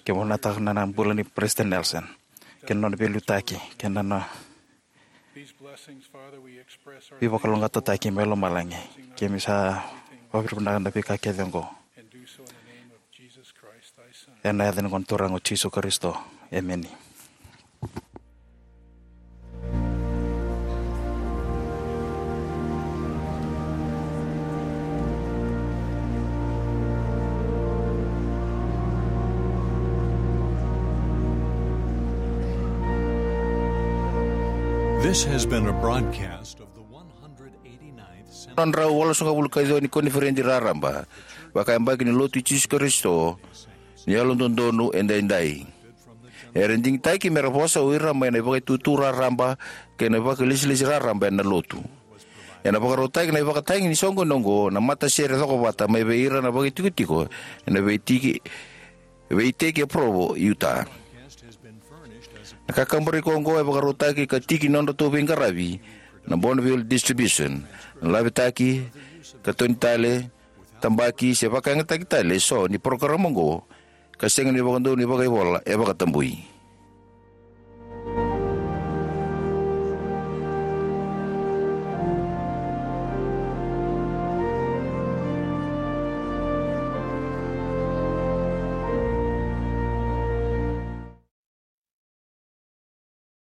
Keimami vakavinavinakataka na bula nei Peresitedi Nelson kei na nona veiliutaki kei na nona veivakalougatataki mai lomalagi. Keimami sa vakavinavinaka na veika kece oqo ena yaca ni Gone Turaga o Jisu Karisito. Emeni. This has been a broadcast of the one hundred eighty-ninth Centenary. Drau walusagavulu ka ciwa ni koniferedi raraba vakayabaki ni Lotu i Jisu Karisito ni Yalododonu Edaidai. Era digitaki me ra vosa o ira mai na ivakaitutu raraba kei na ivakalesilesi raraba ena Lotu. Ena vakarautaki na ivakatagi ni soqoni oqo na matasere cokovata mai vei ira na vakaitikotiko ena veitiki, veiteki e Provo, Utah. Na kakaburaki oqo e vakarautaki ka tiki ni nodratou veiqaravi na Bonneville Distribution. Na lavitaki, katoni tale, tabaki se vakayagataki tale eso ni parokaramu oqo ka sega ni vakadonui vakaivola e vakatabui.